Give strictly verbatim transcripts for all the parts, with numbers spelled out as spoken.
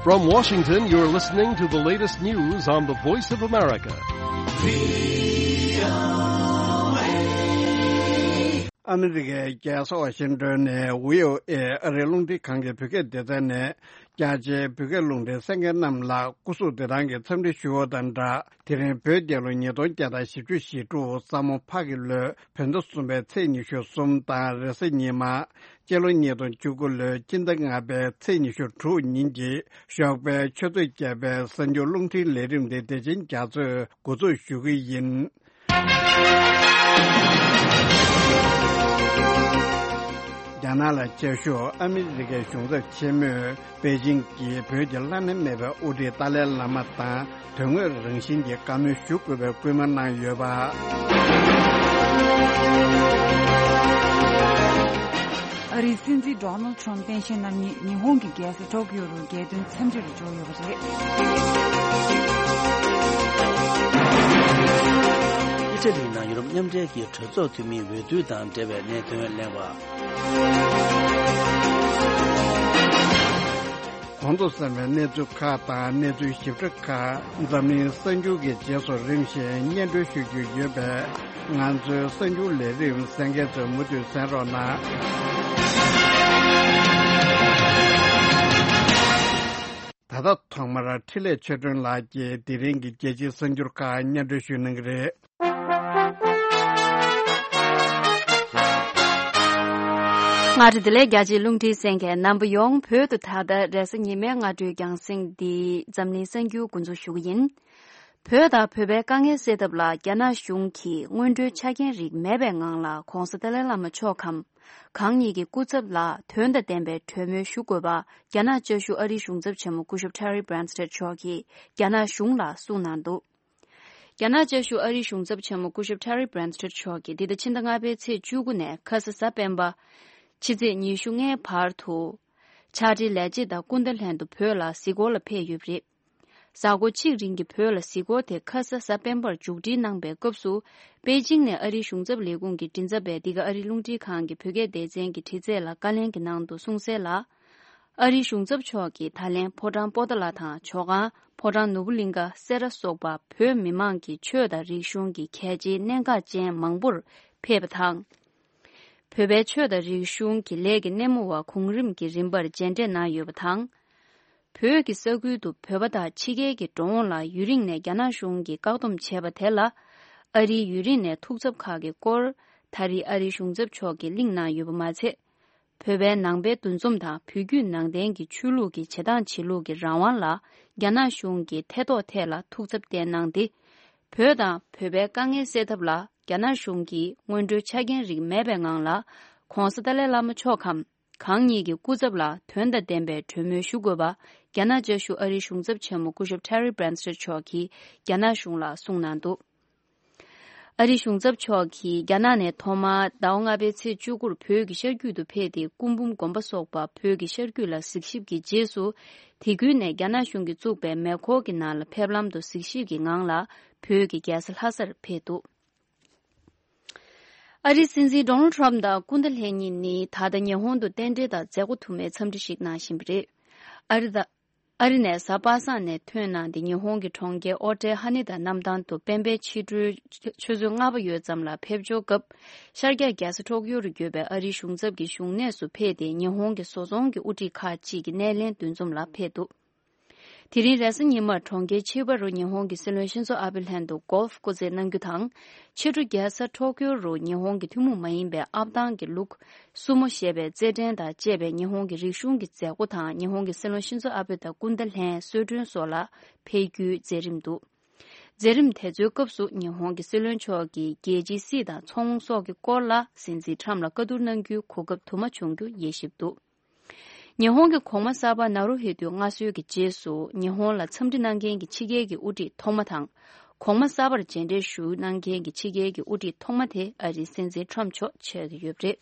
From Washington, you're listening to the latest news on the Voice of America. ཨ་མི་རི་ཀའི་རྒྱལ་ས་ཝ་ཤིང་ཏོན་ནས་ཝི་ཨོ་ཨེ་ཨ་རིའི་རླུང་འཕྲིན་ཁང་གི་བོད་སྐད་སྡེ་ཚན་ནས། རྒྱ་ཆེའི་བོད་སྐད་རླུང་འཕྲིན་གསན་མཁན་རྣམས་ལ་སྐུ་གཟུགས་བདེ་ཐང་གི་འཚམས་འདྲི་ཞུ་བ་དང་སྦྲགས། དེ་རིང་བོད་རྒྱལ་ལོ་ཉིས་སྟོང་བརྒྱ་དང་བཞི་བཅུ་ཞེ་དྲུག་ས་མོ་ཕག་གི་ལོའི་བོད་ཟླ་གསུམ་པའི་ཚེས་ཉི་ཤུ་གསུམ་དང་རེས་གཟའ་ཉི་མ། སྤྱི་ལོ་ཉིས་སྟོང་བཅུ་དགུ་ལོའི་སྤྱི་ཟླ་ལྔ་པའི་ཚེས་ཉི་ཤུ་དྲུག་ཉིན་གྱི་ཞོགས་པའི་ཆུ་ཚོད་བརྒྱད་པའི་གསར་འགྱུར་རླུང་འཕྲིན་ལས་རིམ་དེ་དེ་བཞིན་རྒྱ་མཚོས་འགོ་འཛུགས་ཞུ་གི་ཡིན། རྒྱ་ནག་ལ་བཅའ་བཞུགས་ཨ་མི་རི་ཀའི་གཞུང་ཚབ་ཆེན་མོས་པེ་ཅིང་གིས་བོད་ཀྱི་བླ་ན་མེད་པའི་དབུ་ཁྲིད་ཏཱ་ལའི་བླ་མ་དང་དོན་དངོས་རང་བཞིན་གྱི་བཀའ་མོལ་ཞུ་དགོས་པའི་སྐུལ་མ་གནང་ཡོད་པ། ཨ་རིའི་སྲིད་འཛིན་ཌོ་ནལ་ཁྲམ་སྟངས་དབྱེ་གནང་ཉིན་ཉི་ཧོང་གི་རྒྱལ་ས་ཊོ་ཀིའོ་རུ་རྒྱལ་དོན་འཚམས་འདྲིར་འབྱོར་ཡོད་པ་རེད། ཨི་ཊ་ལིའི་ནང་ཡུ་རོབ་མཉམ་འབྲེལ་གྱི་གྲོས་ཚོགས་འཐུས་མིའི་འོས་བསྡུ་དང་འབྲེལ་བའི་གནད་དོན་གླེང་བ། གོང་དུ་གསན་པའི་གནས་ཚུལ་ཁག་དང་གནས་ཚུལ་ཞིབ་ཕྲ་ཁག་འཛམ་གླིང་གསར་འགྱུར་གྱི་རྗེས་སུ་རིམ་བཞིན་སྙན་སྒྲོན་ཞུ་རྒྱུ་ཡོད་པས། ང་ཚོའི་གསར་འགྱུར་ལས་རིམ་གསན་མཁན་ཚོས་མུ་མཐུད་གསན་རོགས་གནང་། ད་ལྟ་ཐོག་མར་འཕྲིན་ལས་ཆོས་སྒྲོན་ལགས་ཀྱིས་དེ་རིང་གི་རྒྱལ་སྤྱིའི་གསར་འགྱུར་ཁག་སྙན་སྒྲོན་ཞུ་གནང་གི་རེད། སྔ་དྲོ་བདེ་ལེགས། རྒྱ་ཆེའི་རླུང་འཕྲིན་གསན་མཁན་རྣམ་པ་ཡོངས། བོད་དུ་ད་ལྟ་རེས་གཟའ་ཉི་མའི་སྔ་དྲོའི་རྒྱང་སྲིང་འདི་འཛམ་གླིང་གསར་འགྱུར་འགོ་འཛུགས་ཞུ་གི་ཡིན། བོད་དང་བོད་པའི་དཀའ་ངལ་སེལ་ཐབས་ལ་རྒྱ་ནག་གཞུང་གིས་སྔོན་འགྲོའི་ཆ་རྐྱེན་རིགས་མེད་པའི་ངང་ལ་༧གོང་ས་ཏཱ་ལའི་བླ་མ་མཆོག་གམ་གང་ཉིད་ཀྱི་སྐུ་ཚབ་ལ་དོན་དང་ལྡན་པའི་གྲོས་མོལ་ཞུ་དགོས་པ་རྒྱ་ནག་བཅའ་བཞུགས་ཨ་རིའི་གཞུང་ཚབ་ཆེན་མོ་སྐུ་ཞབས་Terry Branstad་མཆོག་གིས་རྒྱ་ནག་གཞུང་ལ་གསུངས་གནང་འདུག་རྒྱ་ནག་བཅའ་བཞུགས་ཨ་རིའི་གཞུང་ཚབ་ཆེན་མོ་སྐུ་ཞབས་Terry Branstad་མཆོག་གིས་འདི་ཟླ་ཕྱི་ཟླ་ལྔ་པའི་ཚེས་བཅུ་དགུ་ནས་ཁ་ས་གཟའ་སྤེན་པ། ཕྱི་ཚེས་ཉི་ཤུ་ལྔའི་བར་དུ། ཕྱག་སྦྲེལ་ལས་བྱེད་དང་སྐུ་ཟླ་ལྷན་དུ་བོད་ལ་གཟིགས་སྐོར་ལ་ཕེབས་ཡོད་པ་རེད། གཟའ་འཁོར་གཅིག་རིང་གི་བོད་ལ་གཟིགས་སྐོར་དེ་ཁ་ས་གཟའ་སྤེན་པར་མཇུག་སྒྲིལ་གནང་པའི་སྐབས་སུ། པེ་ཅིང་ནས་ཨ་རིའི་གཞུང་ཚབ་ལས་ཁུངས་ཀྱི་མགྲིན་ཚབ་པས་འདི་ག་ཨ་རིའི་རླུང་འཕྲིན་ཁང་གི་བོད་སྐད་སྡེ་ཚན་གྱི་དྲི་རྩད་ལ་བཀའ་ལན་གྱི་ནང་དུ་གསུངས་གསལ་ལ། ཨ་རིའི་གཞུང་ཚབ་མཆོག་གིས་ད་ལན་ཕོ་བྲང་པོ་ཏཱ་ལ་དང་ཇོ་ཁང་། ཕོ་བྲང་ནོར་བུ་གླིང་ཀ། སེ་ར་སོགས་པ་བོད་མི་མང་གི་ཆོས་དང་རིག་གཞུང་གི་གལ་ཆེའི་གནད་འགག་ཅན་མང་པོར་ཕེབས་པ་དང་། བོད་པའི་ཆོས་དང་རིག་གཞུང་གི་ལས་ཀྱི་སྣེ་མོ་བ་གོང་རིམ་གྱི་རིམ་པར་མཇལ་འཕྲད་གནང་ཡོད་པ་དང་། བོད་ཀྱི་ས་ཁུལ་དུ་བོད་པ་དང་ཕྱི་རྒྱལ་གྱི་འགྲོ་འོང་ལ་ཡུན་རིང་ནས་རྒྱ་ནག་གཞུང་གིས་བཀག་སྡོམ་བྱས་པ་དེ་ལ། ཨ་རིའི་ཡུན་རིང་ནས་ཐུགས་འཚབ་ཁག་གི་སྐོར། ད་རེས་ཨ་རིའི་གཞུང་ཚབ་མཆོག་གིས་གླེང་གནང་ཡོད་པ་མ་ཚད། བོད་པའི་ནང་པའི་འདུ་འཛོམས་དང་བོད་བརྒྱུད་ནང་བསྟན་གྱི་ཆོས་ལུགས་ཀྱི་བྱེད་སྟངས་བྱེད་ལུགས་ཀྱི་རང་དབང་ལ་རྒྱ་ནག་གཞུང་གིས་ཐེ་གཏོགས་ཐད་ལ་ཐུགས་འཚབ་བསྟན་གནང་སྟེ། བོད་དང་བོད་པའི་དཀའ་ངལ་སེལ་ཐབས་ལ་རྒྱ་ནག་གཞུང་གིས་སྔོན་འགྲོའི་ཆ་རྐྱེན་རིགས་མེད་པའི་ངང་ལ་༧གོང་ས་ཏཱ་ལའི་བླ་མ་མཆོག་གམ་གང་ཉིད་ཀྱི་སྐུ་ཚབ་ལ་དོན་དང་ལྡན་པའི་གྲོས་མོལ་ཞུ་དགོས་པ་རྒྱ་ནག་བཅའ་བཞུགས་ཨ་རིའི་གཞུང་ཚབ་ཆེན་མོ་སྐུ་ཞབས་Terry Branstad་མཆོག་གིས་རྒྱ་ནག་གཞུང་ལ་གསུངས་གནང་འདུག་ཨ་རིའི་གཞུང་ཚབ་མཆོག་གིས་རྒྱ་ནག་ནས་ཐོག་མར་ཟླ་བ་ལྔ་པའི་ཚེས་བཅུ་དགུར་བོད་ཀྱི་ཤར་རྒྱུད་དུ་ཕེབས་ཏེ། སྐུ་འབུམ་དགོན་པ་སོགས་པ་བོད་ཀྱི་ཤར་རྒྱུད་ལ་གཟིགས་ཞིབ་ཀྱི་རྗེས་སུ། དེ་ཁུལ་ནས་རྒྱ་ནག་གཞུང་གིས་བཙུགས་པའི་མེ་འཁོར་གྱི་ནང་ལ་ཕེབས་ལམ་དུ་གཟིགས་ཞིབ་ཀྱི་ངང་ལ་བོད་ཀྱི་རྒྱལ་ས་ལྷ་སར་ཕེབས་འདུག་ཨ་རིའི་སྲིད་འཛིན་ཌོ་ནལ་ཁྲམ་དང་སྐུ་ཟླ་ལྷན་གཉིས་ནི་ད་ལྟ་ཉི་ཧོང་དུ་རྟེན་འབྲེལ་དང་མཛད་སྒོ་དུ་མའི་འཚམས་འདྲི་ཞིག་གནང་བཞིན་པ་རེད། ཨ་རི་དང་། ཨ་རི་ནས་གཟའ་པ་སངས་ནས་ཐོན་གནང་སྟེ། ཉི་ཧོང་གི་གྲོང་ཁྱེར་ཨོ་ཊེ་ཧ་ནི་དང་གནམ་ཐང་དུ་སྤེན་པའི་ཕྱི་དྲོའི་ཆུ་ཚོད་ལྔ་པ་ཡོལ་ཙམ་ལ་ཕེབས་འབྱོར་སྐབས། ཤར་རྒྱག་རྒྱལ་ས་ཊོ་ཀིའོ་རུ་ཡོད་པའི་ཨ་རིའི་གཞུང་ཚབ་ཀྱི་བཞུགས་གནས་སུ་ཕེབས་ཏེ། ཉི་ཧོང་གི་བཟོ་ཚོང་གི་དབུ་ཁྲིད་ཁག་ཅིག་གི་སྣེ་ལེན་འདུ་འཛོམས་ལ་ཕེབས་འདུག་དེ་རིང་རེས་གཟའ་ཉི་མར་གྲོང་ཁྱེར་ཆིབ་པ་རུ་ཉི་ཧོང་གི་སྲིད་བློན་ཤིན་ཛོ་ཨ་བྷེ་ལྷན་དུ་གོལ་ཕ་སྐོར་རྩེད་གནང་རྒྱུ་དང་། ཕྱི་དྲོ་རྒྱལ་ས་ཊོ་ཀིའོ་རུ་ཉི་ཧོང་གི་ཐུན་མོང་མ་ཡིན་པའི་ཨབ་ཐང་གི་ལུགས་སུ་མོ་ཞེས་པའི་རྩེད་འགྲན་དང་བཅས་པའི་ཉི་ཧོང་གི་རིག་གཞུང་གི་མཛད་སྒོ་དང་། ཉི་ཧོང་གི་སྲིད་བློན་ཤིན་ཛོ་ཨ་བྷེ་དང་སྐུ་ཟླ་ལྷན་གསོལ་མགྲོན་སོགས་ལ་ཕེབས་རྒྱུའི་མཛད་རིམ་འདུག་མཛད་རིམ་དེ་ཚོའི་སྐབས་སུ་ཉི་ཧོང་གི་སྲིད་བློན་མཆོག་གིས་རྒྱལ་སྤྱིའི་སྲིད་དང་ཚོང་སོགས་ཀྱི་སྐོར་ལ་སྲིད་འཛིན་ཁྲམ་ལ་བཀའ་བསྡུར་གནང་རྒྱུའི་གོ་སྐབས་དུ་མ་བྱུང་རྒྱུ་དབྱེ་ཞིབ་འདུག་ཉི་ཧོང་གི་གོང་མ་གསར་པ་ནཱ་རུ་ཧི་ཏུའི་མངའ་གསོལ་གྱི་རྗེས་སུ། ཉི་ཧོང་ལ་འཚམས་འདྲི་གནང་མཁན་གྱི་ཕྱི་རྒྱལ་གྱི་དབུ་ཁྲིད་ཐོག་མ་དང་། གོང་མ་གསར་པར་མཇལ་འཕྲད་ཞུ་གནང་མཁན་གྱི་ཕྱི་རྒྱལ་གྱི་དབུ་ཁྲིད་ཐོག་མ་དེ་ཨ་རིའི་སྲིད་འཛིན་ཁྲམ་མཆོག་ཆགས་ཀྱི་ཡོད་པ་རེད།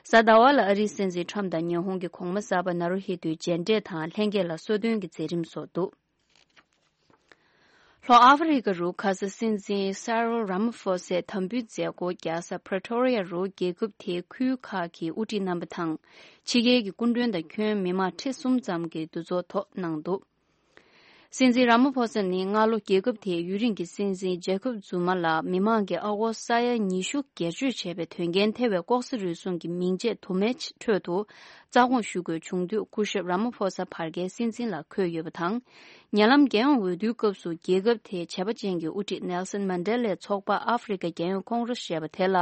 གཟའ་ཟླ་བ་ལ་ཨ་རིའི་སྲིད་འཛིན་ཁྲམ་དང་ཉི་ཧོང་གི་གོང་མ་གསར་པ་ནཱ་རུ་ཧི་ཏུའི་མཇལ་འཕྲད་དང་། ལྷན་རྒྱས་ལ་གསོལ་སྟོན་གྱི་མཛད་རིམ་སོགས་འདུག་ལྷོ་ཨ་ཧྥེ་རི་ཁ་རུ་ཁ་ས་སྲིད་འཛིན་སེ་རིལ་ར་མ་ཧྥོ་སའི་དམ་འབུལ་མཛད་སྒོ་རྒྱག་ས་པྲི་ཊོ་རི་ཡ་རུ་རྒྱལ་ཁབ་དེའི་ཁུལ་ཁག་གི་དབུ་ཁྲིད་རྣམ་པ་དང་། ཕྱི་རྒྱལ་གྱི་སྐུ་མགྲོན་དང་ཁྱོན་མི་མང་ཁྲི་གསུམ་ཙམ་གྱི་འདུ་ཚོགས་ཐོག་གནང་འདུག། སྲིད་འཛིན་ར་མ་ཕོ་ས་ནི་སྔ་ལོ་རྒྱལ་ཁབ་དེའི་ཡུན་རིང་གི་སྲིད་འཛིན་ཇེ་ཁོབ་ཛུ་མ་ལ་མི་མང་གིས་ཨ་སྒོར་ས་ཡ་ཉི་ཤུ་སྒེར་གཅོད་བྱས་པའི་དོན་རྐྱེན་ཐེ་བའི་ལྐོག་ཟ་རུལ་སུངས་ཀྱི་མིང་ཆད་དུ་མའི་ཁྲོད་དུ་རྩ་དགོངས་ཞུ་དགོས་བྱུང་དུས། སྐུ་ཞབས་ར་མ་ཕོ་ས་བར་བརྒལ་སྲིད་འཛིན་ལ་འཁོད་ཡོད་པ་དང་། ཉེ་ལམ་རྒྱལ་ཡོངས་འོས་བསྡུའི་སྐབས་སུ་རྒྱལ་ཁབ་དེའི་བྱས་པ་ཅན་གྱི་དབུ་ཁྲིད་ནེལ་སན་མན་ཌེ་ལའི་ཚོགས་པ་ཨ་ཧྥེ་རི་ཁ་རྒྱལ་ཡོངས་ཀོང་རེས་ཞེས་པ་དེ་ལ།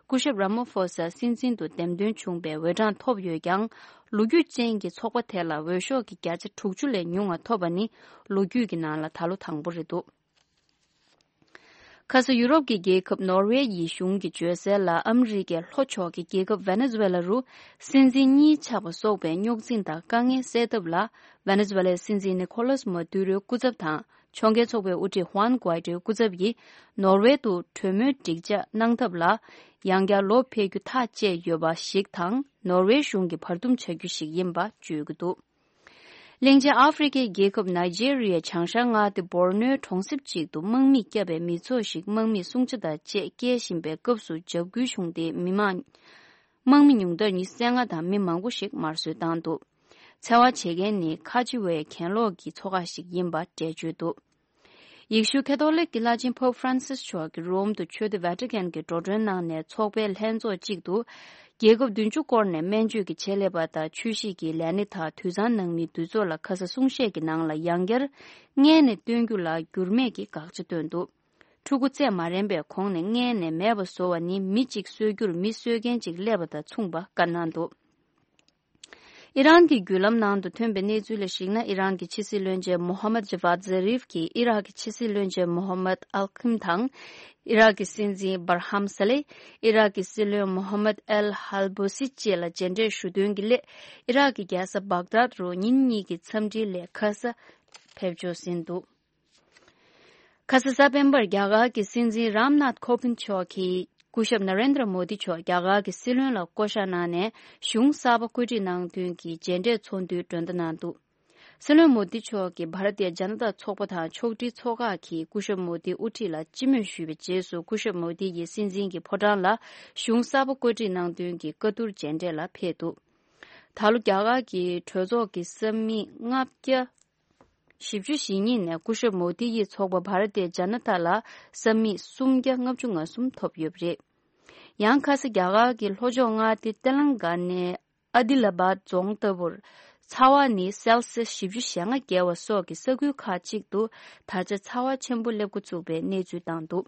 སྐུ་ཞབས་ར་མ་ཕོ་ས་སྲིད་འཛིན་དུ་འདེམས་ཐོན་བྱུང་བའི་འོས་གྲངས་ཐོབ་ཡོད་ཀྱང་། ལོ་རྒྱུས་ཅན་གྱི་ཚོགས་པ་དེ་ལ་འོས་ཤོག་གི་བརྒྱ་ཆ་དྲུག་ཅུ་ལས་ཉུང་བ་ཐོབ་པ་ནི་ལོ་རྒྱུས་ཀྱི་ནང་ལ་ད་ལོ་དང་པོ་རེད་འདུག། ཁ་ས་ཡུ་རོབ་ཀྱི་རྒྱལ་ཁབ་ནོར་ཝེ་ཡི་གཞུང་གིས་བརྗོད་གསལ་ལ། ཨ་མི་རི་ཀའི་ལྷོ་ཕྱོགས་ཀྱི་རྒྱལ་ཁབ་ཝེ་ནེ་ཛུ་ཝེ་ལ་རུ་སྲིད་འཛིན་གཉིས་ཆགས་པ་སོགས་པའི་རྙོག་འཛིང་དང་དཀའ་ངལ་སེལ་ཐབས་ལ། ཝེ་ནེ་ཛུ་ཝེ་ལའི་སྲིད་འཛིན་ནི་ཁོ་ལཱས་མ་ཏུ་རོའི་སྐུ་ཚབ་དང་། ཕྱོགས་འགལ་ཚོགས་པའི་དབུ་ཁྲིད་ཧུའན་གུའེ་ཏོའི་སྐུ་ཚབ་ཀྱིས་ནོར་ཝེ་དུ་གྲོས་མོལ་འགྲིག་འཇགས་གནང་ཐབས་ལ་ཡང་བསྐྱར་ལོག་ཕེབས་རྒྱུ་ཐག་བཅད་ཡོད་པ་ཞིག་དང་། ནོར་ཝེ་གཞུང་གི་བར་འདུམ་བྱ་རྒྱུ་ཞིག་ཡིན་པ་བརྗོད་ཀྱི་འདུག། གླིང་ཆེན་ཨ་ཧྥེ་རི་ཁའི་རྒྱལ་ཁབ་ནཱི་ཇེ་རི་ཡའི་བྱང་ཤར་མངའ་སྡེ་བོར་ནོའི་གྲོང་གསེབ་ཅིག་ཏུ་དམག་མིས་བསྐྱབས་པའི་མི་ཚོགས་ཤིག་དམག་མིས་སྲུང་བྱ་དང་བཅས་བསྐྱལ་བཞིན་པའི་སྐབས་སུ་འཇབ་རྒོལ་བྱུང་སྟེ། མི་མང་དམག་མི་ཉུང་མཐར་ཉི་ཤུ་རྩ་ལྔ་དང་མི་མང་པོ་ཞིག་དམར་གསོད་བཏང་འདུག། འཚེ་བ་བྱེད་མཁན་ནི་ཁ་ཆེ་བའི་གྱེན་ལོག་གི་ཚོགས་ཁག་ཞིག་ཡིན་པ་འགྲེལ་བརྗོད་འདུག། ཡེ་ཤུ་ཁ་ཐོ་ལིག་གི་བླ་ཆེན་པོབ་ཧྥ་རན་སིས་མཆོག་གིས་རོམ་དུ་ཆོས་སྡེ་ཝེ་ཏི་ཀན་གྱི་འགྲོ་གྲོན་གནང་ནས། ཚོགས་པའི་ལྷན་ཚོགས་གཅིག་ཏུ་རྒྱལ་ཁབ་བདུན་ཅུ་སྐོར་ནས་སྨན་བཅོས་ཀྱི་ཆེད་ལས་པ་དང་ཆོས་གཞིས་ཀྱི་ལས་སྣེ་དག་དུད་ཚང་ནང་མིའི་འདུས་ཚོགས་ལ་ཁ་ས་གསུང་བཤད་ཀྱི་ནང་ལ་ཡང་བསྐྱར་མངལ་ནས་བཏོན་རྒྱུ་ལ་འགྱུར་མེད་ཀྱི་དགག་བྱ་བཏོན་འདུག། ཕྲུ་གུ་བཙས་མ་རན་པའི་གོང་ནས་མངལ་ནས་མེད་པ་བཟོ་བ་ནི་མི་གཅིག་གསོད་རྒྱུར་མི་གསོད་མཁན་གཅིག་སླེབས་པ་དང་མཚུངས་པ་བཀའ་གནང་འདུག། ཨི་རན་གྱི་བརྒྱུད་ལམ་ནང་དུ་ཐོན་པའི་གནས་ཚུལ་ལ་གཞིགས་ན། ཨི་རན་གྱི་ཕྱི་སྲིད་བློན་ཆེན་མོ་ཧམ་མད་ཇ་ཝཱད་ཛ་རིབ་ཀྱིས་ཨི་རག་གི་ཕྱི་སྲིད་བློན་ཆེན་མོ་ཧམ་མད་ཨལ་ཁིམ་དང་། ཨི་རག་གི་སྲིད་འཛིན་བར་ཧམ་ས་ལེ། ཨི་རག་གི་སྲིད་བློན་མོ་ཧམ་མད་ཨལ་ཧལ་བོ་སི་བཅས་ལ་མཇལ་འཕྲད་ཞུ་དོན་གྱི་སླད། ཨི་རག་གི་རྒྱལ་ས་བག་དཱད་རུ་ཉིན་གཉིས་ཀྱི་འཚམས་འདྲིའི་སླད་ཁ་ས་ཕེབས་འབྱོར་ཟིན་འདུག། ཁ་ས་གཟའ་སྤེན་པར་རྒྱ་གར་གྱི་སྲིད་འཛིན་རམ་ནཱཐ་ཁོ་བིན་མཆོག་གིས་སྐུ་ཞབས་ན་རེན་དྲ་མོ་དི་མཆོག་རྒྱ་གར་གྱི་སྲིད་བློན་ལ་བསྐོ་བཞག་གནང་ནས། གཞུང་གསར་པ་བཀོད་སྒྲིག་གནང་དོན་གྱི་མཇལ་འཕྲད་ཚོགས་འདུའི་མགྲོན་བརྡ་གནང་འདུག། སྲིད་བློན་མོ་དི་མཆོག་གིས་བྷ་ར་ཏི་ཡ་ཇ་ན་ཏ་ཚོགས་པ་དང་ཕྱོགས་སྒྲིག་ཚོགས་ཁག་གིས་སྐུ་ཞབས་མོ་དིའི་དབུ་ཁྲིད་ལ་སྤྱི་མོས་ཞུས་པའི་རྗེས་སུ། སྐུ་ཞབས་མོ་དི་ཡིས་སྲིད་འཛིན་གྱི་ཕོ་བྲང་ལ་གཞུང་གསར་པ་བཀོད་སྒྲིག་གནང་དོན་གྱི་བཀའ་བསྡུར་མཇལ་འཕྲད་ལ་ཕེབས་འདུག། ད་ལོ་རྒྱ་གར་གྱི་གྲོས་ཚོགས་ཀྱི་ས་མིག་ལྔ་བརྒྱ། བཞི་བཅུ་ཞེ་གཉིས་ནས་སྐུ་ཞབས་མོ་དི་ཡི་ཚོགས་པ་བྷ་ར་ཏི་ཡ་ཇ་ན་ཏ་ལ་ས་མིག་སུམ་བརྒྱ་ལྔ་བཅུ་ང་གསུམ་ཐོབ་ཡོད་པ་རེད། ཡང་ཁ་ས་རྒྱ་གར་གྱི་ལྷོ་ཕྱོགས་མངའ་སྡེ་ཏེ་ལང་ག་ནའི་ཨ་དི་ལ་བཱད་རྫོང་ལྟ་བུར་ཚ་བ་ནི་སེལ་སི་ཡས་བཞི་བཅུ་ཞེ་ལྔ་བརྒལ་བ་སོགས་ཀྱི་ས་ཁུལ་ཁག་ཅིག་ཏུ་ད་ཆ་ཚ་བ་ཆེན་པོ་སླེབས་འགོ་བཙུགས་པའི་གནས་ཚུལ་བཏང་འདུག།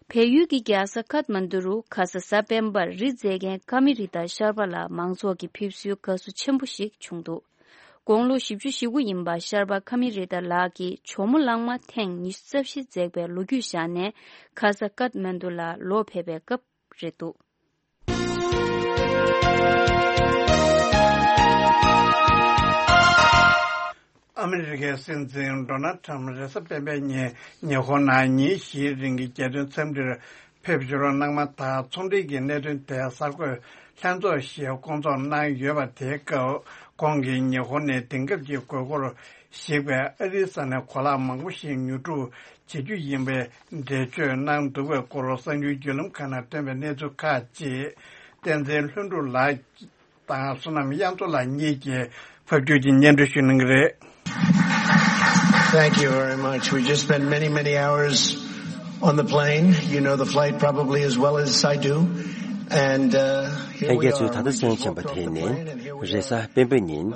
བལ་ཡུལ་གྱི་རྒྱལ་ས་ཀཏ་མན་ཌུ་རུ་ཁ་ས་གཟའ་སྤེན་པར་རི་འཛེག་མཁན་ཀ་མི་རི་ཏ་ཤར་པ་ལ་མང་ཚོགས་ཀྱིས་ཕེབས་བསུའི་དགའ་བསུ་ཆེན་པོ་ཞིག་བྱུང་འདུག། དགུང་ལོ་བཞི་བཅུ་ཞེ་དགུ་ཡིན་པ་ཤར་པ་ཀ་མི་རི་ཏ་ལགས་ཀྱིས་ཇོ་མོ་གླང་མ་ཐེངས་ཉི་ཤུ་རྩ་བཞི་འཛེགས་པའི་ལོ་རྒྱུས་བཞག་ནས། ཁ་ས་ཀཏ་མན་ཌུ་ལ་ལོག་ཕེབས་པའི་སྐབས་རེད་འདུག། ཨ་མི་རི་ཀའི་སྲིད་འཛིན་ཌོ་ནལ་ཊམ་རེས་གཟའ་སྤེན་པའི་ཉིན་ཉི་ཧོང་ནང་ཉིན་བཞིའི་རིང་གི་རྒྱལ་དོན་འཚམས་འདྲིར་ཕེབས་འབྱོར་གནང་མ་ཐག། ཚོང་འབྲེལ་གྱི་གནད་དོན་དེ་གསར་འགོད་ལྷན་ཚོགས་ཤིག་བསྐོང་ཚོགས་གནང་ཡོད་པ། དེའི་སྐབས་ཁོང་གིས་ཉི་ཧོང་ནས་དེང་སྐབས་ཀྱི་དགོས་མཁོར་གཞིགས་པའི་ཨ་རིའི་ས་ནས་གོ་ལག་མང་པོ་ཞིག་ཉོ་སྒྲུབ་བྱེད་རྒྱུ་ཡིན་པའི་འགྲེལ་བརྗོད་གནང་འདུག་པའི་སྐོར་གསར་འགྱུར་བརྒྱུད་ལམ་ཁག་ནང་ཐོན་པའི་གནས་ཚུལ་ཁག་ཅིག་བསྟན་འཛིན་ལྷུན་གྲུབ་ལགས་དང་བསོད་ནམས་དབྱངས་མཚོ་ལགས་གཉིས་ཀྱིས་ཕབ་སྒྱུར་གྱིས་སྙན་སྒྲོན་ཞུ་གནང་གི་རེད། Thank you very much. We just spent many, many hours on the plane. You know the flight probably as well as I do. And uh, here ལྷན་we རྒྱས་ཚོས། are. ད་ལྟ་གསན་མཁྱེན་པ་དེ་ནི་རེས་གཟའ་སྤེན་པ་ཉིན་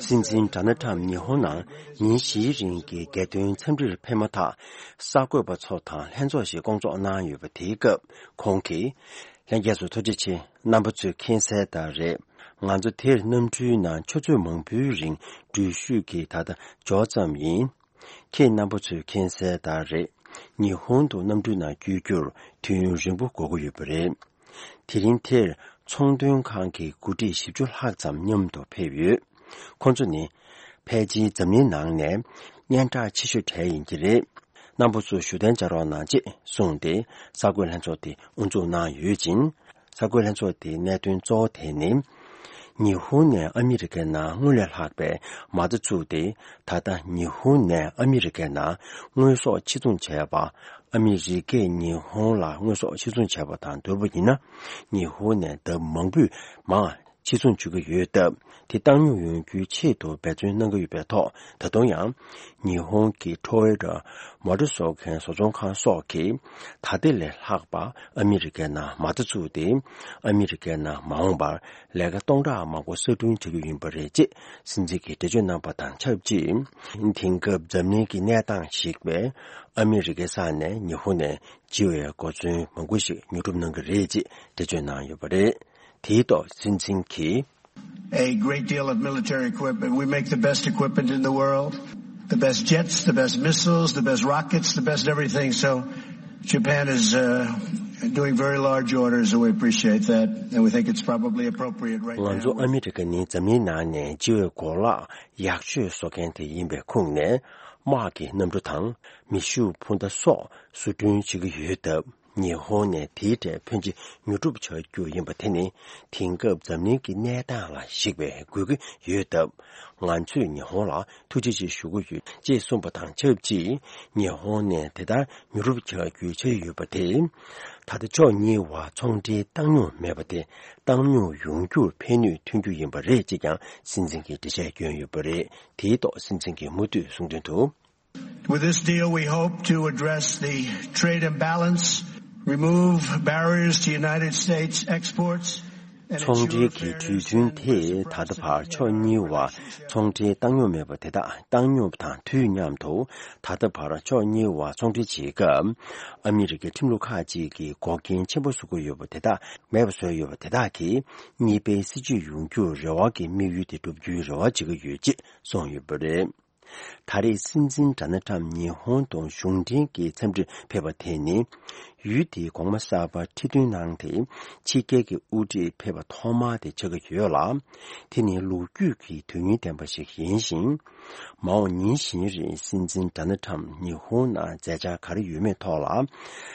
སྲིད་འཛིན་ཌོ་ནལ་ཊམ་ཉི་ཧོང་ནང་ཉིན་བཞིའི་རིང་གི་རྒྱལ་དོན་འཚམས་འདྲིར་ཕེབས་མ་ཐག། གསར་འགོད་པ་ཚོ་དང་ལྷན་ཚོགས་ཤིག་བསྐོང་ཚོགས་གནང་ཡོད་པ། དེའི་སྐབས་ཁོང་གིས། ལྷན་རྒྱས་ཚོ་ཐུགས་རྗེ་ཆེ། རྣམ་པ་ཚོས་མཁྱེན་གསལ་ལྟར་རེད། ང་ཚོ་དེར་གནམ་གྲུའི་ནང་ཆུ་ཚོད་མང་པོའི་རིང་འགྲུལ་བཞུད་ཀྱིས་ད་ལྟ་འབྱོར་ཙམ་ཡིན། ཁྱེད་རྣམ་པ་ཚོས་མཁྱེན་གསལ་ལྟར་རེད། ཉི་ཧོང་དུ་གནམ་གྲུའི་ནང་བསྐྱོད་རྒྱུར་དུས་ཡུན་རིང་པོ་འགོར་གྱི་ཡོད་པ་རེད། དེ་རིང་དེར་ཚོང་དོན་ཁང་གི་འགོ་ཁྲིད་བཞི་བཅུ་ལྷག་ཙམ་མཉམ་དུ་ཕེབས་ཡོད། ཁོང་ཚོ་ནི་ཕལ་ཆེར་འཛམ་གླིང་ནང་ནས་སྙན་གྲགས་ཆེ་ཤོས་གྲས་ཡིན་གྱི་རེད། རྣམ་པ་ཚོ་བཞུགས་གདན་འཇགས་རོགས་གནང་ཅེས་གསུངས་ཏེ། གསར་འགོད་ལྷན་ཚོགས་དེ་དབུ་འཛུགས་གནང་ཡོད་ཅིང་། གསར་འགོད་ལྷན་ཚོགས་དེའི་གནད་དོན་གཙོ་བོ་དེ་ནི། ཉི་ཧོང་ནས་ཨ་མི་རི་ཀའི་ནང་སྔོན་ལས་ལྷག་པའི་མ་རྩ་བཙུགས་ཏེ། ད་ལྟ་ཉི་ཧོང་ནས་ཨ་མི་རི་ཀའི་ནང་དངོས་ཟོག་ཕྱིར་ཚོང་བྱས་པ། ཨ་མི་རི་ཀས་ཉི་ཧོང་ལ་དངོས་ཟོག་ཕྱིར་ཚོང་བྱས་པ་དང་བསྡུར་བ་ཡིན་ན། ཉི་ཧོང་ནས་ལྡབ་མང་པོས་མང་ཕྱིར་ཚོང་བྱེད་ཀྱི་ཡོད་སྟབས། དེ་བཏང་སྙོམས་ཡོང་རྒྱུའི་ཆེད་དུ་འབད་བརྩོན་གནང་གི་ཡོད་པའི་ཐོག་ད་དུང་ཡང་ཉི་ཧོང་གི་ཊོ་ཡོ་ཊ་མོ་ཊ་བཟོ་མཁན་བཟོ་ཚོང་ཁང་སོགས་ཀྱིས་ད་ལྟ་ལས་ལྷག་པ་ཨ་མི་རི་ཀའི་ནང་མ་རྩ་བཙུགས་ཏེ། ཨ་མི་རི་ཀའི་ནང་མ་འོངས་པར་ལས་ཀ་སྟོང་ཕྲག་མང་པོ་གསར་སྐྲུན་བྱ་རྒྱུ་ཡིན་པ་རེད་ཅེས་སྲིད་འཛིན་གྱིས་འགྲེལ་བརྗོད་གནང་པ་དང་ཆབས་ཅིག་དེང་སྐབས་འཛམ་གླིང་གི་གནས་སྟངས་ཤིག་པས། ཨ་མི་རི་ཀའི་ས་ནས་ཉི་ཧོང་ནས་བརྗེ་བའི་གོ་མཚོན་མང་པོ་ཞིག་ཉོ་སྒྲུབ་གནང་གི་རེད་ཅེས་འགྲེལ་བརྗོད་གནང་ཡོད་པ་རེད། དེའི་ཐོག་སྲིད་འཛིན་གྱིས། A great deal of military equipment. We make the best equipment in the world, the best jets, the best missiles, the best rockets, the best everything. So Japan is uh, doing very large orders, and we appreciate that. And we think it's probably appropriate right now. ང་ཚོ་ཨ་མི་རི་ཀ་ནི་འཛམ་གླིང་ནང་ནས་བརྗེ་བའི་གོ་ལག་ཡག་ཤོས་བཟོ་མཁན་དེ་ཡིན་པའི་ཁོངས་ནས། དམག་གི་གནམ་གྲུ་དང་མེ་ཤུགས་འཕུར་མདའ་སོགས་བཟོ་སྐྲུན་བྱེད་ཀྱི་ཡོད་སྟབས། ཉི་ཧོང་ནས་དེའི་གྲས་ཕོན་ཆེ་ཉོ་སྒྲུབ་བྱ་རྒྱུ་ཡིན་པ་དེ་ནི། དེང་སྐབས་འཛམ་གླིང་གི་གནས་སྟངས་ལ་གཞིགས་པའི་དགོས་ཀྱི་ཡོད་སྟབས། ང་ཚོས་ཉི་ཧོང་ལ་ཐུགས་རྗེ་ཆེ་ཞུ་གི་ཡོད་ཅེས་གསུངས་པ་དང་ཆབས་ཅིག་ཉི་ཧོང་ནས་དེ་ལྟར་ཉོ་སྒྲུབ་བྱ་རྒྱུའི་འཆར་གཞི་ཡོད་པ་དེ། ད་ལྟ་ཕྱོགས་གཉིས་བར་ཚོང་འབྲེལ་བཏང་སྙོམས་མེད་པ་དེ་བཏང་སྙོམས་ཡོང་རྒྱུར་ཕན་ནུས་ཐོན་རྒྱུ་ཡིན་པ་རེད་ཅེས་ཀྱང་སྲིད་འཛིན་གྱིས་འགྲེལ་བཤད་བསྐྱོན་ཡོད་པ་རེད། དེའི་ཐོག་སྲིད་འཛིན་གྱིས་མུ་མཐུད་གསུངས་དོན་དུ། With this deal, we hope to address the trade imbalance, remove barriers to United States exports, and ཚོང་འབྲེལ་གྱི་གྲོས་མཐུན་དེས་ད་ལྟ་བར་ཕྱོགས་གཉིས་བར་ཚོང་འབྲེལ་བཏང་སྙོམས་མེད་པ་དེ་དག་བཏང་སྙོམས་དང་དུས་མཉམ་དུ། ད་ལྟ་བར་ཕྱོགས་གཉིས་བར་ཚོང་འབྲེལ་བྱེད་སྐབས། ཨ་མི་རི་ཀའི་ཁྲིམས་ལུགས་ཁག་ཅིག་གིས་འགོག་རྐྱེན་ཆེན་པོ་བཟོ་གི་ཡོད་པ་དེ་དག་མེད་པ་བཟོས་ཡོད་པ་དེ་དག་གིས་གཉིས་ཕན་སྲིད་ཇུས་ཡོང་རྒྱུར་རེ་བ་གི་དམིགས་ཡུལ་དེ་འགྲུབ་རྒྱུའི་རེ་བ་བྱེད་ཀྱི་ཡོད་ཅེས་གསུངས་ཡོད་པ་རེད། ད་རེས་སྲིད་འཛིན་ཌོ་ནལ་ཊམ་ཉི་ཧོང་དུ་གཞུང་འབྲེལ་གྱི་འཚམས་འདྲིར་ཕེབས་པ་དེ་ནི། ཡུལ་དེའི་གོང་མ་གསར་པ་ཁྲི་འདོན་གནང་སྟེ། ཕྱི་རྒྱལ་གྱི་དབུ་ཁྲིད་ཕེབས་པ་ཐོག་མ་དེ་ཆགས་ཀྱི་ཡོད་ལ། དེ་ནི་ལོ་རྒྱུས་ཀྱི་དོན་སྙིང་ལྡན་པ་ཞིག་ཡིན་ཞིང་། མ་འོངས་ཉིན་བཞིན་རིང་སྲིད་འཛིན་ཌོ་ནལ་ཊམ་ཉི་ཧོང་ནང་མཛད་འཆར་ག་རེ་ཡོད་མེད་ཐོག་ལ།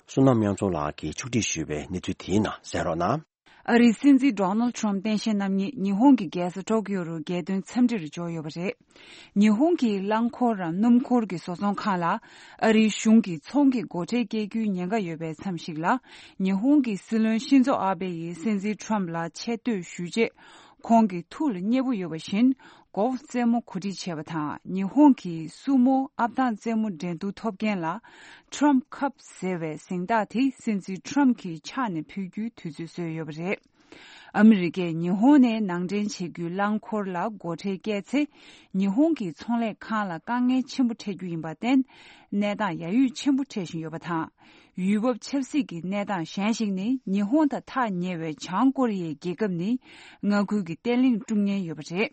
བསོད་ནམས་དབྱངས་འཛོམས་ལགས་ཀྱིས་ཕྱོགས་སྒྲིག་ཞུས་པའི་གནས་ཚུལ་དེའི་ནང་གསན་རོགས་གནང་། ཨ་རིའི་སྲིད་འཛིན་ཌོ་ནལ་ཁྲམ་སྟངས་དབྱེ་རྣམ་གཉིས་ཉི་ཧོང་གི་རྒྱལ་ས་ཊོ་ཀིའོ་རུ་རྒྱལ་དོན་འཚམས་འདྲིར་འབྱོར་ཡོད་པ་རེད། ཉི་ཧོང་གི་རླངས་འཁོར་རམ་སྣུམ་འཁོར་གྱི་བཟོ་ཚོང་ཁང་ལ་ཨ་རིའི་གཞུང་གིས་ཚོང་གི་སྒོ་ཁྲལ་བཀལ་རྒྱུའི་ཉེན་ཁ་ཡོད་པའི་མཚམས་ཤིག་ལ། ཉི་ཧོང་གི་སྲིད་བློན་ཤིན་ཛོ་ཨ་བྷེ་ཡིས་སྲིད་འཛིན་ཁྲམ་ལ་ཆེ་བསྟོད་ཞུས་རྗེས། ཁོང་གི་ཐུགས་ལ་མཉེས་པོ་ཡོད་པ་བཞིན། གོལ་ཕ་རྩེད་མོ་གོ་སྒྲིག་བྱས་པ་དང་། ཉི་ཧོང་གི་སུ་མོ་ཨབ་ཐང་རྩེད་མོ་འགྲན་བསྡུར་ཐོབ་མཁན་ལ། ཊམ་ཁབ་ཟེར་བའི་གཟེངས་རྟགས་དེ་སྲིད་འཛིན་ཊམ་གྱི་ཕྱག་ནས་ཕུལ་རྒྱུའི་དུས་ཚོད་བཟོས་ཡོད་པ་རེད། ཨ་མི་རི་ཀས་ཉི་ཧོང་ནས་ནང་འདྲེན་བྱེད་རྒྱུའི་རླངས་འཁོར་ལ་སྒོ་ཁྲལ་བཀལ་ཚེ། ཉི་ཧོང་གི་ཚོང་ལས་ཁང་ལ་དཀའ་ངལ་ཆེན་པོ་འཕྲད་རྒྱུ་ཡིན་པར་བརྟེན། གནས་སྟངས་ཡ་ཡུས་ཆེན་པོ་འཕྲད་བཞིན་ཡོད་པ་དང་། ཡུལ་བབ་ཆབ་སྲིད་ཀྱི་གནས་སྟངས་གཞན་ཞིག་ནི། ཉི་ཧོང་དང་ཐག་ཉེ་བའི་བྱང་ཀོ་རི་ཡའི་རྒྱལ་ཁབ་ནི། མངའ་ཁུལ་གྱི་བརྟན་ལྷིང་སྲུང་མཁན་ཡོད་པ་རེད།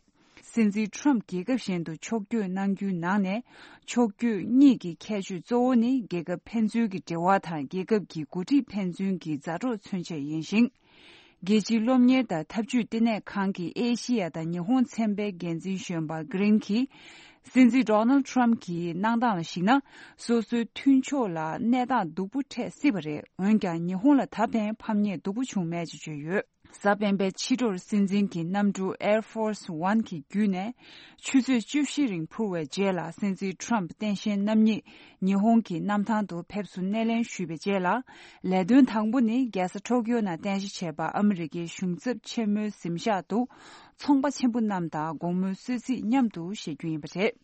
སྲིད་འཛིན་ཁྲམ་རྒྱལ་ཁབ་གཞན་དུ་ཕྱོགས་བསྐྱོད་གནང་རྒྱུའི་ནང་ནས། ཕྱོགས་བསྐྱོད་གཉིས་ཀྱི་ཁྱད་ཆོས་གཙོ་བོ་ནི། རྒྱལ་ཁབ་ཕན་ཚུན་གྱི་འབྲེལ་བ་དང་། རྒྱལ་ཁབ་ཀྱི་འགོ་ཁྲིད་ཕན་ཚུན་གྱི་མཛའ་གྲོགས་མཚོན་ཆེད་ཡིན་ཞིང་། རྒྱལ་སྤྱིའི་སློབ་གཉེར་དང་འཐབ་ཇུས་ལྟེ་གནས་ཁང་གི་ཨེ་ཤི་ཡ་དང་ཉི་ཧོང་ཚན་པའི་འགན་འཛིན་གཞོན་པ་གྷི་རིན་གྱིས། སྲིད་འཛིན་ཌོ་ནལ་ཁྲམ་གྱི་གནང་སྟངས་ལ་གཞིགས་ན། སོ་སོའི་མཐུན་ཕྱོགས་ལ་གནས་སྟངས་སྡུག་པོ་འཕྲད་སྲིད་པ་རེད། འོན་ཀྱང་ཉི་ཧོང་ལ་ད་ཕན་ཕམ་ཉེས་སྡུག་པོ་བྱུང་མེད་ཅེས་བརྗོད་ཡོད། གཟའ་སྤེན་པའི་ཕྱི་དྲོར་སྲིད་འཛིན་གྱི་གནམ་གྲུ་Air Force One གྱི་བརྒྱུད་ནས། ཆུ་ཚོད་བཅུ་བཞི་རིང་འཕུར་བའི་རྗེས་ལ། སྲིད་འཛིན་ཁྲམ་སྟངས་དབྱེ་རྣམ་གཉིས་ཉི་ཧོང་གི་གནམ་ཐང་དུ་ཕེབས་བསུ་སྣེ་ལེན་ཞུས་པའི་རྗེས་ལ། ལས་དོན་དང་པོ་ནི། རྒྱལ་ས་ཊོ་ཀིའོ་ནང་རྟེན་གཞི་བྱས་པ་ཨ་མི་རི་ཀའི་གཞུང་ཚབ་ཆེན་མོའི་གཟིམ་ཤག་ཏུ། ཚོང་པ་ཆེན་པོ་རྣམས་དང་དགོང་མོའི་གསོལ་ཚིགས་མཉམ་དུ་བཞེས་རྒྱུ་ཡིན་པ་རེད།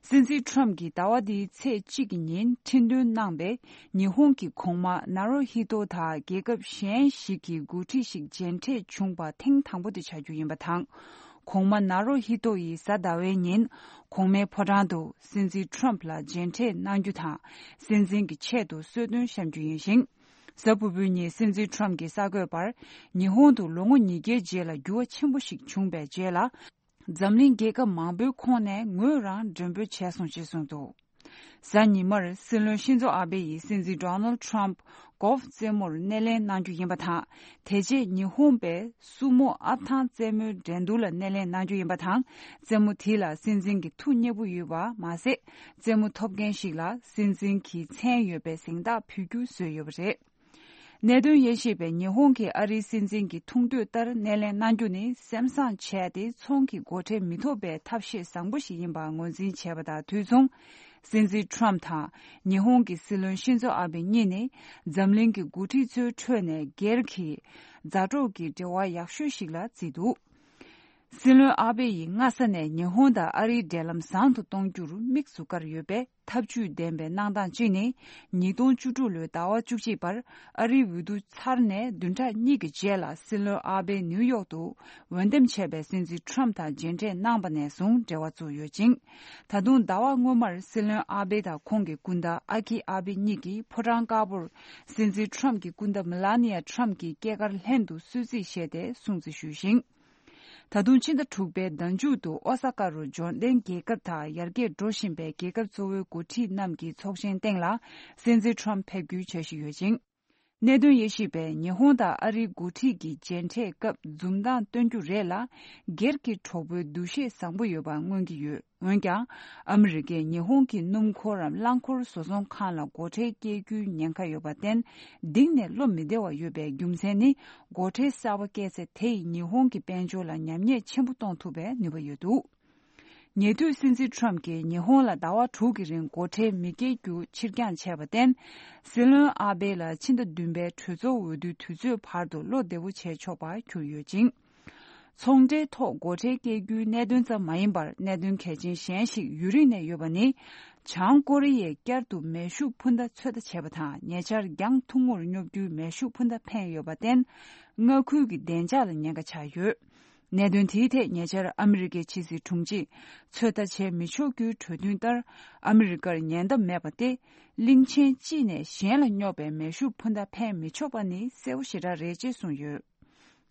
སྲིད་འཛིན་ཁྲམ་གྱིས་ཟླ་བ་འདིའི་ཚེས་གཅིག་གི་ཉིན་ཁྲི་འདོན་གནང་བའི་ཉི་ཧོང་གི་གོང་མ་ནཱ་རོ་ཧི་ཏོ་དང་རྒྱལ་ཁབ་གཞན་ཞིག་གི་འགོ་ཁྲིད་ཞིག་མཇལ་འཕྲད་བྱུང་བ་ཐེངས་དང་པོ་དེ་ཆགས་རྒྱུ་ཡིན་པ་དང་། གོང་མ་ནཱ་རོ་ཧི་ཏོ་ཡིས་གཟའ་ཟླ་བའི་ཉིན་གོང་མའི་ཕོ་བྲང་དུ་སྲིད་འཛིན་ཁྲམ་ལ་མཇལ་འཕྲད་གནང་རྒྱུ་དང་། སྲིད་འཛིན་གྱི་ཆེད་དུ་གསོལ་སྟོན་བཤམས་རྒྱུ་ཡིན་ཞིང་། གཟའ་ཕུར་བུའི་ཉིན་སྲིད་འཛིན་ཁྲམ་གྱིས་གསར་འགོད་པར། ཉི་ཧོང་དུ་ལོ་ངོ་ཉིས་བརྒྱའི་རྗེས་ལ་འགྱུར་བ་ཆེན་པོ་ཞིག་བྱུང་བའི་རྗེས་ལ། འཛམ་གླིང་རྒྱལ་ཁབ་མང་པོའི་ཁོངས་ནས་ངོས་རང་མགྲོན་འབོད་བྱས་སོང་ཞེས་གསུངས་འདུག། གཟའ་ཉི་མར་སྲིད་བློན་ཤིན་ཛོ་ཨ་བྷེ་ཡིས་སྲིད་འཛིན་ཌོ་ནལ་ཁྲམ་གོལ་ཕ་རྩེད་མོར་སྣེ་ལེན་གནང་རྒྱུ་ཡིན་པ་དང་། དེ་རྗེས་ཉི་ཧོང་པས་སུ་མོ་ཨབ་ཐང་རྩེད་མོའི་འགྲན་བསྡུར་ལ་སྣེ་ལེན་གནང་རྒྱུ་ཡིན་པ་དང་། རྩེད་མོ་དེ་ལ་སྲིད་འཛིན་གྱི་ཐུགས་མཉེས་པོ་ཡོད་པ་མ་ཟད། རྩེད་མོ་ཐོབ་མཁན་ཞིག་ལ་སྲིད་འཛིན་གྱི་མཚན་ཡོད་པའི་གཟེངས་རྟགས་ཕུལ་རྒྱུ་བཟོས་ཡོད་པ་རེད། གནད་དོན་དབྱེ་ཞིབ་པས་ཉི་ཧོང་གིས་ཨ་རིའི་སྲིད་འཛིན་གྱི་ཐུགས་འདོད་ལྟར་སྣེ་ལེན་གནང་རྒྱུ་ནི་སེམས་བཟང་བྱས་ཏེ་ཚོང་གི་སྒོ་ཁྲལ་མི་ཐོབ་པའི་ཐབས་ཤེས་བཟང་པོ་ཞིག་ཡིན་པ་ངོས་འཛིན་བྱས་པ་དང་དུས་མཚུངས། སྲིད་འཛིན་ཁྲོམ་དང་ཉི་ཧོང་གི་སྲིད་བློན་ཤིན་ཛོ་ཨ་བེ་གཉིས་ནི་འཛམ་གླིང་གི་འགོ་ཁྲིད་ཚོའི་ཁྲོད་ནས་སྒེར་གྱི་མཛའ་གྲོགས་ཀྱི་འབྲེལ་བ་ཡག་ཤོས་ཤིག་ལ་བརྩིས་འདུག་སྲིད་བློན་ཨ་བེ་ཡིས་སྔ་ས་ནས་ཉི་ཧོང་དང་ཨ་རིའི་འབྲེལ་ལམ་བཟང་དུ་གཏོང་རྒྱུར་དམིགས་སུ་བཀར་ཡོད་པས། ཐབས་ཇུས་ལྡན་པའི་གནང་སྟངས་གཅིག་ནི། ཉིས་སྟོང་བཅུ་དྲུག་ལོའི་ཟླ་བ་བཅུ་གཅིག་པར་ཨ་རིའི་འོས་བསྡུ་ཚར་ནས་བདུན་ཕྲག་གཉིས་ཀྱི་རྗེས་ལ་སྲིད་བློན་ཨ་བེ་ནིའུ་ཡོག་ཏུ་འོས་འདེམས་བྱས་པའི་སྲིད་འཛིན་ཁྲོམ་དང་མཇལ་འཕྲད་གནང་པ་ནས་བཟུང་འབྲེལ་བ་བཙུགས་ཡོད་ཅིང་། ད་དུང་ཟླ་བ་སྔོན་མར་སྲིད་བློན་ཨ་བེ་དང་ཁོང་གི་སྐུ་ཟླ་ཨ་ཁི་ཨ་བེ་གཉིས་ཀྱིས་ཕོ་བྲང་དཀར་པོར་སྲིད་འཛིན་ཁྲོམ་གྱི་སྐུ་ཟླ་མེ་ལ་ནི་ཡ་ཁྲོམ་གྱི་སྐྱེས་སྐར་ལྷན་དུ་གསོལ་ཚིགས་བཞེས་ཏེ་སྲུང་བརྩི་ཞུས་ཤིང་། ད་དུང་ཕྱི་ཟླ་དྲུག་པའི་ཟླ་མཇུག་ཏུ་ཨོ་ས་ཀ་རུ་འབྱོར་ལྡན་རྒྱལ་ཁབ་དང་ཡར་རྒྱས་འགྲོ་བཞིན་པའི་རྒྱལ་ཁབ་གཙོ་བོའི་འགོ་ཁྲིད་རྣམས་ཀྱི་ཚོགས་ཆེན་སྟེང་ལ་སྲིད་འཛིན་ཁྲོམ་ཕེབས་རྒྱུའི་འཆར་གཞི་ཡོད་ཅིང་། གནད་དོན་དབྱེ་ཞིབ་པས་ཉི་ཧོང་དང་ཨ་རིའི་འགོ་ཁྲིད་ཀྱི་མཇལ་འཕྲད་སྐབས་འཛུམ་མདངས་སྟོན་རྒྱུ་རེད་ལ། སྒེར་གྱི་གྲོགས་པོའི་འདུ་ཤེས་བཟང་པོ་ཡོད་པ་མངོན་གྱི་ཡོད། འོན་ཀྱང་། ཨ་མི་རི་ཀས་ཉི་ཧོང་གི་སྣུམ་འཁོར་རམ་རླངས་འཁོར་བཟོ་ཚོང་ཁང་ལ་སྒོ་ཁྲལ་སྐྱེལ་རྒྱུའི་ཉེན་ཁ་ཡོད་པར་བརྟེན། གཏིང་ནས་བློ་མི་བདེ་བ་ཡོད་པའི་རྒྱུ་མཚན་ནི། སྒོ་ཁྲལ་གསར་པ་བཀལ་ཚེ་དེ་ཡིས་ཉི་ཧོང་གི་དཔལ་འབྱོར་ལ་ཉམས་ཉེས་ཆེན་པོ་གཏོང་ཐུབ་པའི་ནུས་པ་ཡོད་འདུག་ཉེ་དུས་སྲིད་འཛིན་ཁྲོམ་གྱིས་ཉི་ཧོང་ལ་ཟླ་བ་དྲུག་གི་རིང་སྒོ་ཁྲལ་མི་སྐྱེལ་རྒྱུ་ཕྱིར་འགྱངས་བྱས་པར་བརྟེན། སྲིད་བློན་ཨ་བེ་ལ་ཕྱི་ཟླ་བདུན་པའི་གྲོས་ཚོགས་འོས་བསྡུའི་དུས་ཚོད་བར་དུ་བློ་བདེ་པོ་བྱས་ཆོག་པར་གྱུར་ཡོད་ཅིང་། ཚོང་འབྲེལ་ཐོག་སྒོ་ཁྲལ་སྐྱེལ་རྒྱུའི་གནད་དོན་ཙམ་མ་ཡིན་པར་གནད་དོན་གལ་ཆེན་གཞན་ཞིག་ཡུན་རིང་ནས་ཡོད་པ་ནི། བྱང་ཀོ་རི་ཡས་བསྐྱར་དུ་མེ་ཤུགས་འཕུར་མདའ་ཚོད་ལྟ་བྱས་པ་དང་ཉེ་ཆར་རྒྱང་ཐུང་ངུར་སྙོབ་རྒྱུའི་མེ་ཤུགས་འཕུར་མདའ་འཕེན་ཡོད་པར་བརྟེན། མངའ་ཁུལ་གྱི་བདེ་འཇགས་ལ་ཉེན་ཁ་ཆགས་ཡོད། གནད་དོན་དེའི་ཐད་ཉེ་ཆར་ཨ་མི་རི་ཀའི་ཕྱི་སྲིད་དྲུང་ཆེས་ཚོད་ལྟ་བྱེད་མི་ཆོག་རྒྱུའི་གྲོས་མཐུན་ལྟར་ཨ་མི་རི་ཀར་ཉེན་བརྡ་མེད་པ་སྟེ། གླིང་ཆེན་གཅིག་ནས་གཞན་ལ་སྙོབ་པའི་མེ་ཤུགས་འཕུར་མདའ་འཕེན་མི་ཆོག་པ་ནི་གསལ་པོ་ཞེ་དྲག་རེད་ཅེས་གསུངས་ཡོད།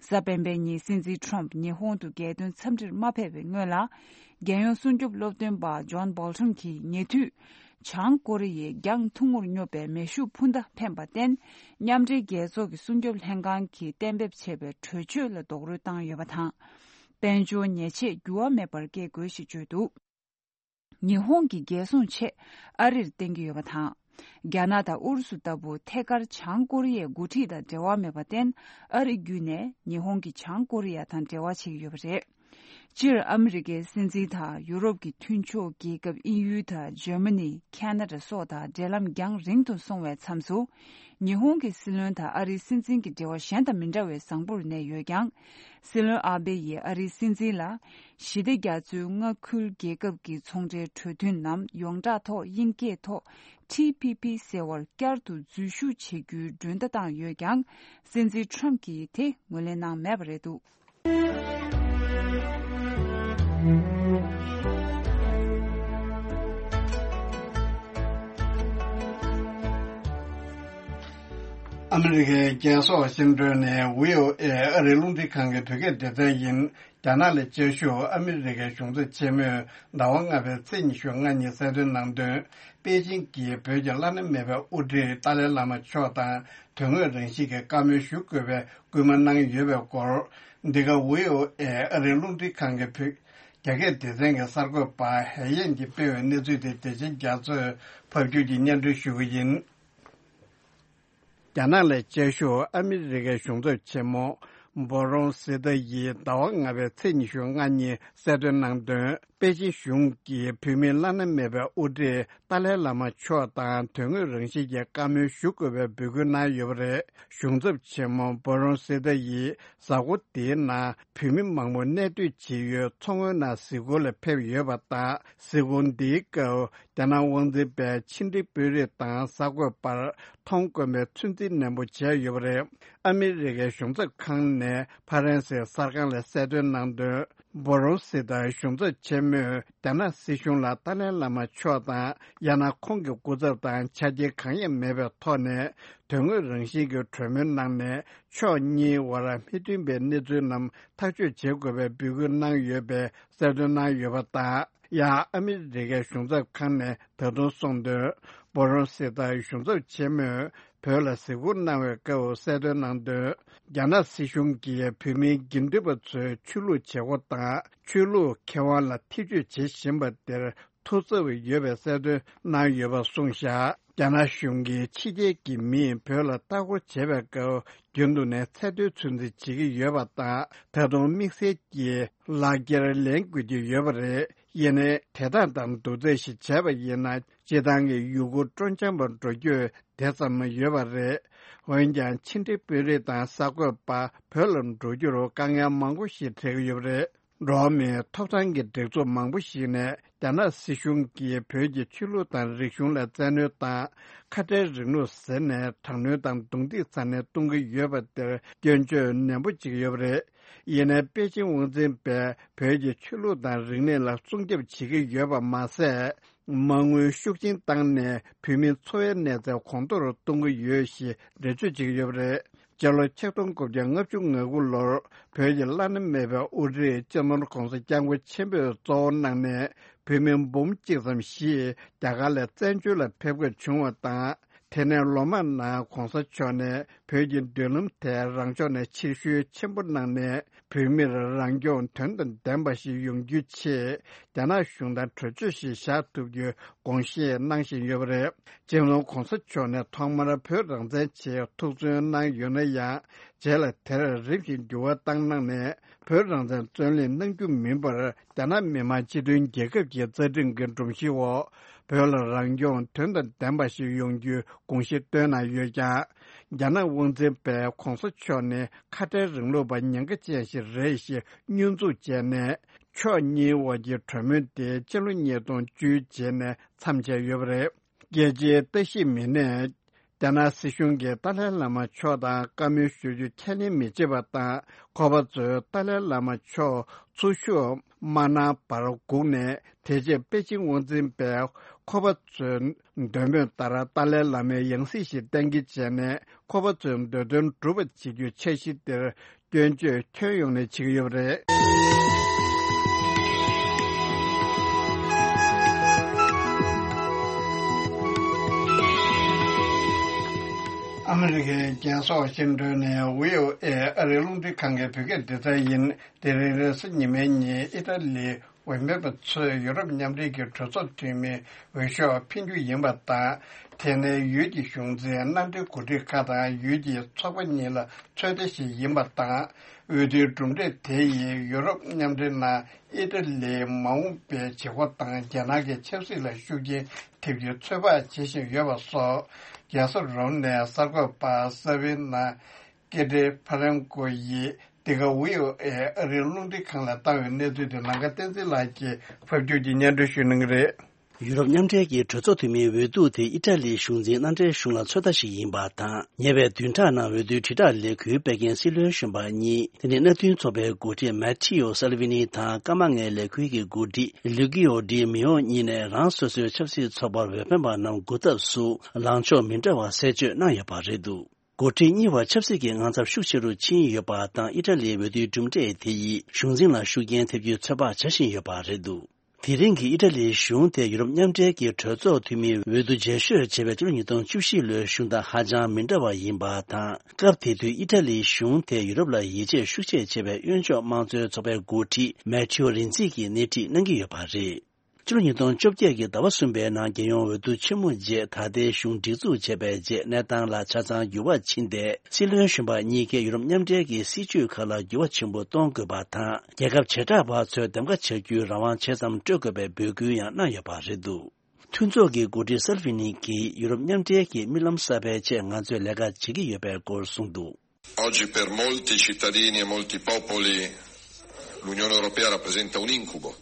གཟའ་སྤེན་པའི་ཉིན་སྲིད་འཛིན་ཁྲོམ་ཉི་ཧོང་དུ་རྒྱལ་དོན་འཚམས་འདྲིར་མ་ཕེབས་པའི་སྔོན་ལ། རྒྱལ་ཡོངས་སྲུང་སྐྱོབ་སློབ་སྟོན་པ་ཇོན་བོལ་ཊོན་གྱིས་ཉེ་དུས། བྱང་ཀོ་རི་ཡས་རྒྱང་ཐུང་ངུར་སྙོབ་པའི་མེ་ཤུགས་འཕུར་མདའ་འཕེན་པར་བརྟེན། མཉམ་འབྲེལ་རྒྱལ་ཚོགས་ཀྱི་སྲུང་སྐྱོབ་ལྷན་ཁང་གིས་གཏན་འབེབས་བྱས་པའི་གྲོས་ཆོད་ལ་རྡོག་རོལ་བཏང་ཡོད་པ་དང་། དཔལ་འབྱོར་ཉེས་ཆད་འགྱུར་བ་མེད་པར་བཀལ་དགོས་ཞེས་བརྗོད་འདུག་ཉི་ཧོང་གི་རྒྱལ་སྲུང་ཆེད་ཨ་རིར་བརྟེན་གྱི་ཡོད་པ་དང་། རྒྱ་ནག་དང་ཨུ་རུ་སུ་ལྟ་བུ་ཐད་ཀར་བྱང་ཀོ་རི་ཡའི་འགོ་ཁྲིད་དང་འབྲེལ་བ་མེད་པར་བརྟེན། ཨ་རི་བརྒྱུད་ནས་ཉི་ཧོང་གིས་བྱང་ཀོ་རི་ཡ་དང་འབྲེལ་བ་བྱེད་ཀྱི་ཡོད་པ་རེད། སྤྱིར་ཨ་མི་རི་ཀའི་སྲིད་འཛིན་དང་ཡུ་རོབ་ཀྱི་མཐུན་ཕྱོགས་རྒྱལ་ཁབ་དབྱིན་ཡུལ་དང་འཇར་མ་ནི། ཁེ་ན་ཌ་སོགས་དང་འབྲེལ་ལམ་རྒྱང་རིང་དུ་སོང་བའི་མཚམས་སུ། ཉི་ཧོང་གི་སྲིད་བློན་དང་ཨ་རིའི་སྲིད་འཛིན་གྱི་འབྲེལ་བ་གཞན་དང་མི་འདྲ་བའི་བཟང་པོར་གནས་ཡོད་ཀྱང་། སྲིད་བློན་ཨ་བེ་ཡིས་ཨ་རིའི་སྲིད་འཛིན་ལ། ཞི་བདེ་རྒྱ་མཚོའི་མངའ་ཁུལ་རྒྱལ་ཁབ་ཀྱི་ཚོང་འབྲེལ་གྲོས་མཐུན་ནམ་ཡོངས་གྲགས་ཐོག་དབྱིན་སྐད་ཐོག་ཊི་པི་པི་ཟེར་བར་བསྐྱར་དུ་འཛུལ་ཞུགས་བྱེད་རྒྱུའི་མགྲོན་བརྡ་བཏང་ཡོད་ཀྱང་། སྲིད་འཛིན་ཁྲོམ་གྱིས་དེ་ངོས་ལེན་གནང་མེད་པ་རེད་འདུག་ཨ་མི་རི་ཀའི་རྒྱལ་སོགས་བཤད་སྒྲོན་ནས་བྷི་ཨོ་ཨེ་ཨ་རིའི་རླུང་འཕྲིན་ཁང་གི་བོད་སྐད་སྡེ་ཚན་ཡིན། རྒྱ་ནག་ལ་བཅར་ཞུགས་ཨ་མི་རི་ཀའི་གཞུང་ཚབ་ཆེན་མོས་ཟླ་བ་ལྔ་པའི་ཚེས་ཉི་ཤུ་ལྔ་ཉིན་གསལ་སྟོན་གནང་དོན། པེ་ཅིང་གིས་བོད་ཀྱི་བླ་ན་མེད་པའི་དབུ་ཁྲིད་ཏཱ་ལའི་བླ་མ་མཆོག་དང་དོན་དངོས་རང་བཞིན་གྱི་བཀའ་མོལ་ཞུ་དགོས་པའི་སྐུལ་མ་གནང་ཡོད་པའི་སྐོར། འདི་ག་བྷི་ཨོ་ཨེ་ཨ་རིའི་རླུང་འཕྲིན་ཁང་གི་བོད་རྒྱ་སྐད་སྡེ་ཚན་གྱི་གསར་འགོད་པ་ཧའེ་ཡན་གྱིས་སྤེལ་བའི་གནས་ཚུལ་དེ་རྒྱལ་ཆེན་རྒྱ་མཚོས་ཕབ་སྒྱུར་གྱིས་སྙན་སྒྲོན་ཞུ་གི་ཡིན། རྒྱ་ནག་ལ་བཅར་ཞུགས་ཨ་མི་རི་ཀའི་གཞུང་ཚབ་ཆེན་མོ་འབོ་རོན་སི་ཏཱ་ཡིས་ཟླ་བ་ལྔ་པའི་ཚེས་ཉི་ཤུ་ལྔ་ཉིན་གསལ་སྟོན་གནང་དོན། པེ་ཅིན་གཞུང་གིས་བོད་མིའི་བླ་ན་མེད་པའི་དབུ་ཁྲིད་ཏཱ་ལའི་བླ་མ་མཆོག་དང་དོན་དངོས་རང་བཞིན་གྱི་བཀའ་མོལ་ཞུ་དགོས་པའི་འབོད་སྐུལ་གནང་ཡོད་པ་རེད། གཞུང་ཚབ་ཆེན་མོ་འབོ་རོན་སི་ཏཱ་ཡིས་གཟའ་འཁོར་འདིའི་ནང་བོད་མི་མང་པོ་གནས་སྡོད་བྱེད་ཡུལ་མཚོ་སྔོན་ནང་གཟིགས་སྐོར་ལ་ཕེབས་ཡོད་པ་དང་། གཟིགས་སྐོར་འདིའི་སྐབས། རྒྱ་ནག་དབང་འཛིན་པས་ཕྱི་འབྲེལ་དཔོན་རིགས་དང་གསར་འགོད་པར་མཐོང་དཀོན་པའི་ཚོད་འཛིན་ནན་པོ་བྱས་ཡོད་པ་རེད། ཨ་མི་རི་ཀའི་གཞུང་ཚབ་ཁང་ནས་ཕ་རན་སིའི་གསར་ཁང་ལ་གསལ་སྟོན་གནང་དོན། འབོ་རོན་སི་ཏཱ་གཞུང་ཚབ་ཆེན་མོས་རྒྱ་ནག་སྲིད་གཞུང་ལ་ཏཱ་ལའི་བླ་མ་མཆོག་དང་ཡང་ན་ཁོང་གི་སྐུ་ཚབ་དང་ཆ་རྐྱེན་གང་ཡང་མེད་པའི་ཐོག་ནས་དོན་དངོས་རང་བཞིན་གྱི་གྲོས་མོལ་གནང་ནས་ཕྱོགས་གཉིས་དབར་མི་མཐུན་པའི་གནས་ཚུལ་རྣམས་ཐག་གཅོད་བྱེད་དགོས་པའི་འབོད་སྐུལ་གནང་ཡོད་པའི་གསལ་སྟོན་གནང་ཡོད་པ་དང་། ཡང་ཨ་མི་རི་ཀའི་གཞུང་ཚབ་ཁང་ནས་ད་དུང་གསུངས་དོན། འབོ་རོན་སི་ཏཱ་གཞུང་ཚབ་ཆེན་མོས་བོད་ལ་གཟིགས་སྐོར་གནང་བའི་སྐབས་གསལ་སྟོན་གནང་དོན། རྒྱ་ནག་སྲིད་གཞུང་གིས་བོད་མིའི་དགེ་འདུན་པ་ཚོའི་ཆོས་ལུགས་བྱེད་སྒོ་དང་ཆོས་ལུགས་ཁེ་དབང་ལ་ཐེ་ཇུས་བྱེད་བཞིན་པ་དེར་ཐུགས་འཚབ་ཡོད་པའི་གསལ་སྟོན་གནང་ཡོད་པ་གསུངས་བཞག་རྒྱ་ནག་གཞུང་གིས་ཕྱི་རྒྱལ་གྱི་མིས་བོད་ལ་ལྟ་སྐོར་བྱེད་པའི་སྐབས་རྒྱུན་དུ་ནས་ཚད་མཐོའི་ཚོད་འཛིན་བྱེད་ཀྱི་ཡོད་པ་དང་། ད་དུང་དམིགས་བསལ་གྱི་ལག་འཁྱེར་ལེན་དགོས་ཀྱི་ཡོད་པ་རེད། ཡིན་ནའི་དེ་དག་དང་བསྡུར་ཚད་ཞིག་བྱས་པ་ཡིན་ན། སྤྱིར་བཏང་གི་ཡུལ་སྐོར་སྤྲོ་འཆམ་པ་འགྲོ་རྒྱུ་དེ་ཙམ་ཡོད་པ་རེད། འོན་ཀྱང་ཕྱི་འབྲེལ་དཔོན་རིགས་དང་གསར་འགོད་པ་བོད་ལ་འགྲོ་རྒྱུར་དཀའ་ངལ་མང་པོ་ཞིག་འཕྲད་ཀྱི་ཡོད་པ་རེད། འགྲོ་བ་མིའི་ཐོབ་ཐང་གི་སྒྲིག་འཛུགས་མང་པོ་ཞིག་ནས་རྒྱ་ནག་སྲིད་གཞུང་གིས་བོད་ཀྱི་ཆོས་ལུགས་དང་རིག་གཞུང་ལ་བཙན་གནོན་དང་། ཁ་བྲལ་རིང་ལུགས་ཟེར་ནས་དྲག་གནོན་དང་རྡུང་རྡེག་ཚ་ནན་གཏོང་གི་ཡོད་པ་དེར་སྐྱོན་བརྗོད་ནན་པོ་བྱེད་ཀྱི་ཡོད་པ་རེད། ཡིན་ནའི་པེ་ཅིང་དབང་འཛིན་པས་བོད་ཀྱི་ཆོས་ལུགས་དང་རིག་གནས་ལ་སྲུང་སྐྱོབ་བྱེད་ཀྱི་ཡོད་པ་མ་ཟད། མ་དངུལ་ཤུགས་ཆེན་བཏང་ནས་བོད་མིའི་འཚོ་བའི་གནས་ཚད་གོང་མཐོར་གཏོང་གི་ཡོད་ཞེས་འགྲེལ་བརྗོད་བྱེད་ཀྱི་ཡོད་པ་རེད། སྤྱི་ལོ་ཆིག་སྟོང་དགུ་བརྒྱ་ལྔ་བཅུ་ང་དགུ་ལོར་བོད་ཀྱི་བླ་ན་མེད་པའི་དབུ་ཁྲིད་སྤྱི་ནོར་༧གོང་ས་༧སྐྱབས་མགོན་ཆེན་པོས་གཙོ་བོ་གནང་ནས་བོད་མི་འབུམ་གཅིག་ཙམ་ཞིག་རྒྱ་གར་ལ་བཙན་བྱོལ་ལ་ཕེབས་དགོས་བྱུང་བ་དང་། དེ་ནས་ལོ་མང་ནང་༧གོང་ས་མཆོག་ནས་བོད་ཀྱི་མདུན་ལམ་དེ་རང་ཕྱོགས་ནས་ཕྱིར་བཤོལ་ཆེན་པོ་གནང་ནས། བོད་མིར་རང་སྐྱོང་དོན་དང་ལྡན་པ་ཞིག་ཡོང་རྒྱུའི་ཆེད། རྒྱ་ནག་གཞུང་དང་གྲོས་ཆོད་ཞིག་བཞག་ཐུབ་རྒྱུའི་དགོངས་བཞེས་གནང་བཞིན་ཡོད་པ་རེད། སྤྱི་ནོར་༧གོང་ས་མཆོག་ནས་ཐོག་མར་བོད་རང་བཙན་ཆེད་ཐུགས་བརྩོན་གནང་ཡོད་ན་ཡང་། རྗེས་ལ་དེར་རིམ་བཞིན་འགྱུར་བ་བཏང་གནང་ནས། བོད་རང་བཙན་བརྩོན་ལེན་གནང་རྒྱུ་མིན་པར། རྒྱ་ནག་མི་དམངས་སྤྱི་མཐུན་རྒྱལ་ཁབ་ཀྱི་རྩ་ཁྲིམས་ཀྱི་སྒྲོམ་གཞིའི་འོག་བོད་ལ་རང་སྐྱོང་དོན་དང་ལྡན་པ་ཞིག་ཡོང་རྒྱུའི་དགོངས་གཞི་བཏོན་གནང་ཡོད་ཀྱང་། རྒྱ་ནག་དབང་འཛིན་པས་༧གོང་ས་མཆོག་ནི་ཁ་བྲལ་རིང་ལུགས་པ་ཉེན་ཁ་ཅན་ཞིག་རེད་ཞེས་བསྙོན་འཛུགས་བྱས་ནས། ཕྱོགས་གཉིས་དབར་གྱི་གྲོས་མོལ་དེ་ཕྱི་ལོ་ཉིས་སྟོང་བཅུའི་རྗེས་ནས་མཚམས་ཆད་ཡོད་པ་རེད། རྒྱལ་སྤྱིའི་ལྟ་ཞིབ་མི་སྣས། རྒྱ་ནག་སྲིད་གཞུང་གིས་ཏཱ་ལའི་བླ་མ་མཆོག་དང་བཀའ་མོལ་ཞུ་རྒྱུ་ཁས་ལེན་མི་བྱེད་པ་དང་། ཁོ་པ་ཚོས་ཏཱ་ལའི་བླ་མ་མཆོག་ཚུར་ཤོག་མ་གནང་བར་སྒུག་ནས། དེ་རྗེས་པེ་ཅིང་དབང་འཛིན་པས་ཁོ་པ་ཚོའི་འདོད་མོས་ལྟར་ཏཱ་ལའི་བླ་མའི་ཡང་སྲིད་ཞིག་གཏན་འཁེལ་བྱས་ནས། ཁོ་པ་ཚོའི་འདོད་དོན་སྒྲུབ་པ་བྱེད་རྒྱུའི་འཆར་གཞི་དེར་སྐྱོན་བརྗོད་ཁྱོན་ཡོངས་ནས་བྱེད་ཀྱི་ཡོད་པ་རེད། ཨ་མི་རི་ཀའི་རྒྱལ་ས་ཝ་ཤིང་ཏོན་ནས་བྷི་ཨོ་ཨེ་ཨ་རིའི་རླུང་འཕྲིན་ཁང་གི་བོད་སྐད་སྡེ་ཚན་ཡིན། དེ་རིང་རེས་གཟའ་ཉི་མའི་ཉིན་ཨི་ཊ་ལིའི་འོས་འཕེན་པ་ཚོས་ཡུ་རོབ་མཉམ་འབྲེལ་གྱི་གྲོས་ཚོགས་འཐུས་མིའི་འོས་ཤོག་འཕེན་རྒྱུ་ཡིན་པ་དང་། དེ་ནི་ཡུལ་གྱི་གཞུང་འཛིན་མནའ་འབྲེལ་འགོ་ཁྲིད་ཁག་དང་ཡུལ་གྱི་ཚོགས་པ་གཉིས་ལ་ཚོད་ལྟ་ཞིག་ཡིན་པ་དང་། འོས་བསྡུའི་གྲུབ་འབྲས་དེ་ཡིས་ཡུ་རོབ་མཉམ་འབྲེལ་ནང་ཨི་ཊ་ལིའི་མ་འོངས་པའི་བྱེད་སྒོ་དང་རྒྱ་ནག་གི་ཆབ་སྲིད་ལ་ཤུགས་རྐྱེན་ཐེབས་རྒྱུའི་ཚོད་དཔག་བྱེད་བཞིན་ཡོད་པ་སོགས། རྒྱལ་ས་རོམ་ནས་གསར་འགོད་པ་ས་བི་ན། ཀེ་ཏྲེ་ཕ་རན་ཀོ་ཡིས་འདི་ག་བྷི་ཨོ་ཨེ་ཨ་རིའི་རླུང་འཕྲིན་ཁང་ལ་བཏང་བའི་གནས་ཚུལ་དེ་ནམ་མཁའ་བསྟན་འཛིན་ལགས་ཀྱིས་ཕབ་སྒྱུར་གྱིས་སྙན་སྒྲོན་ཞུ་གནང་གི་རེད། ཡུ་རོབ་མཉམ་འབྲེལ་གྱི་གྲོས་ཚོགས་འཐུས་མིའི་འོས་བསྡུ་དེ་ཨི་ཊ་ལིའི་གཞུང་འཛིན་མནའ་འབྲེལ་གཞུང་ལ་ཚོད་ལྟ་ཞིག་ཡིན་པ་དང་། ཉེ་བའི་བདུན་ཕྲག་ནང་འོས་བསྡུའི་དྲིལ་བསྒྲགས་ལས་འགུལ་སྤེལ་མཁན་སྲིད་བློན་གཞོན་པ་གཉིས། དེ་ནི་མནའ་མཐུན་ཚོགས་པའི་འགོ་ཁྲིད་མེ་ཐི་ཡོ་སལ་ཝི་ནི་དང་། སྐར་མ་ལྔའི་ལས་འགུལ་གྱི་འགོ་ཁྲིད་ལུ་ཀི་ཡོ་ཌི་མི་ཡོ་གཉིས་ནས་རང་སོ་སོའི་ཆབ་སྲིད་ཚོགས་པར་འོས་འཕེན་པ་རྣམས་སྒུག་ཐབས་སུ་ལངས་ཕྱོགས་མི་འདྲ་བ་གསལ་བརྗོད་གནང་ཡོད་པ་རེད་འདུག་འགོ་ཁྲིད་གཉིས་བར་ཆབ་སྲིད་ཀྱི་དངངས་འཚབ་ཤུགས་ཆེ་རུ་ཕྱིན་ཡོད་པ་དང་། ཨི་ཊ་ལིའི་འོས་བསྡུའི་གྲུབ་འབྲས་དེ་ཡིས་གཞུང་འཛིན་ལ་ཤུགས་རྐྱེན་ཐེབས་རྒྱུའི་ཚོད་དཔག་བྱ་བཞིན་ཡོད་པ་རེད་འདུག་དེ་རིང་གི་ཨི་ཊ་ལིའི་གཞུང་དེ་ཡུ་རོབ་མཉམ་འབྲེལ་གྱི་གྲོས་ཚོགས་འཐུས་མིའི་འོས་བསྡུ་རྗེས་ཤོས་བྱས་པའི་ཕྱི་ལོ་ཉིས་སྟོང་བཅུ་བཞི་ལོའི་གཞུང་དང་ཧ་ཅང་མི་འདྲ་བ་ཡིན་པ་དང་། སྐབས་དེ་དུས་ཨི་ཊ་ལིའི་གཞུང་དེ་ཡུ་རོབ་ལ་ཡིད་ཆེས་ཤུགས་ཆེ་བྱེད་པའི་གཡོན་ཕྱོགས་དམངས་གཙོའི་ཚོགས་པའི་འགོ་ཁྲིད་མེ་ཐི་ཡོ་རིན་ཙི་གིས་སྣེ་ཁྲིད་གནང་གི་ཡོད་པ་རེད། ཕྱི་ལོ་ཉིས་སྟོང་བཅོ་བརྒྱད་ཀྱི་ཟླ་བ་གསུམ་པའི་ནང་རྒྱལ་ཡོངས་འོས་བསྡུ་ཆེན་མོ་རྗེས། ད་ལྟའི་གཞུང་སྒྲིག་འཛུགས་བྱས་པའི་རྗེས་གནས་སྟངས་ལ་ཆ་ཚང་འགྱུར་བ་ཕྱིན་ཏེ། སྲིད་བློན་གཞོན་པ་གཉིས་ཀས་ཡུ་རོབ་མཉམ་འབྲེལ་གྱི་སྲིད་ཇུས་ཁག་ལ་འགྱུར་བ་ཆེན་པོ་གཏོང་དགོས་པ་དང་། རྒྱལ་ཁབ་བྱེ་བྲག་པ་ཚོས་འདེམས་ཀ་བྱ་རྒྱུའི་རང་དབང་ཇི་ཙམ་སྤྲོད་དགོས་པའི་འབོད་སྐུལ་ཡང་གནང་ཡོད་པ་རེད་འདུག་མཐུན་ཚོགས་ཀྱི་འགོ་ཁྲིད་སལ་ཝི་ནི་གིས་ཡུ་རོབ་མཉམ་འབྲེལ་གྱི་རྨི་ལམ་གསར་པའི་ཆེད་ང་ཚོས་ལས་ཀ་བྱེད་ཀྱི་ཡོད་པའི་སྐོར་གསུངས་འདུག Oggi per molti cittadini e molti popoli l'Unione Europea rappresenta un incubo.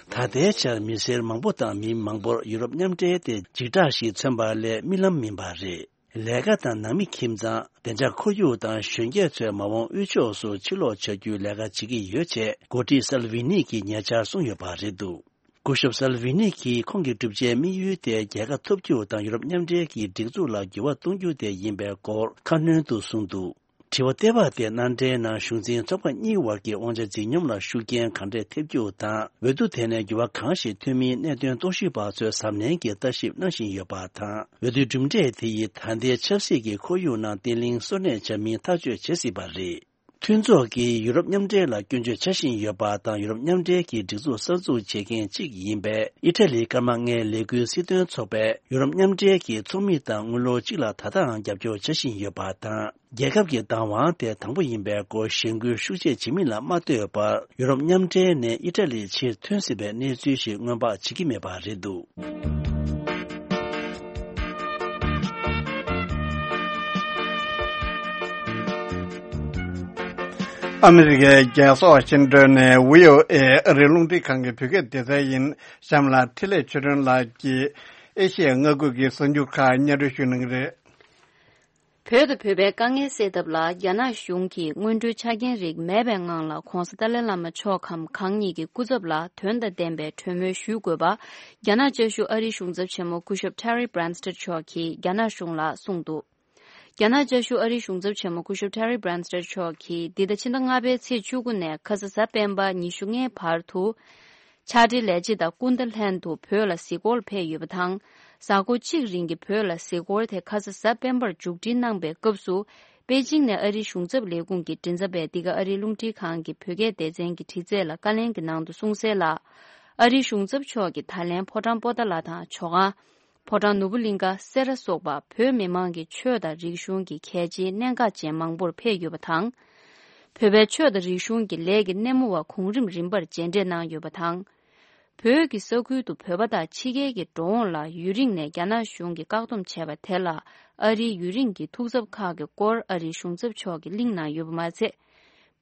ད་ལྟའི་ཆར་མི་སེར་མང་པོ་དང་མི་མང་པོར་ཡུ་རོབ་མཉམ་འབྲེལ་དེ་འཇིགས་སྐྲག་ཞིག་མཚོན་པ་ལས་རྨི་ལམ་མིན་པ་རེད། ལས་ཀ་དང་ནང་མི་ཁྱིམ་ཚང་། བདེ་འཇགས་ཁོར་ཡུག་དང་གཞོན་སྐྱེས་ཚོའི་མ་འོངས་དབུལ་ཕྱོགས་སུ་ཕྱིར་ལོག་བྱ་རྒྱུའི་ལས་ཀ་བྱེད་ཀྱི་ཡོད་ཅེས་འགོ་ཁྲིད་སལ་ཝི་ནི་གིས་ཉེ་ཆར་གསུངས་ཡོད་པ་རེད་འདུག་སྐུ་ཞབས་སལ་ཝི་ནི་གིས་ཁོང་གི་གྲུབ་ཆའི་དམིགས་ཡུལ་དེ་རྒྱལ་ཁ་ཐོབ་རྒྱུ་དང་ཡུ་རོབ་མཉམ་འབྲེལ་གྱི་སྒྲིག་འཛུགས་ལ་འགྱུར་བ་གཏོང་རྒྱུ་དེ་ཡིན་པའི་སྐོར་ཁ་སྣོན་དུ་གསུངས་འདུག་དྲི་བ་ལྟེ་བ་དེ་མནའ་འབྲེལ་ནང་གཞུང་འཛིན་ཚོགས་པ་གཉིས་བར་གྱི་དབང་ཆ་འཛིན་སྙོམས་ལ་ཤུགས་རྐྱེན་གང་འདྲས་ཐེབས་རྒྱུ་དང་། འོས་བསྡུ་དེ་ནས་འགྱུར་བ་གང་ཞིག་ཐོན་མིན་གནད་དོན་རྟོག་ཞིབ་པ་ཚོས་གཟབ་ནན་གྱིས་ལྟ་ཞིབ་གནང་བཞིན་ཡོད་པ་དང་། འོས་བསྡུའི་གྲུབ་འབྲས་དེ་ཡིས་ད་ལྟའི་ཆབ་སྲིད་ཀྱི་ཁོར་ཡུག་ནང་བརྟན་ལྷིང་གསོ་གནས་བྱ་མིན་ཐག་གཅོད་བྱེད་སྲིད་པ་རེད། མཐུན་ཚོགས་ཀྱིས་ཡུ་རོབ་མཉམ་འབྲེལ་ལ་སྐྱོན་བརྗོད་བྱ་བཞིན་ཡོད་པ་དང་། ཡུ་རོབ་མཉམ་འབྲེལ་གྱི་སྒྲིག་འཛུགས་གསར་འཛུགས་བྱེད་མཁན་གཅིག་ཡིན་པའི་ཨི་ཊ་ལིའི་སྐར་མ་ལྔའི་ལས་འགུལ་སྲིད་དོན་ཚོགས་པས་ཡུ་རོབ་མཉམ་འབྲེལ་གྱི་ཚོགས་མི་དང་དངུལ་ལོར་གཅིག་ལ་ད་ལྟའང་རྒྱབ་སྐྱོར་བྱ་བཞིན་ཡོད་པ་དང་། རྒྱལ་ཁབ་ཀྱི་བདག་དབང་དེ་དང་པོ་ཡིན་པའི་སྐོར་གཞེན་སྐུལ་ཤུགས་ཆེ་བྱེད་མིན་ལ་མ་ལྟོས་པར། ཡུ་རོབ་མཉམ་འབྲེལ་ནས་ཨི་ཊ་ལི་ཕྱིར་ཐོན་སྲིད་པའི་གནས་ཚུལ་ཞིག་སྔོན་དཔག་བྱེད་ཀྱི་མེད་པ་རེད་འདུག། ཨ་མི་རི་ཀའི་རྒྱལ་ས་ཝ་ཤིང་ཏོན་ནས་བྷི་ཨོ་ཨེ་ཨ་རིའི་རླུང་འཕྲིན་ཁང་གི་བོད་སྐད་སྡེ་ཚན་ཡིན། གཤམ་ལ་འཕྲིན་ལས་ཆོས་སྒྲོན་ལགས་ཀྱིས་ཨེ་ཤི་ཡའི་མངའ་ཁུལ་གྱི་གསར་འགྱུར་ཁག་སྙན་སྒྲོན་ཞུ་གནང་གི་རེད། བོད་དང་བོད་པའི་དཀའ་ངལ་སེལ་ཐབས་ལ་རྒྱ་ནག་གཞུང་གིས་སྔོན་འགྲོའི་ཆ་རྐྱེན་རིགས་མེད་པའི་ངང་ལ་༧གོང་ས་ཏཱ་ལའི་བླ་མ་མཆོག་གམ་གང་ཉིད་ཀྱི་སྐུ་ཚབ་ལ་དོན་དང་ལྡན་པའི་གྲོས་མོལ་ཞུ་དགོས་པ། རྒྱ་ནག་བཅའ་བཞུགས་ཨ་རིའི་གཞུང་ཚབ་ཆེན་མོ་སྐུ་ཞབས་Terry Branstad་མཆོག་གིས་རྒྱ་ནག་གཞུང་ལ་གསུངས་འདུག། རྒྱ་ནག་བཅའ་བཞུགས་ཨ་རིའི་གཞུང་ཚབ་ཆེན་མོ་སྐུ་ཞབས་Terry Branstad་མཆོག་གིས་འདི་ཟླ་ཕྱི་ཟླ་ལྔ་པའི་ཚེས་བཅུ་དགུ་ནས་ཁ་ས་གཟའ་སྤེན་པ་ཉི་ཤུ་ལྔའི་བར་དུ། ཕྱག་སྦྲེལ་ལས་བྱེད་དང་སྐུ་ཟླ་ལྷན་དུ་བོད་ལ་གཟིགས་སྐོར་ཕེབས་ཡོད་པ་དང་། གཟའ་འཁོར་གཅིག་རིང་གི་བོད་ལ་གཟིགས་སྐོར་དེ་ཁ་ས་གཟའ་སྤེན་པར་མཇུག་སྒྲིལ་གནང་པའི་སྐབས་སུ། པེ་ཅིང་ནས་ཨ་རིའི་གཞུང་ཚབ་ལས་ཁུངས་ཀྱི་མགྲིན་ཚབ་པས་འདི་ག་ཨ་རིའི་རླུང་འཕྲིན་ཁང་གི་བོད་སྐད་སྡེ་ཚན་གྱི་དྲི་རྩད་ལ་བཀའ་ལན་གྱི་ནང་དུ་གསུངས་གསལ་ལ། ཨ་རིའི་གཞུང་ཚབ་མཆོག་གིས་ད་ལན་ཕོ་བྲང་པོ་ཏཱ་ལ་དང་ཇོ་ཁང་། ཕོ་བྲང་ནོར་བུ་གླིང་ཀ་སེ་ར་སོགས་པ་བོད་མི་མང་གི་ཆོས་དང་རིག་གཞུང་གི་གལ་ཆེའི་གནད་འགག་ཅན་མང་པོར་ཕེབས་ཡོད་པ་དང་། བོད་པའི་ཆོས་དང་རིག་གཞུང་གི་ལས་ཀྱི་སྣེ་མོ་བ་གོང་རིམ་རིམ་པར་མཇལ་འཕྲད་གནང་ཡོད་པ་དང་། བོད་ཀྱི་ས་ཁུལ་དུ་བོད་པ་དང་ཕྱི་རྒྱལ་གྱི་འགྲོ་འོང་ལ་ཡུན་རིང་ནས་རྒྱ་ནག་གཞུང་གིས་བཀག་སྡོམ་བྱས་པ་དེ་ལ་ཨ་རིའི་ཡུན་རིང་གི་ཐུགས་འཚབ་ཁག་གི་སྐོར་ཨ་རིའི་གཞུང་ཚབ་མཆོག་གིས་གླེང་གནང་ཡོད་པ་མ་ཚད།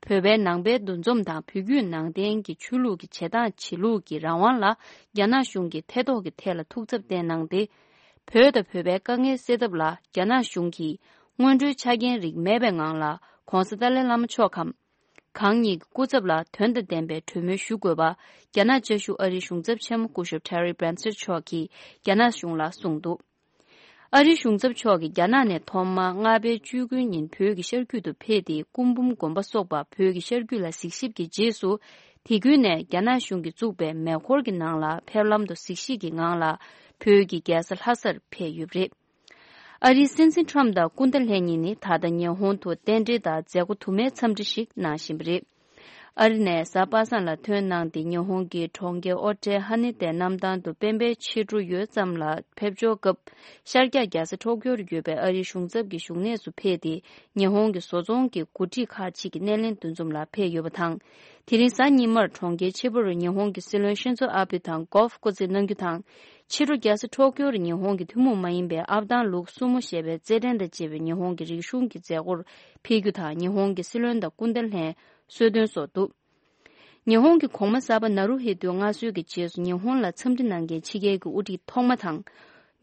བོད་པའི་ནང་པའི་འདུ་འཛོམས་དང་བོད་བརྒྱུད་ནང་བསྟན་གྱི་ཆོས་ལུགས་ཀྱི་བྱེད་སྟངས་བྱེད་ལུགས་ཀྱི་རང་དབང་ལ་རྒྱ་ནག་གཞུང་གིས་ཐེ་གཏོགས་ཀྱི་ཐད་ལ་ཐུགས་འཚབ་བསྟན་གནང་སྟེ། བོད་དང་བོད་པའི་དཀའ་ངལ་སེལ་ཐབས་ལ་རྒྱ་ནག་གཞུང་གིས་སྔོན་འགྲོའི་ཆ་རྐྱེན་རིགས་མེད་པའི་ངང་ལ་༧གོང་ས་ཏཱ་ལའི་བླ་མ་མཆོག་གམ། གང་ཉིད་ཀྱི་སྐུ་ཚབ་ལ་དོན་དང་ལྡན་པའི་གྲོས་མོལ་ཞུ་དགོས་པ། རྒྱ་ནག་བཅའ་བཞུགས་ཨ་རིའི་གཞུང་ཚབ་ཆེན་མོ་སྐུ་ཞབས་Terry Branstad་མཆོག་གིས་རྒྱ་ནག་གཞུང་ལ་གསུངས་འདུག། ཨ་རིའི་གཞུང་ཚབ་མཆོག་གིས་རྒྱ་ནག་ནས་ཐོག་མར་ལྔ་པའི་བཅུ་དགུའི་ཉིན་བོད་ཀྱི་ཤར་རྒྱུད་དུ་ཕེབས་ཏེ། སྐུ་འབུམ་དགོན་པ་སོགས་པ་བོད་ཀྱི་ཤར་རྒྱུད་ལ་གཟིགས་ཞིབ་ཀྱི་རྗེས་སུ། དེ་ཁུལ་ནས་རྒྱ་ནག་གཞུང་གིས་བཙུགས་པའི་མེ་འཁོར་གྱི་ནང་ལ་ཕེབས་ལམ་དུ་གཟིགས་ཞིབ་ཀྱི་ངང་ལ་བོད་ཀྱི་རྒྱལ་ས་ལྷ་སར་ཕེབས་ཡོད་པ་རེད། ཨ་རིའི་སྲིད་འཛིན་ཁྲམ་དང་སྐུ་ཟླ་ལྷན་གཉིས་ནི་ད་ལྟ་ཉི་ཧོང་དུ་རྟེན་འབྲེལ་དང་མཛད་སྒོ་དུ་མའི་འཚམས་འདྲི་ཞིག་གནང་བཞིན་པ་རེད། ཨ་རི་ནས་གཟའ་པ་སངས་ལ་ཐོན་གནང་སྟེ། ཉི་ཧོང་གི་གྲོང་ཁྱེར་ཨོ་ཀྲེ་ཧ་ནི་ཏའི་གནམ་ཐང་དུ་སྤེན་པའི་ཕྱི་དྲོ་ཡོལ་ཙམ་ལ་ཕེབས་འབྱོར་སྐབས། ཤར་རྒྱག་རྒྱལ་ས་ཊོ་ཀྱོ་རུ་ཡོད་པའི་ཨ་རིའི་གཞུང་ཚབ་ཀྱི་བཞུགས་གནས་སུ་ཕེབས་ཏེ། ཉི་ཧོང་གི་བཟོ་ཚོང་གི་འགོ་ཁྲིད་ཁག་ཅིག་གི་སྣེ་ལེན་འདུ་འཛོམས་ལ་ཕེབས་ཡོད་པ་དང་། དེ་རིང་གཟའ་ཉི་མར་གྲོང་ཁྱེར་ཆི་པ་རུ་ཉི་ཧོང་གི་སྲིད་བློན་ཤིན་ཛོ་ཨ་བྷེ་དང་སྒོལཕ་སྐོར་རྩེད་གནང་རྒྱུ་དང་། ཕྱི་དྲོ་རྒྱལ་ས་ཊོ་ཀྱོ་རུ་ཉི་ཧོང་གི་ཐུན་མོང་མ་ཡིན་པའི་ཨབ་དང་ལུག་སུ་མོ་ཞེས་པའི་རྩེད་འགྲན་དང་བཅས་པའི་ཉི་ཧོང་གི་རིག་གཞུང་གི་མཛད་སྒོར་ཕེབས་རྒྱུ་དང་། ཉི་ཧོང་གི་སྲིད་བློན་དང་སྐུ་ཟླ་ལྷན་གསོལ་སྟོན་སོགས་འདུག། ཉི་ཧོང་གི་གོང་མ་གསར་པ་ནཱ་རུ་ཧི་ཏུའི་མངའ་གསོལ་གྱི་རྗེས་སུ་ཉི་ཧོང་ལ་འཚམས་འདྲི་གནང་མཁན་ཕྱི་རྒྱལ་གྱི་དབུ་ཁྲིད་ཐོག་མ་དང་།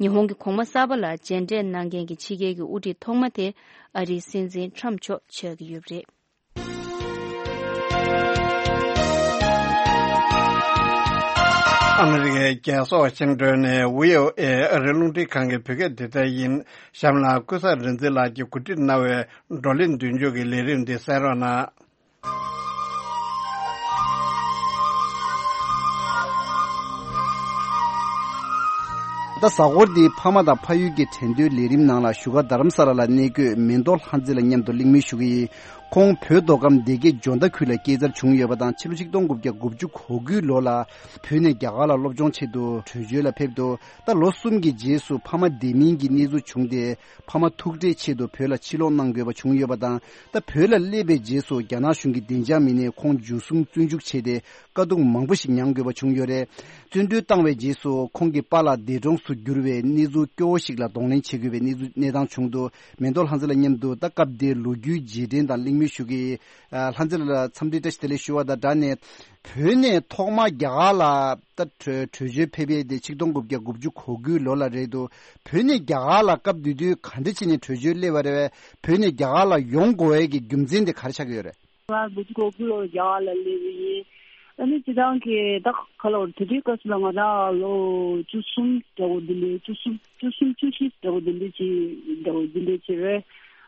ཉི་ཧོང་གི་གོང་མ་གསར་པ་ལ་མཇལ་འཕྲད་གནང་མཁན་གྱི་ཕྱི་རྒྱལ་གྱི་དབུ་ཁྲིད་ཐོག་མ་དེ་ཨ་རིའི་སྲིད་འཛིན་ཁྲམ་མཆོག་ཆགས་ཀྱི་ཡོད་པ་རེད། ཨ་མི་རི་ཀའི་རྒྱལ་ས་ཝ་ཤིང་ཏོན་ནས་བྷི་ཨོ་ཨེ་ཨ་རིའི་རླུང་འཕྲིན་ཁང་གི་བོད་སྐད་སྡེ་ཚན་ཡིན། གཤམ་ལ་ཀུན་བཟང་རིག་འཛིན་ལགས་ཀྱིས་གོ་སྒྲིག་གནང་བའི་བགྲོ་གླེང་མདུན་སྐྱོད་ཀྱི་ལས་རིམ་འདི་གསན་རོགས་གནང་། ད་གཟའ་འཁོར་འདིའི་ཕ་མ་དང་ཕ་ཡུལ་གྱི་འགྲན་བསྡུར་ལས་རིམ་ནང་ལ་བཞུགས་སྒར་རྡ་རམ་ས་ལ་ལ་གནས་འཁོད་མེ་ཏོག་ལྷ་མཛེས་ལགས་མཉམ་དུ་གླེང་མོལ་ཞུ་གི་ཡིན། ཁོང་བོད་མདོ་ཁམས་སྡེ་དགེ་འཇོ་མདའ་ཁུལ་ལ་སྐྱེས་འཚར་བྱུང་ཡོད་པ་དང་། ཕྱི་ལོ་ཆིག་སྟོང་དགུ་བརྒྱ་དགུ་བཅུ་གོ་དགུའི་ལོ་ལ་བོད་ནས་རྒྱ་གར་ལ་སློབ་སྦྱོང་ཆེད་དུ་བྲོས་བྱོལ་ལ་ཕེབས་འདུག། ད་ལོ་གསུམ་གྱི་རྗེས་སུ་ཕ་མ་བདེ་མིན་གྱི་གནས་ཚུལ་བྱུང་སྟེ། ཕ་མ་ཐུག་འཕྲད་ཆེད་དུ་བོད་ལ་ཕྱིར་ལོག་གནང་དགོས་པ་བྱུང་ཡོད་པ་དང་། ད་བོད་ལ་སླེབས་པའི་རྗེས་སུ་རྒྱ་ནག་གཞུང་གིས་བདེ་འཇགས་མི་སྣས་ཁོང་འཇུ་བཟུང་བཙོན་འཇུག་བྱས་ཏེ། དཀའ་སྡུག་མང་པོ་ཞིག་མྱང་དགོས་པ་བྱུང་ཡོད་རེད། བཙོན་གྲོལ་བཏང་བའི་རྗེས་སུ་ཁོང་གི་པཱ་ལགས་འདས་གྲོངས་སུ་གྱུར་བའི་གནས་ཚུལ་སྐྱོ་བོ་ཞིག་ལ་གདོང་ལེན་བྱེད་དགོས་པའི་གནས་ཚུལ་གནས་སྟངས་བྱུང་འདུག། མེ་ཏོག་ལྷ་མཛེས་ལགས་མཉམ་དུ་ད་སྐབས་དེའི་ལོ་རྒྱུས་རྗེས་དྲན་དང་གླེང་མོལ་ཞུ་གི། ཨ། ལྷ་མཛེས་ལགས་ལ་འཚམས་འདྲི་བཀྲ་ཤིས་བདེ་ལེགས་ཞུ་བ་དང་སྦྲགས་ནས། བོད་ནས་ཐོག་མར་རྒྱ་གར་ལ་ད་བྲོས་བྲོས་བྱོལ་ཕེབས་ཡས་དེ་ཆིག་སྟོང་དགུ་བརྒྱ་དགུ་བཅུ་གོ་དགུའི་ལོ་ལ་རེད་འདུག། བོད་ནས་རྒྱ་གར་ལ་སྐབས་དེ་དུས་ག་འདྲ་བྱས་ནས་བྲོས་བྱོལ་སླེབས་པ་རེད་བས། བོད་ནས་རྒྱ་གར་ལ་ཡོང་དགོས་ཡས་ཀྱི་རྒྱུ་མཚན་དེ་ག་རེ་ཆགས་ཀྱི་ཡོད་རེད། ང་དགུ་བཅུ་གོ་དགུ་ལོར་རྒྱ་གར་ལ་སླེབས་པ་ཡིན། ཨ་ནི་སྤྱིར་བཏང་གི་ད་ག་ལ་བར་དེ་དུས་སྐབས་སུ་ལ་ང་རང་ལོ་བཅུ་གསུམ་འདྲ་བོ་འདི་འདྲའི་བཅུ་གསུམ་བཅུ་གསུམ་བཅུ་བཞི་འདྲ་བོ་འདི་འདྲའི་ཅིག་འདྲ་བོ་འདི་འདྲའི་ཅིག་རེད།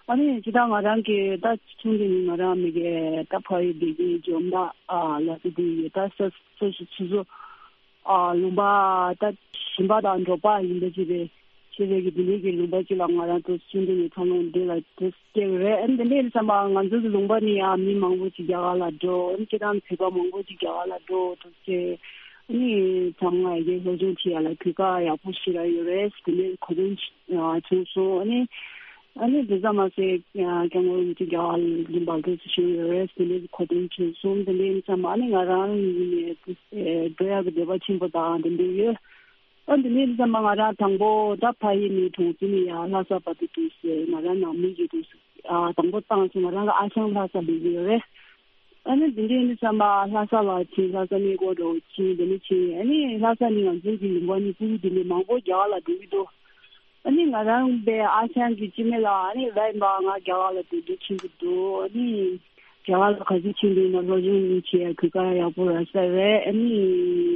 ཨ་ནི་སྤྱིར་བཏང་ང་རང་གི་ད་ཆུང་དུས་ནས་ང་རང་མི་གི་ད་ཕ་ཡུལ་བདེ་སྐྱིད་འཇོ་མདའ་ཨ་ལ་དེ་དུས་ཡོད་ད་ས་ས་ཞིག་ཆུ་ཚོད་ཨ་ལུང་པ་ད་ཞིང་པ་དང་འབྲོག་པ་ཡིན་པ་ཅིག་རེད། ཆེ་བའི་གི་དེ་འདྲའི་གི་ལུང་པ་ཅིག་ལ་ང་རང་ཚོ་ཆུང་དུས་ནས་འཚར་ལོངས་འདི་ལ་དུ་སྐྱེས་རེད། ཨ་ནི་དེ་འདྲའི་བསམ་པ་ང་ཚོ་གི་ལུང་པ་ནས་ཡང་མི་མང་པོ་ཅིག་རྒྱ་གར་ལ་འགྲོ། ཨ་ནི་སྤྱིར་བཏང་བོད་པ་མང་པོ་ཅིག་རྒྱ་གར་ལ་འགྲོ་འདུག་ཅེས། ཨ་ནི་ཚང་མ་ཡ་གི་སློབ་སྦྱོང་བྱེད་ཡ་ལ་གོ་སྐབས་ཡག་པོ་ཞིག་ལ་ཡོད་རེད། དེ་འདྲའི་གོ་དོན་བྱུང་སོང་། ཨ་ནི་ཨ་ནི་དེ་ཙམ་མ་ཟད་སྐྱབས་མགོན་རིན་པོ་ཆེ་རྒྱ་གར་ལ་འབར་ཐོན་ཞུ་ཡོད་རེད། དེ་འདྲའི་གོ་དོན་བྱུང་སོང་། དེ་འདྲའི་ཙམ་མ་ཨ་ནི་ང་རང་ཡིན་ནས་འགྲོ་ཡ་གི་འདོད་པ་ཆེན་པོ་དང་དེ་འདྲ་ཡོད། ཨ་འདི་ནས་ཙམ་མ་ང་རང་དང་པོ་ད་ཕ་ཡུལ་ནས་གྲོང་ཚོ་ནས་ཡར་ལྷ་ས་བར་དུ་འདུག་ཟེར། ང་རང་ནང་མི་གིས་འདུག་ཟེར། ཨ་དང་པོ་བཏང་ཚེ་ང་རང་གི་ཨ་ཞང་ལྷ་ས་སླེབས་ཀྱི་ཡོད་རེད། ཨ་ནི་འདི་འདྲའི་ནི་ཙམ་མ་ལྷ་ས་ལ་ཕྱིན། ལྷ་ས་གནས་སྐོར་འགྲོ་ཕྱིན། འདི་ནས་ཕྱིན། ཨ་ནི་ལྷ་ས་ནས་ང་ཚོའི་གི་ལུང་པ་ནས་སྤུ་གུ་འདི་ནས་མང་པོ་རྒྱ་གར་ལ་འགྲོ་གི་འདུག་ཨ་ནི་ང་རང་པའི་ཨ་ཞང་གི་སྐྱེ་དམན་ལ་ཨ་ནི་ལབ་ཡིན་པ། ང་རྒྱ་གར་ལ་འགྲོ་འདོད་ཆེན་པོ་འདུག་ཨ་ནི་རྒྱ་གར་ལ་ག་ཚོད་ཕྱིན་འདུག་ན་སློབ་སྦྱོང་བྱེད་ཡ་གོ་སྐབས་ཡག་པོ་རག་ས་རེད། ཨ་ནི་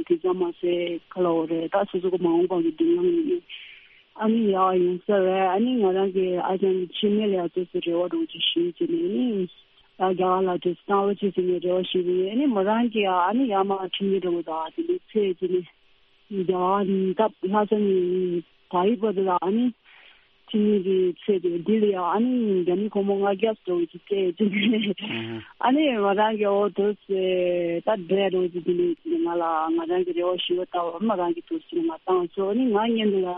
དེ་ཙམ་མ་ཟད་ག་ལབ་དགོས་རེད། ད་སོ་སོ་གི་མ་འོངས་པ་གི་མདུན་ལམ་ཡིན། ཨ་ནི་ཡག་ཡོང་ས་རེད། ཨ་ནི་ང་རང་གི་ཨ་ཅག་གི་སྐྱེ་དམན་ལ་ཡ་ཚོ་སི་རེ་བ་འདྲ་བོ་ཅིག་ཞུས་བྱས་ནས་ཨ་ནི་ད་རྒྱ་གར་ལ་འགྲོ་སི་བཏང་རོགས་བྱེད་ཟེར་ནས་རེ་བ་ཞུས་པ་ཡིན། ཨ་ནི་མོ་རང་གིས་ཨ་ནི་ཡར་མར་ཁྲིད་མཁན་འདྲ་བོ་དང་དེ་འདྲའི་ཚད་བྱས་ནས། རྒྱ་གར་ནས་ད་ལྷ་ས་ནས་ད་ཡི་བར་དུ་ལ་ཨ་ནི་ཁྲིད་མཁན་གྱི་ཚད་དེ་འདི་ལ་ཡང་ཨ་ནི་རྒྱ་མི་སྒོར་མོ་ལྔ་བརྒྱ་འདྲ་བོ་ཅིག་སྤྲད་བྱས་ནས། ཨ་ནི་ང་རང་གི་འོ་དུ་སེ་ད་འདྲ་འདྲ་བོ་ཅིག་དེ་ནས་ང་ལ་ང་རང་གི་རེ་བ་ཞུ་བ་ལྟ་བུ་ང་རང་གི་དུ་སེ་ང་བཏང་སོང་། ཨ་ནི་ང་བརྙན་དུ་ལ་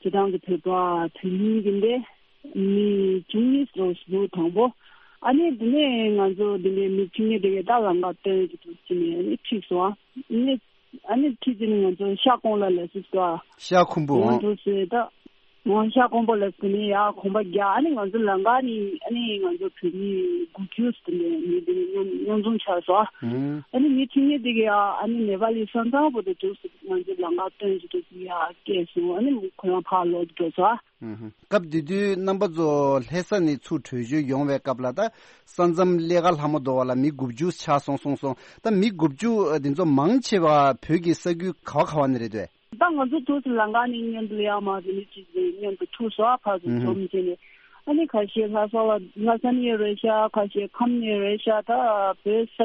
སྤྱིར་བཏང་གི་བོད་པ་བོད་མི་གི་འདི་མི་བཅུ་གཉིས་འདྲ་བོ་ཞིག་འདུག་དང་པོ། ཨ་ནི་དེ་ནས་ང་ཚོ་དེ་ནས་མི་བཅུ་གཉིས་དེ་གའི་ད་ལམ་ཁ་སྟོན་གྱི་དུ་སེ་ནས་ཨ་ནི་ཁྲིད་སོང་། ཨ་ནི། ཨ་ནི་ཁྲིད་དེ་ནི་ང་ཚོ་ཤ་ཀོང་ལ་ལ་སི་ཏོ། ཤ་ཁུམ་བུ་ང་ཨང་། ཚོ་སེ་ད། ང་ཤ་ཀོང་པོ་ལ་སི་ནི་ཡ་གོམ་པ་རྒྱག་ཨ་ནི་ང་ཚོ་ལམ་ཁ་ནི་ཨ་ནི་ང་ཚོ་བོད་མི་དགུ་བཅུ་སི་ནི་མི་དེ་ནི་མཉམ་མཉམ་འཛོམས་ཆགས་སོང་། ཨ་ནི་མི་ཁྲི་གཉིས་དེ་གི་ཡ་ཨ་ནི་ནེ་པ་ལི་ས་མཚམས་པོ་དེ་དུས་སུ་ང་ཚོ་ལམ་ཁ་སྟོན་ཞིག་དུས་སུ་ཡ་སྐད་སོང་། ཨ་ནི་ཁོ་རང་ཕར་ལོག་འགྲོ་སོང་། སྐབས་དེ་དུས་རྣམ་པ་ཚོ་ལྷ་ས་ནས་ཚུར་བྲོས་བྱོལ་ཡོང་བའི་སྐབས་ལ་ད་ས་མཚམས་ལས་ཀ་ལྷ་མོ་རྡོ་བ་ལ་མི་དགུ་བཅུ་ཆགས་སོང་གསུངས་སོང་། ད་མི་དགུ་བཅུ་དེ་ཚོ་མང་ཆེ་བ་བོད་ཀྱི་ས་ཁུལ་ག་བ་ག་བ་ནས་རེད་དོ། ད་ང་ཚོ་དུས་སུ་ལམ་ཁ་ནས་མཉམ་དུ་ཡར་མར་དེ་ནས་ཅིག་མཉམ་དུ་ཐུག་སོང་། ཕར་ཚུར་འཛོམས་བྱས་ནས་ཨ་ནི་ཁ་ཤས་ལྷ་ས་ལ་ལྷ་ས་ནས་ཡོད་རེད་ཤག་ཁ་ཤས་ཁམས་ནས་ཡོད་རེད་ཤག་ད་བོད་ས་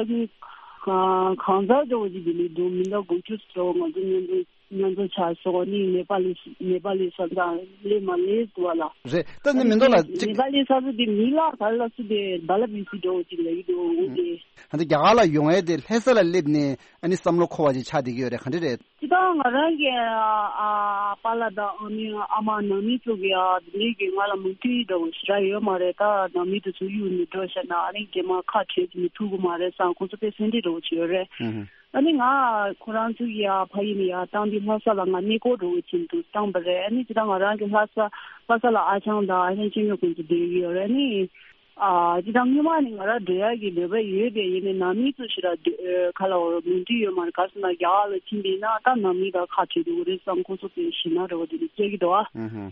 ཁུལ་གང་ས་འདྲ་བོ་ཅིག་དེ་ནས་འདུག་མི་འདྲ་དགུ་བཅུ་ཙམ་ང་ཚོ་མཉམ་དུ། མཉམ་འཛོམས་ཆགས་སོང་། ནི་ནེ་པ་ལི་ནེ་པ་ལི་ས་མཚམས་སླེབས་མ་སླེབས་འདུག་བ་ལ། རེད། ད་ནི་མི་འདུག་ལ་ཅིག་ནེ་པ་ལི་ས་མཚམས་དེ་མི་ལ་ག་ལ་སུ་དེ་བ་ལ་བི་སི་འགྲོ་ཅིག་ལ་ཡི་འདུག་འོ་དེ། ཧ་ད་རྒྱ་གར་ལ་ཡོང་ཡས་དེ་ལྷ་ས་ལ་སླེབས་ནས་ཨ་ནི་བསམ་བློ་འཁོར་བ་ཅིག་ཆགས་བསྡད་ཀྱི་ཡོད་རེད། ག་འདྲ་རེད། ཅི་ད་ང་རང་གི་ཨ་པཱ་ལགས་དང་ཨ་མའི་ཨ་མ་ནང་མི་ཚོ་གི་ཨ་དེ་གི་ང་ལ་མུ་མཐུད་འདྲ་བོ་ཞེ་དྲག་ཡོད་མ་རེད། ད་ནང་མི་དེ་ཚོ་གཡུག་ནས་འགྲོ་བཞག་ན་ཨ་ནི་རྗེས་མ་ཁ་བྲལ་ཅིག་ནས་ཐུག་གི་མ་རེད་བསམ་ཁོང་ཚོ་དཔེ་སེམས་ཁྲལ་འདྲ་བོ་ཅིག་ཡོད་རེད། ཨ་ནི་ང་ཁོ་རང་ཚོ་ཡ་ཕ་ཡུལ་ནས་ཡར་བཏང་དུས་ལྷ་ས་ལ་ང་གནས་སྐོར་འགྲོ་བའི་ཆེད་དུ་བཏང་པ་རེད། ཨ་ནི་ཅི་ད་ང་རང་གི་ལྷ་ས་ལྷ་ས་ལ་ཨ་ཅག་དང་ཨ་ཅག་སྐྱེ་དམན་ཀུན་ཏུ་བསྡད་ཀྱི་ཡོད་རེད། ཨ་ནི་ཨ་ཅི་ད་སྔོན་མ་ནས་ང་རང་འགྲོ་ཡག་གི་འདོད་པ་ཡོད་པས་ཡིན་ནའི་ནང་མི་ཚོ་ཞེ་དྲག་འདོད་ཁ་ལ་འོ་མོས་མཐུན་ཡོད་མ་རེད། ག་ཟེར་ན་རྒྱ་གར་ལ་ཕྱིན་པ་ཡིན་ན་ད་ནང་མི་དང་ཁ་བྲལ་འགྲོ་གི་རེད་བསམ་ཁོ་ཚོ་དཔེ་ཞེད་སྣང་འདྲ་བོ་དེ་འདྲ་སྐྱེ་གི་འདུག་ཨ།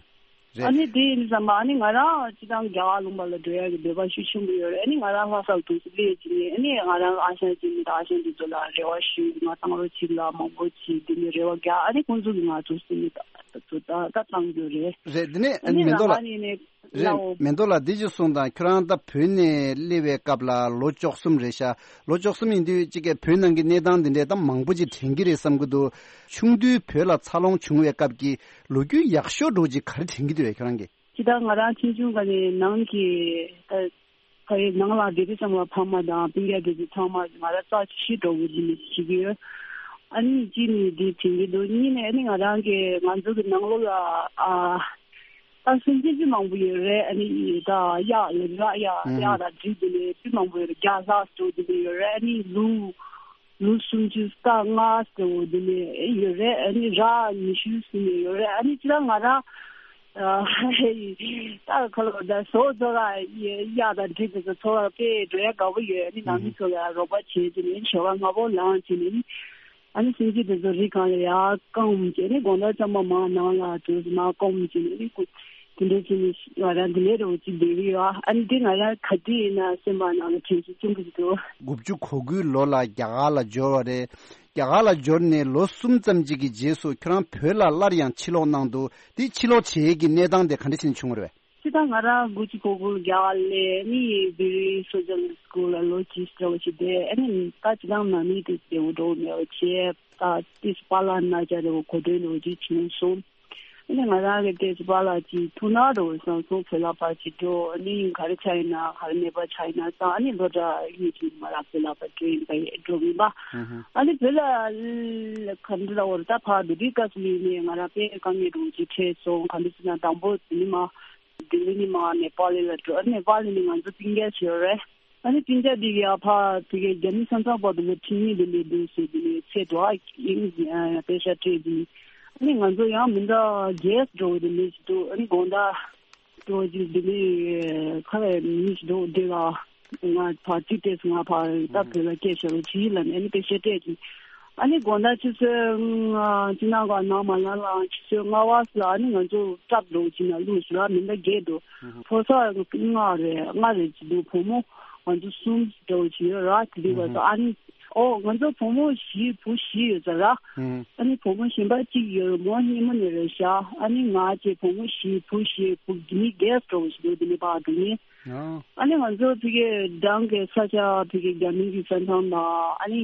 ཨ་ནི་དེ་ཡིན་བསམ་པ་ཨ་ནི་ང་རང་སྤྱིར་བཏང་རྒྱ་གར་ལུང་པ་ལ་འགྲོ་ཡག་གི་འདོད་པ་ཤུགས་ཆེན་པོ་ཡོད་རེད། ཨ་ནི་ང་རང་ལྷ་སར་དུས་སུ་སླེབས་ཀྱི་ནས་ཨ་ནི་ང་རང་ཨ་ཞང་སྐྱེ་དམན་དང་ཨ་ཞང་དེ་ཚོ་ལ་རེ་བ་ཞུས། ང་བཏང་རོགས་གྱིས་ལ་མང་པོ་ཅིག་དེ་ནས་རེ་བ་རྒྱག་ཨ་ནི་ཁོང་ཚོ་གིས་ང་ཚོ་སེམས་ནས་ད་ད་ད་བཏང་རྒྱུ་རེད། རེད། དེ་ནས་ཨ་ནི་མེ་ཏོག་ལགས། ནས་ནས་རེད། ལའོ། མེ་ཏོག་ལགས་འདི་ཅིག་གསུངས་དང་། ཁྱོད་རང་ད་བོད་ནས་སླེབས་པའི་སྐབས་ལ་ལོ་བཅུ་གསུམ་རེད་ཤག་ལོ་བཅུ་གསུམ་ཡིན་དུས་ཅིག་གི་བོད་ནང་གི་གནས་སྟངས་འདི་འདྲས་ད་མང་པོ་ཅིག་དྲན་གྱི་རེད་བསམ་གྱི་འདུག་ཆུང་དུས་བོད་ལ་འཚར་ལོངས་བྱུང་བའི་སྐབས་ཀྱི་ལོ་རྒྱུས་ཡག་ཤོས་འདྲ་བོ་ཅིག་ག་རེ་དྲན་གྱི་འདུག་བས་ཁྱོད་རང་གིས། ཅི་ད་ང་རང་ཆུང་ཆུང་སྒང་ནས་ནང་གི་ད་ཕ་ཡུལ་ནང་ལ་བསྡད་དུས་ཙམ་ལ་ཕ་མ་དང་སྤུན་ཀྱག་དེ་ཚོ་ཚང་མ་ང་རང་རྩ་ཆེ་ཤོས་འདྲ་བོ་འདི་ནས་བྱེད་ཀྱི་ཡོད། ཨ་ནི་གཅིག་ནས་འདི་དྲན་གྱི་འདུག་གཉིས་ནས་ཨ་ནི་ང་རང་གི་ང་ཚོ་གི་ནང་ལོགས་ལ་ཨ་ད་སེམས་ཅན་སྤུས་མང་པོ་ཡོད་རེད། ཨ་ནི་ད་གཡག་ལ་ར་གཡག་གཡག་དང་འབྲི་དེ་ནས་སྤུས་མང་པོ་ཡོད་རེད། བརྒྱ་ལྷག་འགྲོ་དེ་ནས་ཡོད་རེད། ཨ་ནི་ལུག་ལུག་སུམ་ཅུ་རྟ་ལྔ་ཟེར་བ་དེ་ནས་ཡོད་རེད། ཨ་ནི་ར་ཉི་ཤུ་ཟིན་ནས་ཡོད་རེད། ཨ་ནི་ཅི་ད་ང་རང་ད་ཁ་ལོ་ད་ཟོག་ཚོ་ག་གཡག་དང་འབྲི་དེ་ཚོ་ཚོ་བ་དཔེ་འགྲོ་ཡ་དགའ་པོ་ཡོད། ཨ་ནི་ནང་མི་ཚོ་ལ་རོགས་པ་བྱས་དེ་ནས་ཞོགས་པ་སྔ་པོ་ལངས་བྱས་ནས་ཨ་ནི་སེམས་ཅན་དེ་ཚོ་རི་སྒང་ལ་ཡར་བསྐམས་བྱས་ནས་དགོང་དག་ཙམ་པ་མར་ནང་ལ་དུ་མར་བསྐམས་བྱས་ནས་ཨ་ནི་ཁོ་དེ་འདྲ་བྱས་ནས་ང་རང་དེ་ལས་རོགས་ཅིག་བསྡད་ཀྱི་ཡོད། ཨ་ནི་དེ་ང་རང་ག་དུས་ཡིན་ན་སེམས་པ་ནང་ལ་དྲན་གསོ་ཆེན་པོ་ཞིག་འདུག་དགུ་བཅུ་གོ་དགུའི་ལོ་ལ་རྒྱ་གར་ལ་འབྱོར་བ་རེད། རྒྱ་གར་ལ་འབྱོར་ནས་ལོ་གསུམ་ཙམ་ཅིག་གི་རྗེས་སུ་ཁྱོད་རང་བོད་ལ་སླར་ཡང་ཕྱིར་ལོག་གནང་འདུག་དེ་ཕྱིར་ལོག་བྱེད་ཡས་ཀྱི་གནས་སྟངས་དེ་ག་འདྲ་ཞིག་བྱུང་བ་རེད། སྤྱིར་བཏང་ང་རང་དགུ་བཅུ་གོ་དགུ་རྒྱ་གར་སླེབས་ནས་བི་རི་སོ་ཤལ་སི་ཀུལ་ལ་ལོ་གཅིག་འདྲ་བོ་ཞིག་བསྡད། ཨ་ནི་ད་སྤྱིར་བཏང་ནང་མི་དེ་བདེ་བོ་འགྲོ་མེད་པ་བྱས། ད་ཏིས་པཱ་ལགས་ན་ཅག་འདྲ་བོ་གོ་དོན་འདྲ་བོ་ཅིག་བྱུང་སོང་། ཨ་ནི་ང་རང་གི་ཏོག་ཙམ་པཱ་ལགས་ཅིག་ཐུག་ན་འགྲོ་བསམ་སོང་། བོད་ལ་ཕར་ཅིག་འགྲོ། ཨ་ནི་ག་རེ་ཆགས་ཡིན་ན་ག་རེ་གནས་པ་ཆགས་ཡིན་ན་བསམ། ཨ་ནི་སློབ་གྲྭ་གཉིས་ཀྱིས་ང་རང་བོད་ལ་ཕར་འགྲོ་ཡིན་པ་ཡིན་འགྲོ་མིན་པ། ཨ་ནི་བོད་ལ་ག་འདྲ་ལ་འོར་ད་ཕར་འདི་འདྲའི་སྐབས་སུ་ལུས་ནས་ང་རང་དཔེ་དཀའ་ངལ་འདྲ་བོ་ཅིག་འཕྲད་སོང་། ག་འདྲ་ཟེར་ན་དང་པོ་དེ་ནི་མ་ལྡི་ལི་ནས་མར་ནེ་པཱལ་ལ་འགྲོ། ནེ་པཱལ་ནས་ང་ཚོ་སྤུན་ཀྱག་ཞིག་ཡོད་རེད། ཨ་ནི་སྤུན་ཀྱག་འདི་ག་ཡ་ཕར་དེ་གའི་རྒྱ་མི་ས་མཚམས་བར་དུ་ལ་ཁྲིད་མཁན་དེ་འདྲ་འདུག་ཟེར། དེ་ནས་ཚེ་དོ་ཨ་ཨིན་པེ་ཤ་སྤྲད་དེ། ཨ་ནི་ང་ཚོ་ཡང་མི་འདྲ་རྒྱས་འགྲོ་བའི་དེ་འདྲ་ཞིག་འདུག་ཨ་ནི་དགོང་དག་འགྲོ་རྒྱུ་དེ་འདྲ་ཁ་བའི་མི་ཞིག་འདུག་དེ་ལ་ང་ཕར་ཅིག་བལྟས་སོང་། ང་ཕར་ད་བོད་ལ་སྐད་ཆ་རོ་ཅིག་ལ་ནས་ཨ་ནི་པེ་ཤ་སྤྲད་དེ། ཨ་ནི་དགོང་དག་ཆུ་ཚོད་ལྔ་ཅི་ན་ག་ནང་མ་ལ་ལ་ཆུ་ཚོད་ལྔ་བ་ལ་ཨ་ནི་ང་ཚོ་སྐྲག་འགྲོ་ཅིག་ན་ལུས་ལ་མི་འདྲ་རྒྱས་འདུག་ཕོ་གསར་ལྔ་རེད། ལྔ་རེད་ཅིག་འདུག་བུ་མོ་ང་ཚོ་གསུམ་འདྲ་བོ་ཅིག་ཡོད་ར། དེ་འདུག་བ་ད་ཨ་ནི་ཨོ་ང་ཚོ་བུ་མོ་བཞི་བུ་བཞི་ཡོད་ས་ར། ཨ་ནི་བུ་མོ་གཞན་པ་གཅིག་ཡོད་ར། མོ་སྙེ་མོ་ནས་རེད་ཤག་ཨ་ནི་ང་བཅས་བུ་མོ་བཞི་བུ་བཞི་བུ་གི་མི་རྒྱས་འདྲ་བོ་ཅིག་འདུག་དེ་ནི་པ་དེ་ནི། ཨ་ནི་ང་ཚོ་ཕ་གིའི་འགྲམ་གྱི་ས་ཆ་ཕ་གིའི་རྒྱ་མི་གི་ས་མཚམས་དང་ཨ་ནི་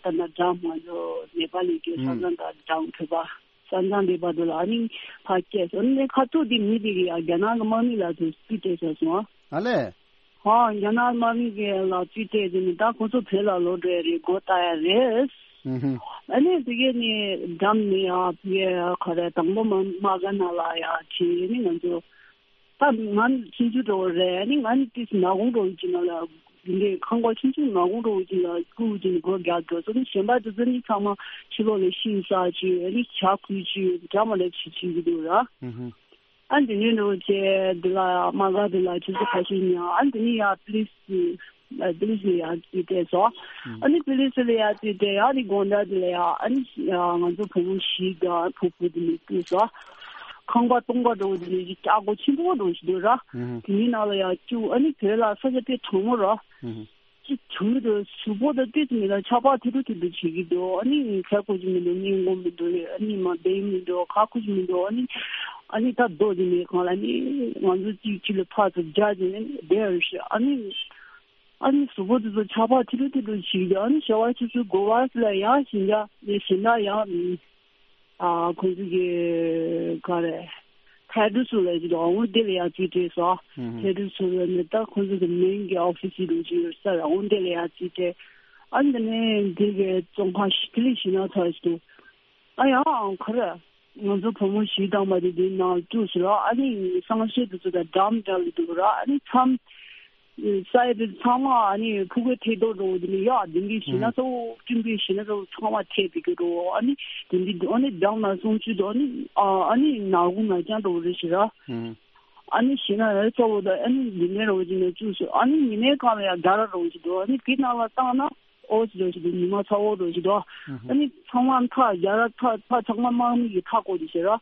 ད་ལྟ་འགྲམ་ང་ཚོ་ནེ་པ་ལི་གི་ས་མཚམས་དང་འགྲམ་བོད་པ། ས་མཚམས་དེ་བར་དུ་ལ་ཨ་ནི་ཕར་སྐྱེལ་སོང་། ཨ་ནི་ཁ་ཐུག་དེ་མི་དེ་གི་ཡ་རྒྱ་ནག་གི་དམག་མི་ལ་དུ་རྩིས་སྤྲད་ཚར་སོང་ཨ། ཨ་ལས། ཧོ་རྒྱ་ནག་དམག་མི་གི་ལ་རྩིས་སྤྲད་དེ་ནི་ད་ཁོ་ཚོ་བོད་ལ་ལོག་འགྲོ་ཡ་རེད། སྒོ་བཏགས་ཡ་རེད། ཨ་ནི་དེ་གས་ནི་འགྲམ་ནི་ཡ་ཕ་གི་ག་རེ་དང་པོ་མ་མ་ག་ན་ལ་ཡ་ཁྲིད་ནི་ང་ཚོ། ད་ང་ཆུང་ཆུང་འགྲོ་བ་རེད། ཨ་ནི་ང་ནི་ཏིས་ནག་ཁུང་འགྲོ་བའི་ཅིག་ནང་ལ་འདི་འདྲའི་ཁང་པ་ཆུང་ཆུང་ནག་ཁུང་འགྲོ་བའི་ཅིག་ལ་སྐུ་ཅིག་ནི་སྒོ་རྒྱག་འགྲོ་སོང་། ནི་གཞན་པ་དེ་ཚོ་ནི་ཚང་མ་ཕྱི་ལོགས་ལ་ཤིང་ཟ་ཅིག་ཨ་ནི་ཇ་ཁུག་ཅིག་འདྲ་མ་ལེབ་ཅིག་བྱེད་ཀྱི་འདུག་ར། ཨ་འདི་ནས་འགྲོ་བྱས་འདི་ལ་མ་ག་འདི་ལ་ཆུ་ཚོད་ཁ་ཤས་ཉལ། ཨ་འདི་ནས་ཡ་པི་ལིས། པི་ལིས་ལ་ཡར་རྩིས་སྤྲད་སོང་། ཨ་ནི་པི་ལིས་ལ་ཡར་རྩིས་སྤྲད་ཡ་ནི་དགོང་དག་དེ་ལ་ཡ་ཨ་ནི་ང་ཚོ་བུ་མོ་བཞི་དང་བུ་བུ་དེ་ནི་བརྐུས་སོང་། ཁང་པ་སྟོང་པ་འགྲོ་དེ་ནི་ཅིག་ལྕགས་སྒོ་ཆེན་པོ་འགྲོ་ཞིག་འདུག་ར། དེ་ནི་ནང་ལ་ཡ་བཅུག་ཨ་ནི་བོད་ལ་ས་ཆ་དེ་གྲང་མོ་ར། ཅིག་བྱུང་འདུག་གཟུགས་པོ་དང་ཏོག་ཙམ་མི་ལ་ཆགས་པ་ཐེ་རུ་ཐེ་རུ་བྱེད་ཀྱི་འདུག་ཨ་ནི་ཁ་ཁུ་ཅིག་མི་འདུག་སྙིང་ཁོང་མི་འདུག་ཨ་ནི་མ་བདེ་མི་འདུག་ཁ་ཁུ་ཅིག་མི་འདུག་ཨ་ནི་ཨ་ནི་ད་རྡོ་ཅིག་མི་གང་ལ་ནི་ང་ཚོ་གཅིག་གཅིག་ལ་ཕར་ཚུར་རྒྱག་ཅིག་ནི་བསྡད་ཡོད་ཤག་ཨ་ནི། ཨ་ནི་གཟུགས་པོ་དེ་ཚོ་ཆགས་པ་ཐི་རུ་ཐི་རུ་བྱེད་ཀྱི་ཨ་ནི་ཞོགས་པ་ཆུ་ཚོད་དགུ་པ་ལ་ཡང་ཞིང་ཆ་ནས་ཞིང་ཆ་ཡང་ཨ་ཁོང་ཚོ་གི་ག་རེ་ཐའེ་ཌུ་སུ་ལ་ཡོད་འོང་དེ་ལ་ཡང་རྩིས་སྤྲད་སོང་། ཐའེ་ཌུ་སུ་ལ་ནི་ད་ཁོང་ཚོ་གི་མིང་གི་ཨོ་ཕི་སི་རུ་ཅིག་ཡོད་ས་ར་འོང་དེ་ལ་ཡང་རྩིས་སྤྲད། ཨ་ནི་དེ་ནས་འདི་གི་ཙོང་ཁ་ཤི་ཐི་ལི་ཞིང་ཆ་ཚོ་ཞིག་འདུག་ཨ་ཡང་ཁ་རེ། ང་ཚོ་བུ་མོ་བཞི་དང་མ་དེ་དེའི་ནང་བཅུག་སོང་ར། ཨ་ནི་གསང་སྤྱོད་དེ་ཚོ་དང་འགྲམ་འདྲ་ལ་འདུག་ར། ཨ་ནི་མཚམས་ས་ཡ་དེ་ཚང་མ་ཨ་ནི་ཕྲུ་གུ་ཐད་གཏོང་འགྲོ་དེ་ནི་ཡ་དེ་འདྲའི་ཞིག་ན་གཙོ་བོ་སྤྲིན་པའི་ཞིག་ན་གཙོ་བོ་ཚང་མ་ཐད་དེ་གི་འགྲོ། ཨ་ནི་དེ་འདྲའི་ཨ་ནི་འགྲམ་ན་གསང་སྤྱོད་དུ་ཨ་ནི་ཨ་ཨ་ནི་ནག་ཁུང་ན་རྐྱང་འགྲོ་རེད་ཞིག་ར། ཨ་ནི་ཞིག་ན་ཡ་གཙོ་བོ་དང་ཨ་ནི་ཉི་མའི་རོ་ཅིག་ནས་བཅུག་སོང་། ཨ་ནི་ཉི་མའི་སྒང་ལ་ཡ་རྒྱ་ར་རོ་ཅིག་འདུག་ཨ་ནི་དེ་ནང་ལ་བཏང་ན། ཨོ་ཙི་འགྲོ་ཞིག་འདུག་ཉི་མ་ཚ་བོ་འགྲོ་ཞིག་འདུག་ཨ་ནི་ཚང་མ་མཐའ་རྒྱ་ར་མཐའ་མཐའ་ཚང་མ་དམག་མི་གི་མཐའ་བསྐོར་ཏེ་བྱས་ར།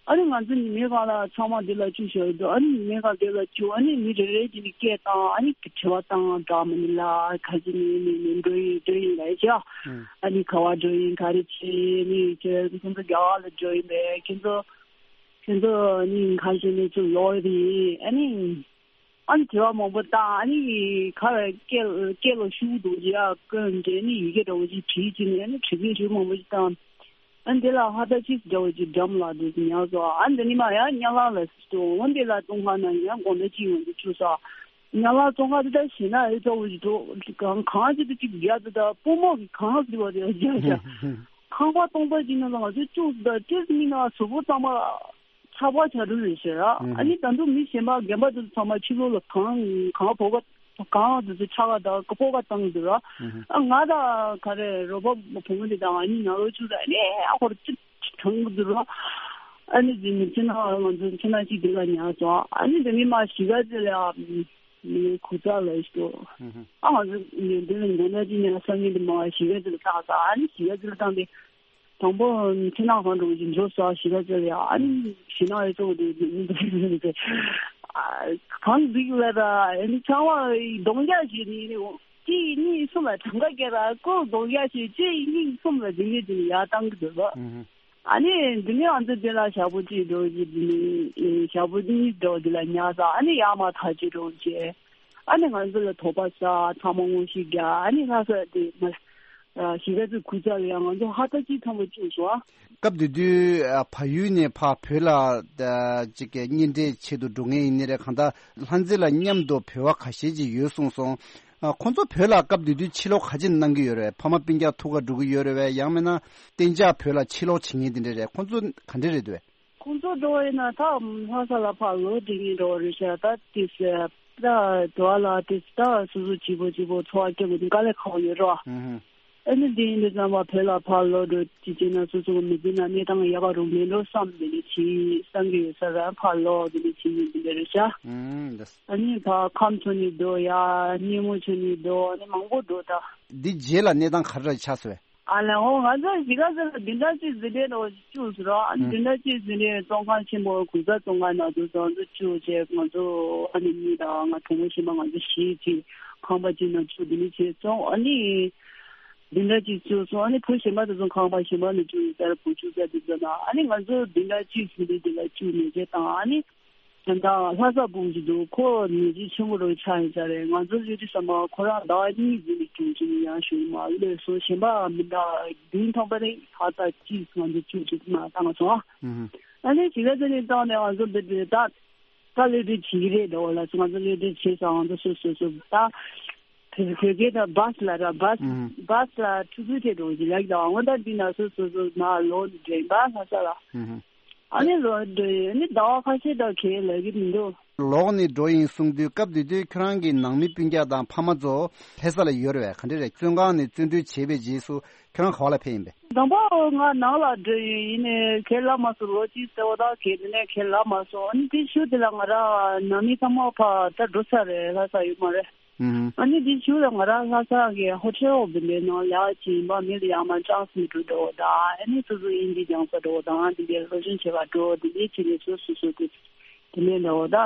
ཨ་ནི་ང་ཚོ་ཉི་མའི་སྒང་ལ་ཚང་མ་འདི་ལ་བཅུག་བཞག་འདུག་ཨ་ནི་ཉི་མའི་སྒང་འདི་ལ་བཅུག་ཨ་ནི་མི་རེ་རེ་གཅིག་ནི་སྐད་བཏང་ཨ་ནི་དྲི་བ་བཏང་འདྲ་མི་ནི་ལ་ག་ཅི་ནི་ནི་ནི་འགྲོ་ཡིན་འགྲོ་ཡིན་ལ་ཡ། ཨ་ནི་ག་བ་འགྲོ་ཡིན་ག་རེ་བྱེད་ནི་ཁྱེད་ཁྱེད་ཚོ་རྒྱ་གར་ལ་འགྲོ་ཡིན་པས། ཁྱེད་ཚོ་ཁྱེད་ཚོ་ནི་ག་ཅི་ནི་ཚུར་ལོག་ཡོད་ཡིན། ཨ་ནི། ཨ་ནི་དྲི་བ་མང་པོ་བཏང་ཨ་ནི་ག་རེ་སྐད་སྐད་ལ་ཤུགས་འདུག་ཡ་ཀུན་འདྲེ་ནི་ཡི་གེ་འདྲ་བོ་ཅིག་བྲིས་ཅིག་ནས་ཨ་ནི་དྲི་བ་ཤུགས་མང་པོ་ཅིག་བཏང་། ཨ་ནི་དེ་ལ་ཧ་ད་ཅིག་འདྲ་བོ་ཅིག་འགྲམ་ལ་འདུག་ཉག་སོ་ཨ་ནི་འདི་ནི་མ་ཡ་ཉ་ལ་ལ་སི་ཏོ་འོ་འདི་ལ་ཏུང་ཧ་ན་ཡ་དགོང་དྲོ་ཅིག་འོང་དུ་བཅུག་སོ། ཉ་ལ་ཏུང་ཧ་དེ་ད་ཤི་ན་ཨེ་འདྲ་བོ་ཅིག་འདུག་གང་གང་ཅིག་ཏུ་ཅིག་རྒྱ་དུ་ད་པུ་མོ་གི་གང་ཟི་བ་དེ་རྒྱ་རྒྱ་ཁང་པ་སྟོང་པ་ཅིག་ནང་ལ་ང་ཚོ་བཅུག་ད་ཏེ་མི་ན་སོ་པོ་ཚང་མ། ཆགས་པ་བྱ་འགྲོ་རེད་ཟེར་ར། ཨ་ནི་ད་དུང་མི་གཞན་པ་རྒན་པ་དེ་ཚོ་ཚང་མ་ཕྱི་ལོགས་ལ་གང་གང་ཕོ་བ་གང་དེ་ཚོ་ཆགས་པ་དང་སྤོ་བ་བཏང་འདུག་ར། ཨ་ང་དང་ག་རེ་རོ་པ་བུ་མོ་དེ་དང་ཨ་ནི་ང་རོ་ཆུ་ད་ནས་ཨ་ཁོར་ཅི་གྲང་གི་འདུག་ར། ཨ་ནི་དེ་ནི་ཕྱི་ནང་ང་ཚོ་ཕྱི་ནང་གཅིག་དེ་ལ་ཉར་སོང་། ཨ་ནི་དེ་ནི་མ་གཞིས་ཀ་རྩེ་ལ་མི་གུ་ཚ་ལ་ཞིག་ཨ་ང་ཚོ་དེ་ནི་མགོ་ན་ཅི་ཉར་སང་ཉིན་དེ་མ་གཞིས་ཀ་རྩེ་ལ་བཏང་ས། ཨ་ནི་གཞིས་ཀ་རྩེ་ལ་བཏང་སྟེ། དང་པོ་ཕྱི་ནང་གང་འགྲོ་གི་འགྲོ་ས་གཞིས་ཀ་རྩེ་ལ་ཡ། ཨ་ནི་གཞིས་ནང་ཡོད་ཚོ་དེ་མི་འདུག་ཟེར་ཏེ། གང་འདུག་ལ་ད་ཨ་ནི་ཚང་མ་གདོང་རྒྱག་བྱས་ནི་གཅིག་གཉིས་གསུམ་ལ་གྲངས་ཀ་བརྒྱབ་ར་ཀོ་གདོང་རྒྱག་བྱས་གཅིག་གཉིས་གསུམ་ལ་འདི་ནས་འདི་ནས་ཡར་བཏང་གི་འདུག་ལ། ཨ་ནི་འདི་ནས་ང་ཚོ་འདི་ལ་ཞག་པོ་གཅིག་འགྲོ་གི་འདི་ནས་ཞག་པོ་གཉིས་འགྲོ་འདི་ལ་ཉལ་ས། ཨ་ནི་ཡར་མར་ཐག་གཅོད་འགྲོ་བྱས། ཨ་ནི་ང་ཚོ་ལ་དོགས་པ་ཟ་ཚང་མ་ངོ་ཤེས་རྒྱག་ཨ་ནི་ལྷ་ས་དེ་མ། གཞིས་ཀ་རྩེ་ཁུལ་རྩ་ལ་ཡང་ང་ཚོ་ཧ་ཐག་གཅིག་མཚུངས་པ་བཅུག་སོང་ཨ། སྐབས་དེ་དུས་ཨ་བལ་ཡུལ་ནས་ཕར་བོད་ལ་ཨ་ཅིག་གི་གཉེན་འཕྲད་ཆེད་དུ་འགྲོ་མཁན་ཡིན་ནའི་རེད། གང་ལྟར་ལྷ་མཛེས་ལ་མཉམ་དུ་བོད་པ་ཁ་ཤས་ཅིག་ཡོད་གསུངས་སོང་། ཨ་ཁོང་ཚོ་བོད་ལ་སྐབས་དེ་དུས་ཕྱིར་ལོག་ག་ཅི་གནང་གི་ཡོད་རེད། ཕ་མ་སྤུན་ཀྱག་ཐུག་ག་འགྲོ་གི་ཡོད་རེད་བས། ཡང་མིན་ན་གཏན་འཇགས་བོད་ལ་ཕྱིར་ལོག་བྱེད་མཁན་དེ་འདྲ་རེད། ཁོང་ཚོ་ག་འདྲ་རེད་འདུག་བས། ཁོང་ཚོ་འགྲོ་བ་ཡིན་ན་ད་ལྷ་ས་ལ་ཕར་ལོག་འགྲོ་གི་འགྲོ་བ་རེད་ཤག་ད་དེ་ད་དུ་བ་ལ་དེ་ད་སོ་སོ་གཅིག་པོ་གཅིག་པོ་འཚོ་བ་སྐྱོང་དགོས་དུས་དཀའ་ལས་ཁག་པོ་ཡོད་རེད་བ། ཧུམ་ཧུམ། ཨ་ནི་དེ་ཡིན་དུས་ཙམ་པ་བོད་ལ་ཕར་ལོག་འགྲོ་ཅི་བྱས་ན་སོ་སོ་གི་མི་ཚེ་ན་གནས་སྟངས་ཡག་པ་རུ་མེད་འགྲོ་བསམ་དེ་འདྲ་བྱེད་བསམ་གི་ཡོད་ས་ར་ཕར་ལོག་དེ་འདྲ་བྱེད་ཡིན་དེ་འདྲ་རེད་ཤག་ཧུམ། འདི། ཨ་ནི་ཕར་ཁམས་ཚོ་ནས་འགྲོ་ཡ་སྙེ་མོ་ཚོ་ནས་འགྲོ་ཨ་ནི་མང་པོ་འགྲོ་ད། འདི་རྗེས་ལ་གནས་སྟངས་ག་རེ་ཆགས་སོང་བས། ཨ་ལས་འོ་ང་ཚོ་གཞིས་ཀ་རྩེ་ལ་བདུན་ཕྲག་གཅིག་འཛིན་གྲྭའི་འགྲོ་བཅུག་ཟེར་རོ། ཨ་ནི་ཨུ། བདུན་ཕྲག་གཅིག་འཛིན་གྲྭའི་བཙོན་ཁང་ཆེན་པོ་གུང་གསེང་བཙོན་ཁང་ནང་དུ་ང་ཚོ་བཅུག་བྱས་ང་ཚོ་ཨ་ནི་གཉིས་དང་ང་གྲོགས་མོ་གཞན་པ་ང་ཚོ་བཞི་གཅིག་ཁང་པ་གཅིག་ནང་བཅུག་དེ་ནི་བྱས་སོང་། ཨ་ནི་བདུན་ཕྲག་གཅིག་བཅུག་སོང་། ཨ་ནི་བུ་གཞན་པ་དེ་ཚོ་ཁང་པ་གཞན་པ་ནང་བཅུག་ཡོད་ས་ར་བུ་བཅུག་ས་དེ་ཚོ་ན་ཨ་ནི་ང་ཚོ་བདུན་ཕྲག་གཅིག་འཛིན་གྲྭའི་དེ་ལ་བཅུག་ནས་བྱས་དང་ཨ་ནི། ད་ལྟ་ལྷ་ས་སྤུན་ཞིག་འདུག་ཁོ་ནད་གཞི་ཆེན་པོ་རུ་ཆགས་ཡིན་ས་རེད། ང་ཚོ་ལས་དུས་ཙམ་པ་ཁོ་རང་ཟླ་བ་གཉིས་འཛིན་གྲྭ་བཅུག་ཅིག་ཡང་ཞུ་མ་ལོས་སོ་གཞན་པ་མི་འདྲ་བདུན་ཐམ་པ་རེད། ད་ལྟ་གཅིག་ང་ཚོ་བཅུག་ཅིག་མ་བཏང་སོང་ཨ། ཨ་ནི་གཞིས་ཀ་རྩེ་ནས་བཏང་ནས་ང་ཚོ་འདི་འདྲ་ད་ད་ལས་དུས་བྱེད་ཀྱི་རེད་འདྲ་བ་ལ་ང་ཚོ་ལས་དུས་བྱེད་ས་ང་ཚོ་སོ་སོ་སོ་ད་བོད་སྐད་ད་བཱས་ལ་ར་བཱས་བཱས་ལ་ཆུ་ཚོད་དེ་འགྲོ་གི་ལགས་ད་ང་ད་འདི་ན་སོ་སོ་སོ་ན་ལོ་འདྲེན་པ་ལྷ་ས་ལ། ཨ་ནི་ལོ་འདི་ཨ་ནི་ཟླ་བ་ཁ་ཤས་ད་ཁེལ་ལབ་ཀྱི་མི་འདུག་ལོག་ནས་འགྲོ་ཡིན་གསུངས་དུས་སྐབས་དེ་དུས་ཁྱོད་རང་གི་ནང་མི་སྤུན་ཀྱག་དང་ཕ་མ་ཚོ་ལྷ་ས་ལ་ཡོད་རེད་བས། ག་འདྲ་རེད། བཙོན་ཁང་ནས་བཙོན་གྲོལ་བྱས་པའི་རྗེས་སུ་ཁྱོད་རང་ག་བ་ལ་ཕེབས་ཡིན་པས། དང་པོ་ང་ནང་ལ་འགྲོ་ཡིན་ཡིན་ནས་ཁེལ་ལ་མ་སོང་ལོ་གཅིག་ཟེར་བ་ད་ཁེལ་དེ་ནས་ཁེལ་ལ་མ་སོང་། ཨ་ནི་དེ་ཤུལ་དེ་ལ་ང་རང་ནང་མི་ཚང་མ་ཕ་ད་འགྲོ་ས་རེད་ལྷ་ས་ཡོད་མ་རེད། ཨ་ནི་དེ་ཤུལ་ལ་ང་རང་ལྷ་ས་གི་ཧོ་ཊེལ་འོག་དེ་འདྲའི་ནང་ལས་ཀ་བྱེད་ཡིན་པ་མི་ལ་ཡང་མ་ཅང་སི་མི་འགྲོ་འགྲོ་དང་ཨ་ནི་སོ་སོ་དབྱིན་ཇི་སྦྱང་ས་འགྲོ་དང་དེ་འདྲའི་སློབ་སྦྱོང་བྱེད་པ་འགྲོ་དེ་འདྲའི་བྱེད་ནས་སོ་སོ་སོ་དེ་དེ་ནས་འདྲ་བོ་ད་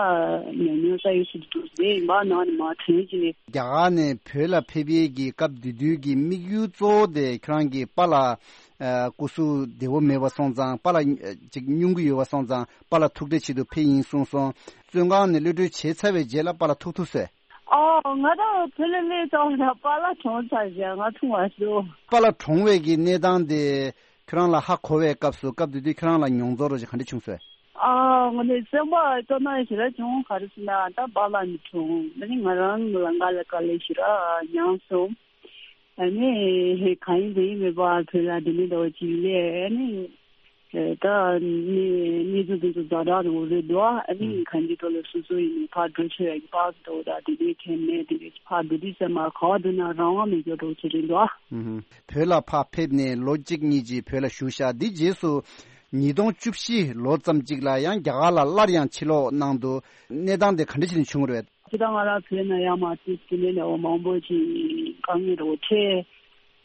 ཉམས་མྱོང་ས་ཡོད་སུ་འདུག་དེ་ཡིན་པ་ནང་ནས་མ་དྲན་བྱེད་ནས། རྒྱ་གར་ནས་བོད་ལ་ཕེབས་ཡས་ཀྱི་སྐབས་དེ་དུས་ཀྱི་དམིགས་ཡུལ་གཙོ་བོ་དེ་ཁྱོད་རང་གི་པཱ་ལགས་སྐུ་གཟུགས་བདེ་བོ་མེད་པ་སོང་ཙང་པཱ་ལགས་ཅིག་སྙུང་གི་ཡོད་པ་སོང་ཙང་པཱ་ལགས་ཐུག་འཕྲད་ཆེད་དུ་ཕེབས་ཡིན་གསུངས་སོང་། བཙོན་ཁང་ནས་གློད་གྲོལ་བྱས་ཚར་བའི་རྗེས་ལ་པཱ་ལགས་ཐུག་ཐུབ་སོང་། ཨོ། ང་རང་བོད་ལ་སླེབས་ཙང་ད་པཱ་ལགས་གྲོངས་ཚར་བཞག་ང་ཐུག་མ་སོང་། པཱ་ལགས་གྲོངས་པའི་གི་གནས་སྟངས་དེ་ཁྱོད་རང་ལ་ཧ་གོ་བའི་སྐབས་སུ་སྐབས་དེ་དུས་ཁྱོད་རང་ལ་མྱོང་ཚོར་རོ་ཞིག་ག་འདྲ་བྱུང་སོང་། ཨ་ང་ནི་སེམས་པ་སྐྱོ་སྣང་ཞེ་དྲག་བྱུང་། ག་རེ་ཟེར་ན་ད་པཱ་ལགས་ནི་གྲོངས་ཨ་ནི་ང་རང་ལ་ང་ལ་དཀའ་ལས་ཞེ་དྲག་མྱངས་སོང་། ཨ་ནི་གང་ཡིན་གང་ཡིན་མེད་པ་བོད་ལ་འདི་ནས་འདྲ་བོ་ཅིག་སླེབས་ཨ་ནི། ད་ནི་གནས་ཚུལ་དེ་ཚོ་ཛ་དྲག་རེད་འོ་རེད་འདུག་ཨ་ནི་ཨུ། གང་ཅི་ཐོག་ལ་སོ་སོ་ཡིན་ནི་ཕར་འགྲོ་ཆོག་ཡ་གི་པཱ་སི་འདྲ་བོ་དང་དེ་འདྲའི་ཁྱད་མེད་དེ་འདྲའི་ཕར་འགྲོ་དུས་ཙམ་མ་ག་བ་འགྲོ་ན་རང་དབང་མེད་རྒྱུ་འདྲ་བོ་ཅིག་རེད་འདུག་ཨ། ཨུ་ཧུ། བོད་ལ་ཕར་ཕེབས་ནས་ལོ་གཅིག་གཉིས་ཅིག་བོད་ལ་བཞུགས་ཤག་འདི་རྗེས་སུ་ཉིས་སྟོང་བཅུ་བཞི་ལོ་ཙམ་ཅིག་ལ་ཡང་རྒྱ་གར་ལ་སླར་ཡང་ཕྱིར་ལོག་གནང་འདུག་གནས་སྟངས་དེ་ག་འདྲ་ཞིག་ནས་བྱུང་བ་རེད། ཅི་ད་ང་རང་བོད་ནང་ཡར་མར་དུས་དེ་ནས་ནས་འོ་མང་པོ་ཅིག་དཀའ་ངལ་རོ་འཕྲད།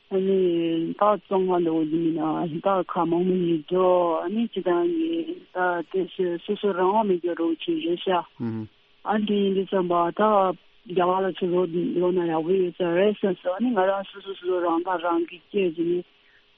ཨ་ནི་ད་བཙོན་ཁང་འདྲ་བོ་ཡིན་ན་ད་ཁག་མང་པོ་ཡིན་འགྲོ། ཨ་ནི་སྤྱི་བཏང་གི་ད་དེ་སོ་སོ་སོ་རང་དབང་མེད་རྒྱུ་འདྲ་བོ་ཅིག་རེད་ཤག་ཨ་འདི་ཡིན་དུས་ཙམ་པ་ད་རྒྱ་གར་ལ་ཚུར་ལོག་ལོག་ན་ཡག་པོ་ཡོད་ས་རེད་བསམ་སོང་། ཨ་ནི་ང་རང་སོ་སོ་སོ་སོ་རང་ཐག་རང་གིས་བཅད་ཟིན་ནས་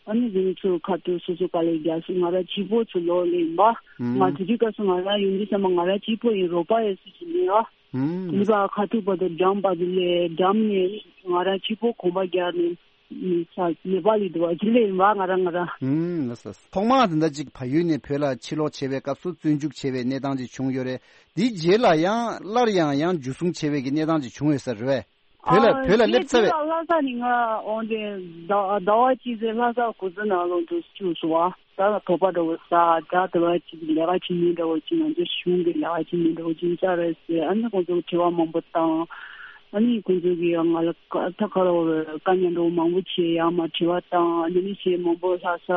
ཨ་ནི་འདི་ནས་ཚུར་ཁ་ཐུག་སོ་སོ་དཀའ་ལས་རྒྱག་སོང་། ང་རང་གཅིག་པོ་ཚུར་ལོག་ལེ་ཡིན་པ། ང་དེ་དུས་སྐབས་སུ་ང་རང་ཡིན་དུས་ཙམ་པ་ང་རང་གཅིག་པོ་ཡིན་རོགས་པ་ཡོད་སུ་ཅིག་མེད་ཨ། ཨུམ། ལི་པ་ཁ་ཐུག་བར་དུ་འགྲམ་བར་དུ་ལས་འགྲམ་ནས་ང་རང་གཅིག་པོ་གོམ་པ་རྒྱག་ནས་ནི་ས་ནེ་པ་ལི་འདུག་བ་ཅི་ལས་ཡིན་པ་ང་རང་ང་རང་། ཨུམ་ལ་ས། ཐོག་མར་དེ་འདྲ་ཅིག་བལ་ཡུལ་ནས་བོད་ལ་ཕྱིར་ལོག་བྱས་པའི་སྐབས་སུ་བཙོན་འཇུག་བྱས་པའི་གནས་སྟངས་ཅིག་བྱུང་ཡོད་རེད། དེའི་རྗེས་ལ་ཡང་སླར་ཡང་ཡང་འཇུ་བཟུང་བྱས་པའི་གི་གནས་སྟངས་ཅིག་བྱུང་ཡོད་ས་རེད་བས། བོད་ལ་ཨ་བོད་ལ་སླེབས་ཚར་བས། ལྷ་ས་ནས་ང་འོང་དེ་ཟླ་ཟླ་བ་གཅིག་ཙམ་ལྷ་ས་གུ་ཟི་ནང་ལོགས་འགྲོ་བཅུག་སོང་བ། ད་ལ་བོད་པ་འདྲ་བོ་ས་ད་ལྟ་བ་ཅིག་ལས་ཀ་བྱེད་མཁན་འདྲ་བོ་ཅིག་ང་ཚོ་གཞུང་གི་ལས་ཀ་བྱེད་མཁན་འདྲ་བོ་ཅིག་ཡིན་ས་རེད་ཟེར། ཨ་ནི་ཁོང་ཚོ་དྲི་བ་མང་པོ་བཏང་། ཨ་ནི་ཁོང་ཚོ་གིས་ང་ལ་ད་ག་རེ་བོ་རེད་དཀའ་ཉེན་འདྲ་བོ་མང་པོ་བྱས་ཡང་མ་དྲི་བ་བཏང་ཨ་ནི་མི་བྱས་མང་པོ་ལྷག་ས།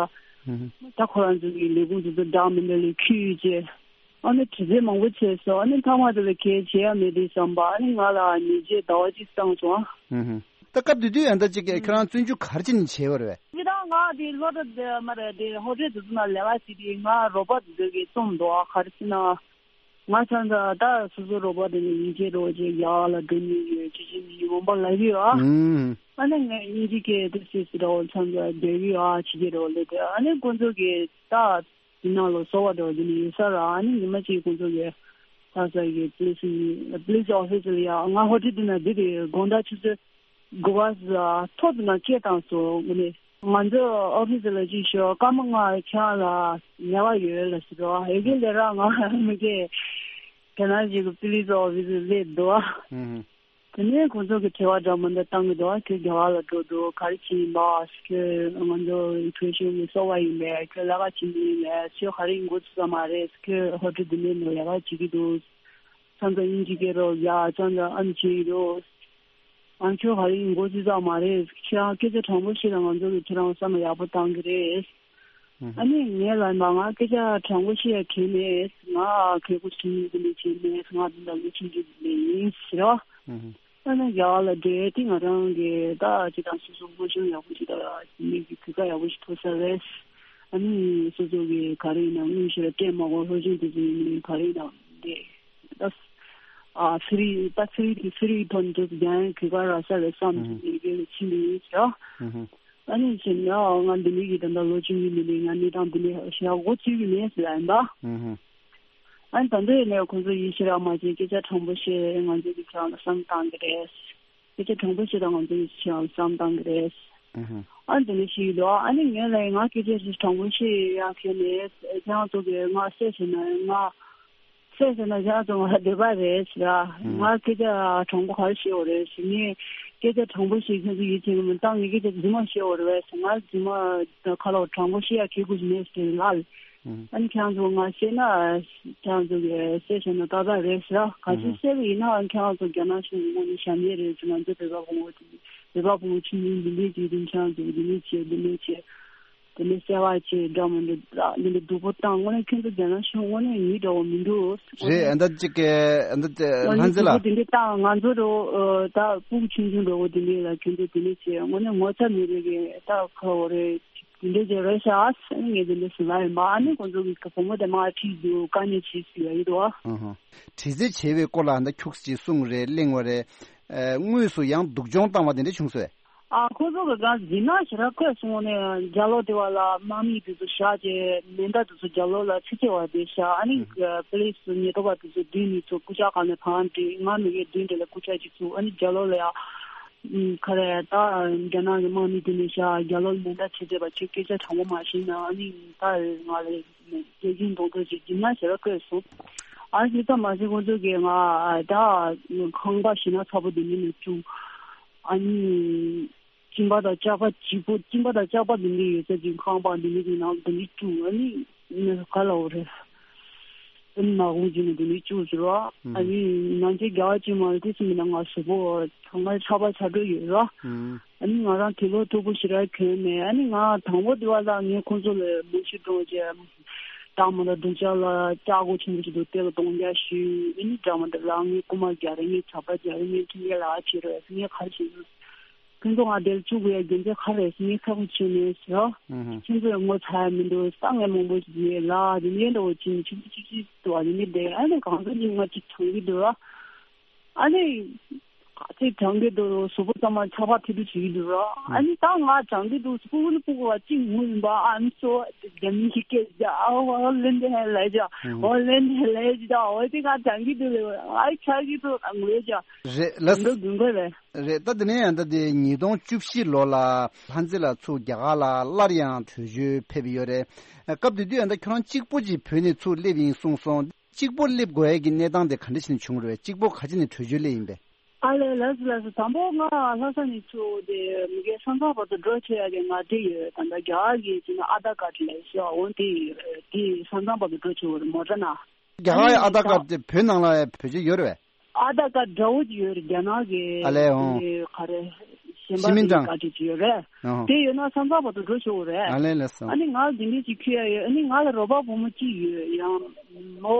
ད་ཁོ་རང་ཚོ་གི་ལས་ཁུངས་དེ་ཚོ་བདག་མི་འདྲ་ལས་ཁུལ་བྱས། ཨ་ནི་དྲི་རྩད་མང་པོ་བྱས་སོང་། ཨ་ནི་མཐའ་མ་དེ་ལ་གལ་བྱེད་ཡ་མེད་དུས་ཙམ་པ་ཨ་ནི་ང་ལ་ཉེས་ཆད་ཟླ་བ་གཅིག་བཏང་སོང་ཨ། ཧུམ་ཧུམ། ད་སྐབས་དེ་དུས་ཨ་ད་ཅིག་ཁྱོད་རང་བཙོན་འཇུག་ག་རེ་བྱས་ནས་བྱས་པ་རེད་བས། ཅི་ད་ང་དེ་སློབ་གྲྭ་དེ་མ་རེད་དེ་ཧོ་ཊེལ་དེ་ཚོ་ནང་ལས་ཀ་བྱེད་དུས་ང་རོགས་པ་དེ་ཚོ་གིས་བཙོང་འདུག་ཨ། ག་རེ་ཟེར་ན་ང་ཚང་ད་ད་སོ་སོ་རོགས་པ་དེ་ནས་ཡིན་གཅིག་རོགས་གཅིག་ཡག་ལ་འགྲོ་ནི་ཡོད་ཅི་ཅི་ནི་ཡིན་འོང་པ་ལབ་ཡོད་ཨ། ཨ་ནི་ངས་དབྱིན་ཇི་སྐད་དེ་སི་སི་འདྲ་བོ་ཚང་ཚ་བསྡད་ཡོད་ཨ་ཅི་ཅི་འདྲ་བོ་ལབ་དེ་ཨ་ནི་ཁོང་ཚོ་གིས་ད། དེ་ནང་ལ་གསོ་བ་འདྲ་བོ་དེ་ནི་ཡོད་ས་ར་ཨ་ནི་ཉི་མ་གཅིག་ཁོང་ཚོ་གི་ལྷ་ས་གི་པུ་ལི་སི་པུ་ལི་སི་ཨོ་ཕི་སི་ལ་ཡ་ང་ཧོ་ཊེལ་དེ་ན་འདི་དེ་དགོང་དག་ཆུ་ཚོད་ དགོས་པ་ཐོག་ཏུ་ན་སྐད་བཏང་སོང་། དངོས་གནས་ང་ཚོ་ཨོ་ཕི་སི་ལ་ཅིག་ཤོག་སྐར་མ་ལྔ་ཁྱེད་རང་ལ་ལས་ཀ་ཡོད་ལ་ཟེར་རོ། ཨེ་ཀེ་ལས་ར་ང་མི་སྐད་དེ་ན་ཞིག་གི་པི་ལི་སི་ཨོ་ཕི་སི་སླེབས་འདུག་ཨ། ཨུ་ཧུ། དེ་ནས་ཁོང་ཚོ་གི་དྲི་བ་འདྲ་མི་འདྲ་བཏང་གི་འདུག་ཁྱོད་རྒྱ་གར་ལ་འགྲོ་འདུག་ག་རེ་བྱེད་ཡིན་པ། ཁྱོད་ང་ཚོ་བོད་གཞུང་གི་སོ་པ་ཡིན་པས། ཁྱོད་ལས་ཀ་བྱེད་མི་ཡིན་པས། ཁྱོད་ག་རེ་ཡིན་འགོ་ཚུགས་ས་མ་རེད། ཁྱོད་ཧོ་ཊེལ་འདི་ནས་ནས་ལས་ཀ་བྱེད་ཀྱི་འདུག་ཚང་ཚང་དབྱིན་ཇི་སྐད་རོགས་ཡ་ཚང་ཚང་ཨམ་བྱེད་ཀྱི་འདུག་ང་ཁྱོད་ག་རེ་ཡིན་འགོ་ཚུགས་ས་མ་རེད། ཁྱོད་སྐད་ཆ་དྲང་པོ་བཤད་ན་ང་ཚོ་གི་ཁྱོད་རང་བསམ་བློ་ཡག་པོ་བཏང་གི་རེད། ཨ་ནི་ངས་ལབ་པ་ང་སྐད་ཆ་དྲང་པོ་བཤད་ཡ་གལ་མེད། ང་གལ་པོ་ཆུང་ཆུང་གི་ལས་བྱེད་མེད། ང་འདི་འདྲ་ལོ་ཆུང་ཆུང་གི་ལས་ཡིན་ཟེར་རོ། ཨ་ནི་རྒྱ་གར་ལ་འགྲོ་ཡ་དེ་ང་རང་གི་ད་ཅི་དང་སོ་སོ་སློབ་སྦྱོང་ཡག་པོ་ཅིག་དང་མི་གི་གོ་སྐབས་ཡག་པོ་ཞིག་ཐོབ་ས་རེད། ཨ་ནི་སོ་སོ་གི་ག་རེ་ཡིན་ན་དངོས་གཞི་ལ་སྤྲད་མ་དགོས། སློབ་སྦྱོང་དེ་ཚོ་ཡིན་ནའི་ག་རེ་ཡིན་ན་འདི་ད་ཨ་ཕི་རི་ད་ཕི་རི་ཕི་རི་ཐོན་དུ་རྒྱ་ཡན་གོ་སྐབས་རག་ས་རེད་བསམ་གི་ལས་ཀའི་ཕྱིན་པ་ཡིན་ཟེར། ཨ་ནི་བྱས་ན་ང་འདི་འདྲ་གི་ད་ལྟ་ལོ་ཆུང་གི་མི་འདི་ང་གནས་སྟངས་འདི་འདྲ་ཞེ་དྲག་མགོ་ཚོད་ཀྱི་མེད་ཟེར་ལབ་ཡིན་པ། ཨ་ནི་ད་ལྟ་ཡིན་ནའི་ཁོང་ཚོ་ཡིད་ཆེས་རག་མ་བྱས། སྐད་ཆ་དྲང་པོ་བཤད། ང་ཚོ་གི་ཁྱེད་རང་ལ་བསམ་བཏང་གི་རེད། སྐད་ཆ་དྲང་པོ་བཤད་དང་། ང་ཚོ་གི་ཁྱེད་རང་ལ་བསམ་བཏང་གི་རེད། ཨ་ནི་དེ་འདྲ་ཞིག་ཡོད་དོ། ཨ་ནི་ངས་ལབ་ཡིན་ང་སྐད་ཆ་དྲང་པོ་བཤད་ཡག་གལ་མེད། ཁྱེད་རང་ཚོ་གི་ང་བཤད་བྱས་ན་ང་སེམས་ཟེར་ན་ཡང་ཙང་ང་འདོད་པ་རེད་ཟེར། ང་སྐད་ཆ་དྲང་པོ་ག་རེ་བཤད་འོ་རེད་ཟེར། ངས་སྐད་ཆ་དྲང་པོ་བཤད་ཁྱོད་ཚོ་ཡིད་ཆེས་མི་བཏང་། ངས་སྐད་ཆ་རྫུན་མ་བཤད་འོ་རེད་ཟེར། ང་རྫུན་མ་ཁ་ལོ་དྲང་པོ་བཤད་ཡ་གལ་དགོས་མེད་ཟེར་ལབ། ཨ་ནི་ཁྱེད་རང་ཚོ་ང་བཤད་ན་ཁྱེད་རང་ཚོ་གི་སེམས་ཟེར་ན་ཏག་ཏག་རེད་ཟེར། ག་ཚོད་བཤད་པ་ཡིན་ན་ཨ་ནི་ཁྱེད་རང་ཚོ་རྒྱ་ནག་གཞུང་གི་ངོས་ནས་ཞབས་འདེགས་རེད་ཟེར། ང་ཚོ་བོད་པ་ཕོ་མོ་དེ་བོད་པ་ཕོ་མོ་ཆུང་ཆུང་འདི་འདྲས་ཀྱི་རིན་ཆེན་ཚོ་འདི་འདྲས་བྱས་འདི་འདྲས་བྱས། དེ་ནས་གསོལ་བ་བྱེད་འདྲ་མི་འདྲ་འདི་འདྲ་སྡུག་པོ་བཏང་། དངོས་གནས་ཁྱོད་ཚོ་རྒྱ་ནག་གཞུང་དངོས་གནས་མི་འདྲ་བོ་མི་འདུག་རེད། ཨ་ད་ཅིག་གི་ཨ་ད་ལྷ་འཛིན་ལགས། སྡུག་པོ་དེ་འདྲ་བཏང་། ང་ཚོ་རོ་ད་སྤུ་གུ་ཆུང་ཆུང་འདྲ་བོ་དེ་འདྲ་ལ་ཁྱོད་ཚོ་དེ་འདྲ་བྱས། དངོས་གནས་ངོ་ཚ་མེད་པའི་གི་ད་ཁ་བོ་རེད། དེ་འདྲ་བྱས་རེད་ཤག་ངས་དེ་འདྲ་ཟེར་ལབ་ཡིན་པ། ཨ་ནི་ཁོང་ཚོ་གི་བུ་མོ་དེ་མར་ཁྲིད་འདུག་དཀའ་ངལ་ཆེ་ཤོས་ཡ་ཡིན་འདུག་དྲི་རྩད་བྱས་པའི་སྐོར་ལ་ཨ་ད་ཁྱུག་ཅིག་གསུངས་རེད། གླེང་བ་རེད། དངོས་སུ་ཡང་སྡུག་སྦྱོང་བཏང་བ་དེ་འདྲ་བྱུང་སོང་། ཨ་ཁོ་ཚོ་གི་གང་ཡིན་ན་ཞེ་དྲག་བཀོད་སོང་ནས་རྒྱ་ལོ་དེ་བ་ལ་དམག་མི་དེ་ཚོ་བཞག་བྱས་མེ་མདའ་དེ་ཚོ་རྒྱ་ལོ་ལ་ཚི་ཚི་བ་དེ་བཞག་ཨ་ནི་པུ་ལིས་ཉེན་རྟོག་པ་དེ་ཚོ་བདུན་ནས་ཚོ་རྐུབ་བཀྱག་སྒང་ནས་བང་བསྒྲིགས། ང་མི་གེ་བདུན་དེ་ལ་རྐུབ་བཀྱག་ཅིག་བཙུགས། ཨ་ནི་རྒྱ་ལོ་ལ་ཡ་ཁ་རེ་ད་རྒྱ་ནག་གི་དམག་མི་དེ་ནས་བཞག་རྒྱ་ལོ་ལ་མེ་མདའ་ཚི་ཚི་བ་ཁྱོད་སྐད་ཆ་དྲང་པོ་མ་བཤད་ན་ཨ་ནི་ད་ང་ལ་རྒྱལ་ཁྱིམ་གདོང་ཐུག་ཅིག་སྦྱིན་ན་ཞེ་དྲག་བཀོད་སོང་། ཨ་ཞིག་ད་མ་ཞིག་ཁོང་ཚོ་གིས་ང་ད་ཁང་པ་ཞེ་དྲག་ཚ་པོ་དེ་མིན་ནས་བཙུགས། ཨ་ནི་གཅིན་པ་དང་ལྕགས་པ་ལྗིད་པོ། གཅིན་པ་དང་ལྕགས་པ་འདི་འདྲ་ཡོད་ས་ཅིག་ཁང་པ་འདི་འདྲ་གི་ནང་འདི་འདྲ་བཙུགས། ཨ་ནི་ག་ལ་འོ་རེད། ཨ་ནི་མ་དགོངས་བྱས་ནས་འདི་འདྲ་བཙུགས་ཟེར་བ། ཨ་ནི་ནང་ཆེན་རྒྱ་གར་ཅིག་མ་རེད། དེ་སུ་མིན་ན་ང་གཟུགས་པོ་ཚང་མ་ཚ་པ་ཚ་དྲོད་ཡོད་ར། ཨ་ནི་ང་རང་དུག་ལོག་མཐུག་པོ་ཞེ་དྲག་གྱོན་མེད། ཨ་ནི་ང་དང་པོ་དེ་བ་ལ་ངས་ཁོང་ཚོ་ལ་མུ་ཤི་འགྲོ་རྗེས་དང་མ་ལ་སྡུག་ཅག་ལ་ལྕགས་སྒོ་ཆེན་པོ་ཞིག་འདུག་དེ་ལ་གདོང་བརྒྱབ་ཞུས། ཨ་ནི་འདྲ་མ་འདྲ་ལ་ངས་རྐུ་མ་རྒྱག་རེད། ངས་ཇག་པ་རྒྱག་རེད། ངས་ཁྲིམས་འགལ་ལ་བྱེད་རོགས་ངས་ག་རེ་བྱེད་ཡོད། ཁྱོད་ཚོ་ང་དེར་བཅུག་དགོས་ཡ་རྒྱུ་མཚན་ག་རེ་རེད་ཟེར་ངས་ཚ་པོ་བྱས་ནས་ཟེར། ཁྱོད་ཚོས་ངོ་ཚ་ཡ་མི་འདུག་ད་ངས་མང་པོ་ཞིག་ཡོད་ལ་དེ་ནས་འདྲ་བོ་བྱས་ནས་ཆུ་ཆུ་ཆུ་ཆུ་འདུག་བ། དེ་ནས་བསྡད། ཨ་ནི་གང་ཟག་གཉིས་ང་གཅིག་གྲོངས་ཀྱི་འདུག་ར། ཨ་ནི་གཅིག་གྲོངས་ཀྱི་འདུག་གཟུགས་པོ་ཚང་མ་ཚ་པ་ཐིག་ཐིག་བྱེད་ཀྱི་འདུག་ར། ཨ་ནི་ད་ང་གྲོངས་ཀྱི་འདུག་སྤུ་གུ་ནི་སྤུ་གུ་བ་གཅིག་ངུ་ཡིན་པ། ཨ་ནི་སོ་རྒྱ་མི་ཞིག་སྐད་ཅིག་ཨ་ཧོ་ལེན་དེ་ཧེ་ལེ་ཅ་ཧོ་ལེན་དེ་ལེ་ཅ་ཨོ་དེ་ང་གྲོངས་ཀྱི་འདུག་ལེ། ཨ་ཆགས་ཀྱི་འདུག་ངུ་ཡ་ཅ་རེད་ལ། འདུག་དགོས་རེད། རེད། ད་དེ་ནས་ཡང་ད་དེ་ཉིས་སྟོང་བཅུ་བཞི་ལོ་ལ་ལྷ་མཛེས་ལགས་ཚུར་རྒྱ་གར་ལ་སླར་ཡང་བྲོས་བྱོལ་ཕེབས་ཡོད་རེད། སྐབས་དེ་དུས་ཡང་ད་ཁྱོད་རང་གཅིག་པོ་ཅིག་བོད་ནས་ཚུར་སླེབས་ཡིན་གསུངས་སོང་། གཅིག་པོ་སླེབས་དགོས་ཡས་ཀྱི་གནས་སྟངས་དེ་ག་འདྲ་ཞིག་ནས་བྱུང་རེད། གཅིག་པོ་ག་ཅི་ནས་བྲོས་བྱོལ་སླེབས་ཡིན་པས། ཨ་ལས་ལགས་སོ་ལགས་སོ། དང་པོ་ང་ལྷ་ས་ནས་ཚུར་དེ་མི་སྒེར་ས་མཚམས་བར་དུ་འགྲོ་བྱེད་ཡ་གི་ང་དེ་ཡོད། ད་ལྟ་རྒྱ་གར་གྱི་ཅི་ན་ཨ་དྷར་ཀར་ཌི་ལས་ཤོག་འོང་དེ་ཡོད། དེ་ས་མཚམས་བར་དུ་འགྲོ་བྱེད་འོ་རེད་མོ་ཊ་ན། རྒྱ་གར་ཡི་ཨ་དྷར་ཀར་ཌི་དེ་བོད་ནང་ལ་བེད་སྤྱོད་ཡོད་རེད་པས། ཨ་དྷར་ཀར་ཌི་འདྲ་བོ་ཅིག་ཡོད་རེད། རྒྱ་ནག་གི་ཨ་ལས་འོང་། དེ་ག་རེ་གཞན་པ་ཤི་མིན་གྲངས་ཀར་ཌི་ཅིག་ཡོད་རེད། ཨོ། དེ་ཡོད་ན་ས་མཚམས་བར་དུ་འགྲོ་ཆོག་གི་རེད། ཨ་ལས་ལས་སོ། ཨ་ནི་ང་དེ་འདྲས་ཅིག་ཁྱེར་ཡ་ཡོད། ཨ་ནི་ང་ལ་རོགས་པ་བུ་མོ་གཅིག་ཡོད། ཡང་མོ་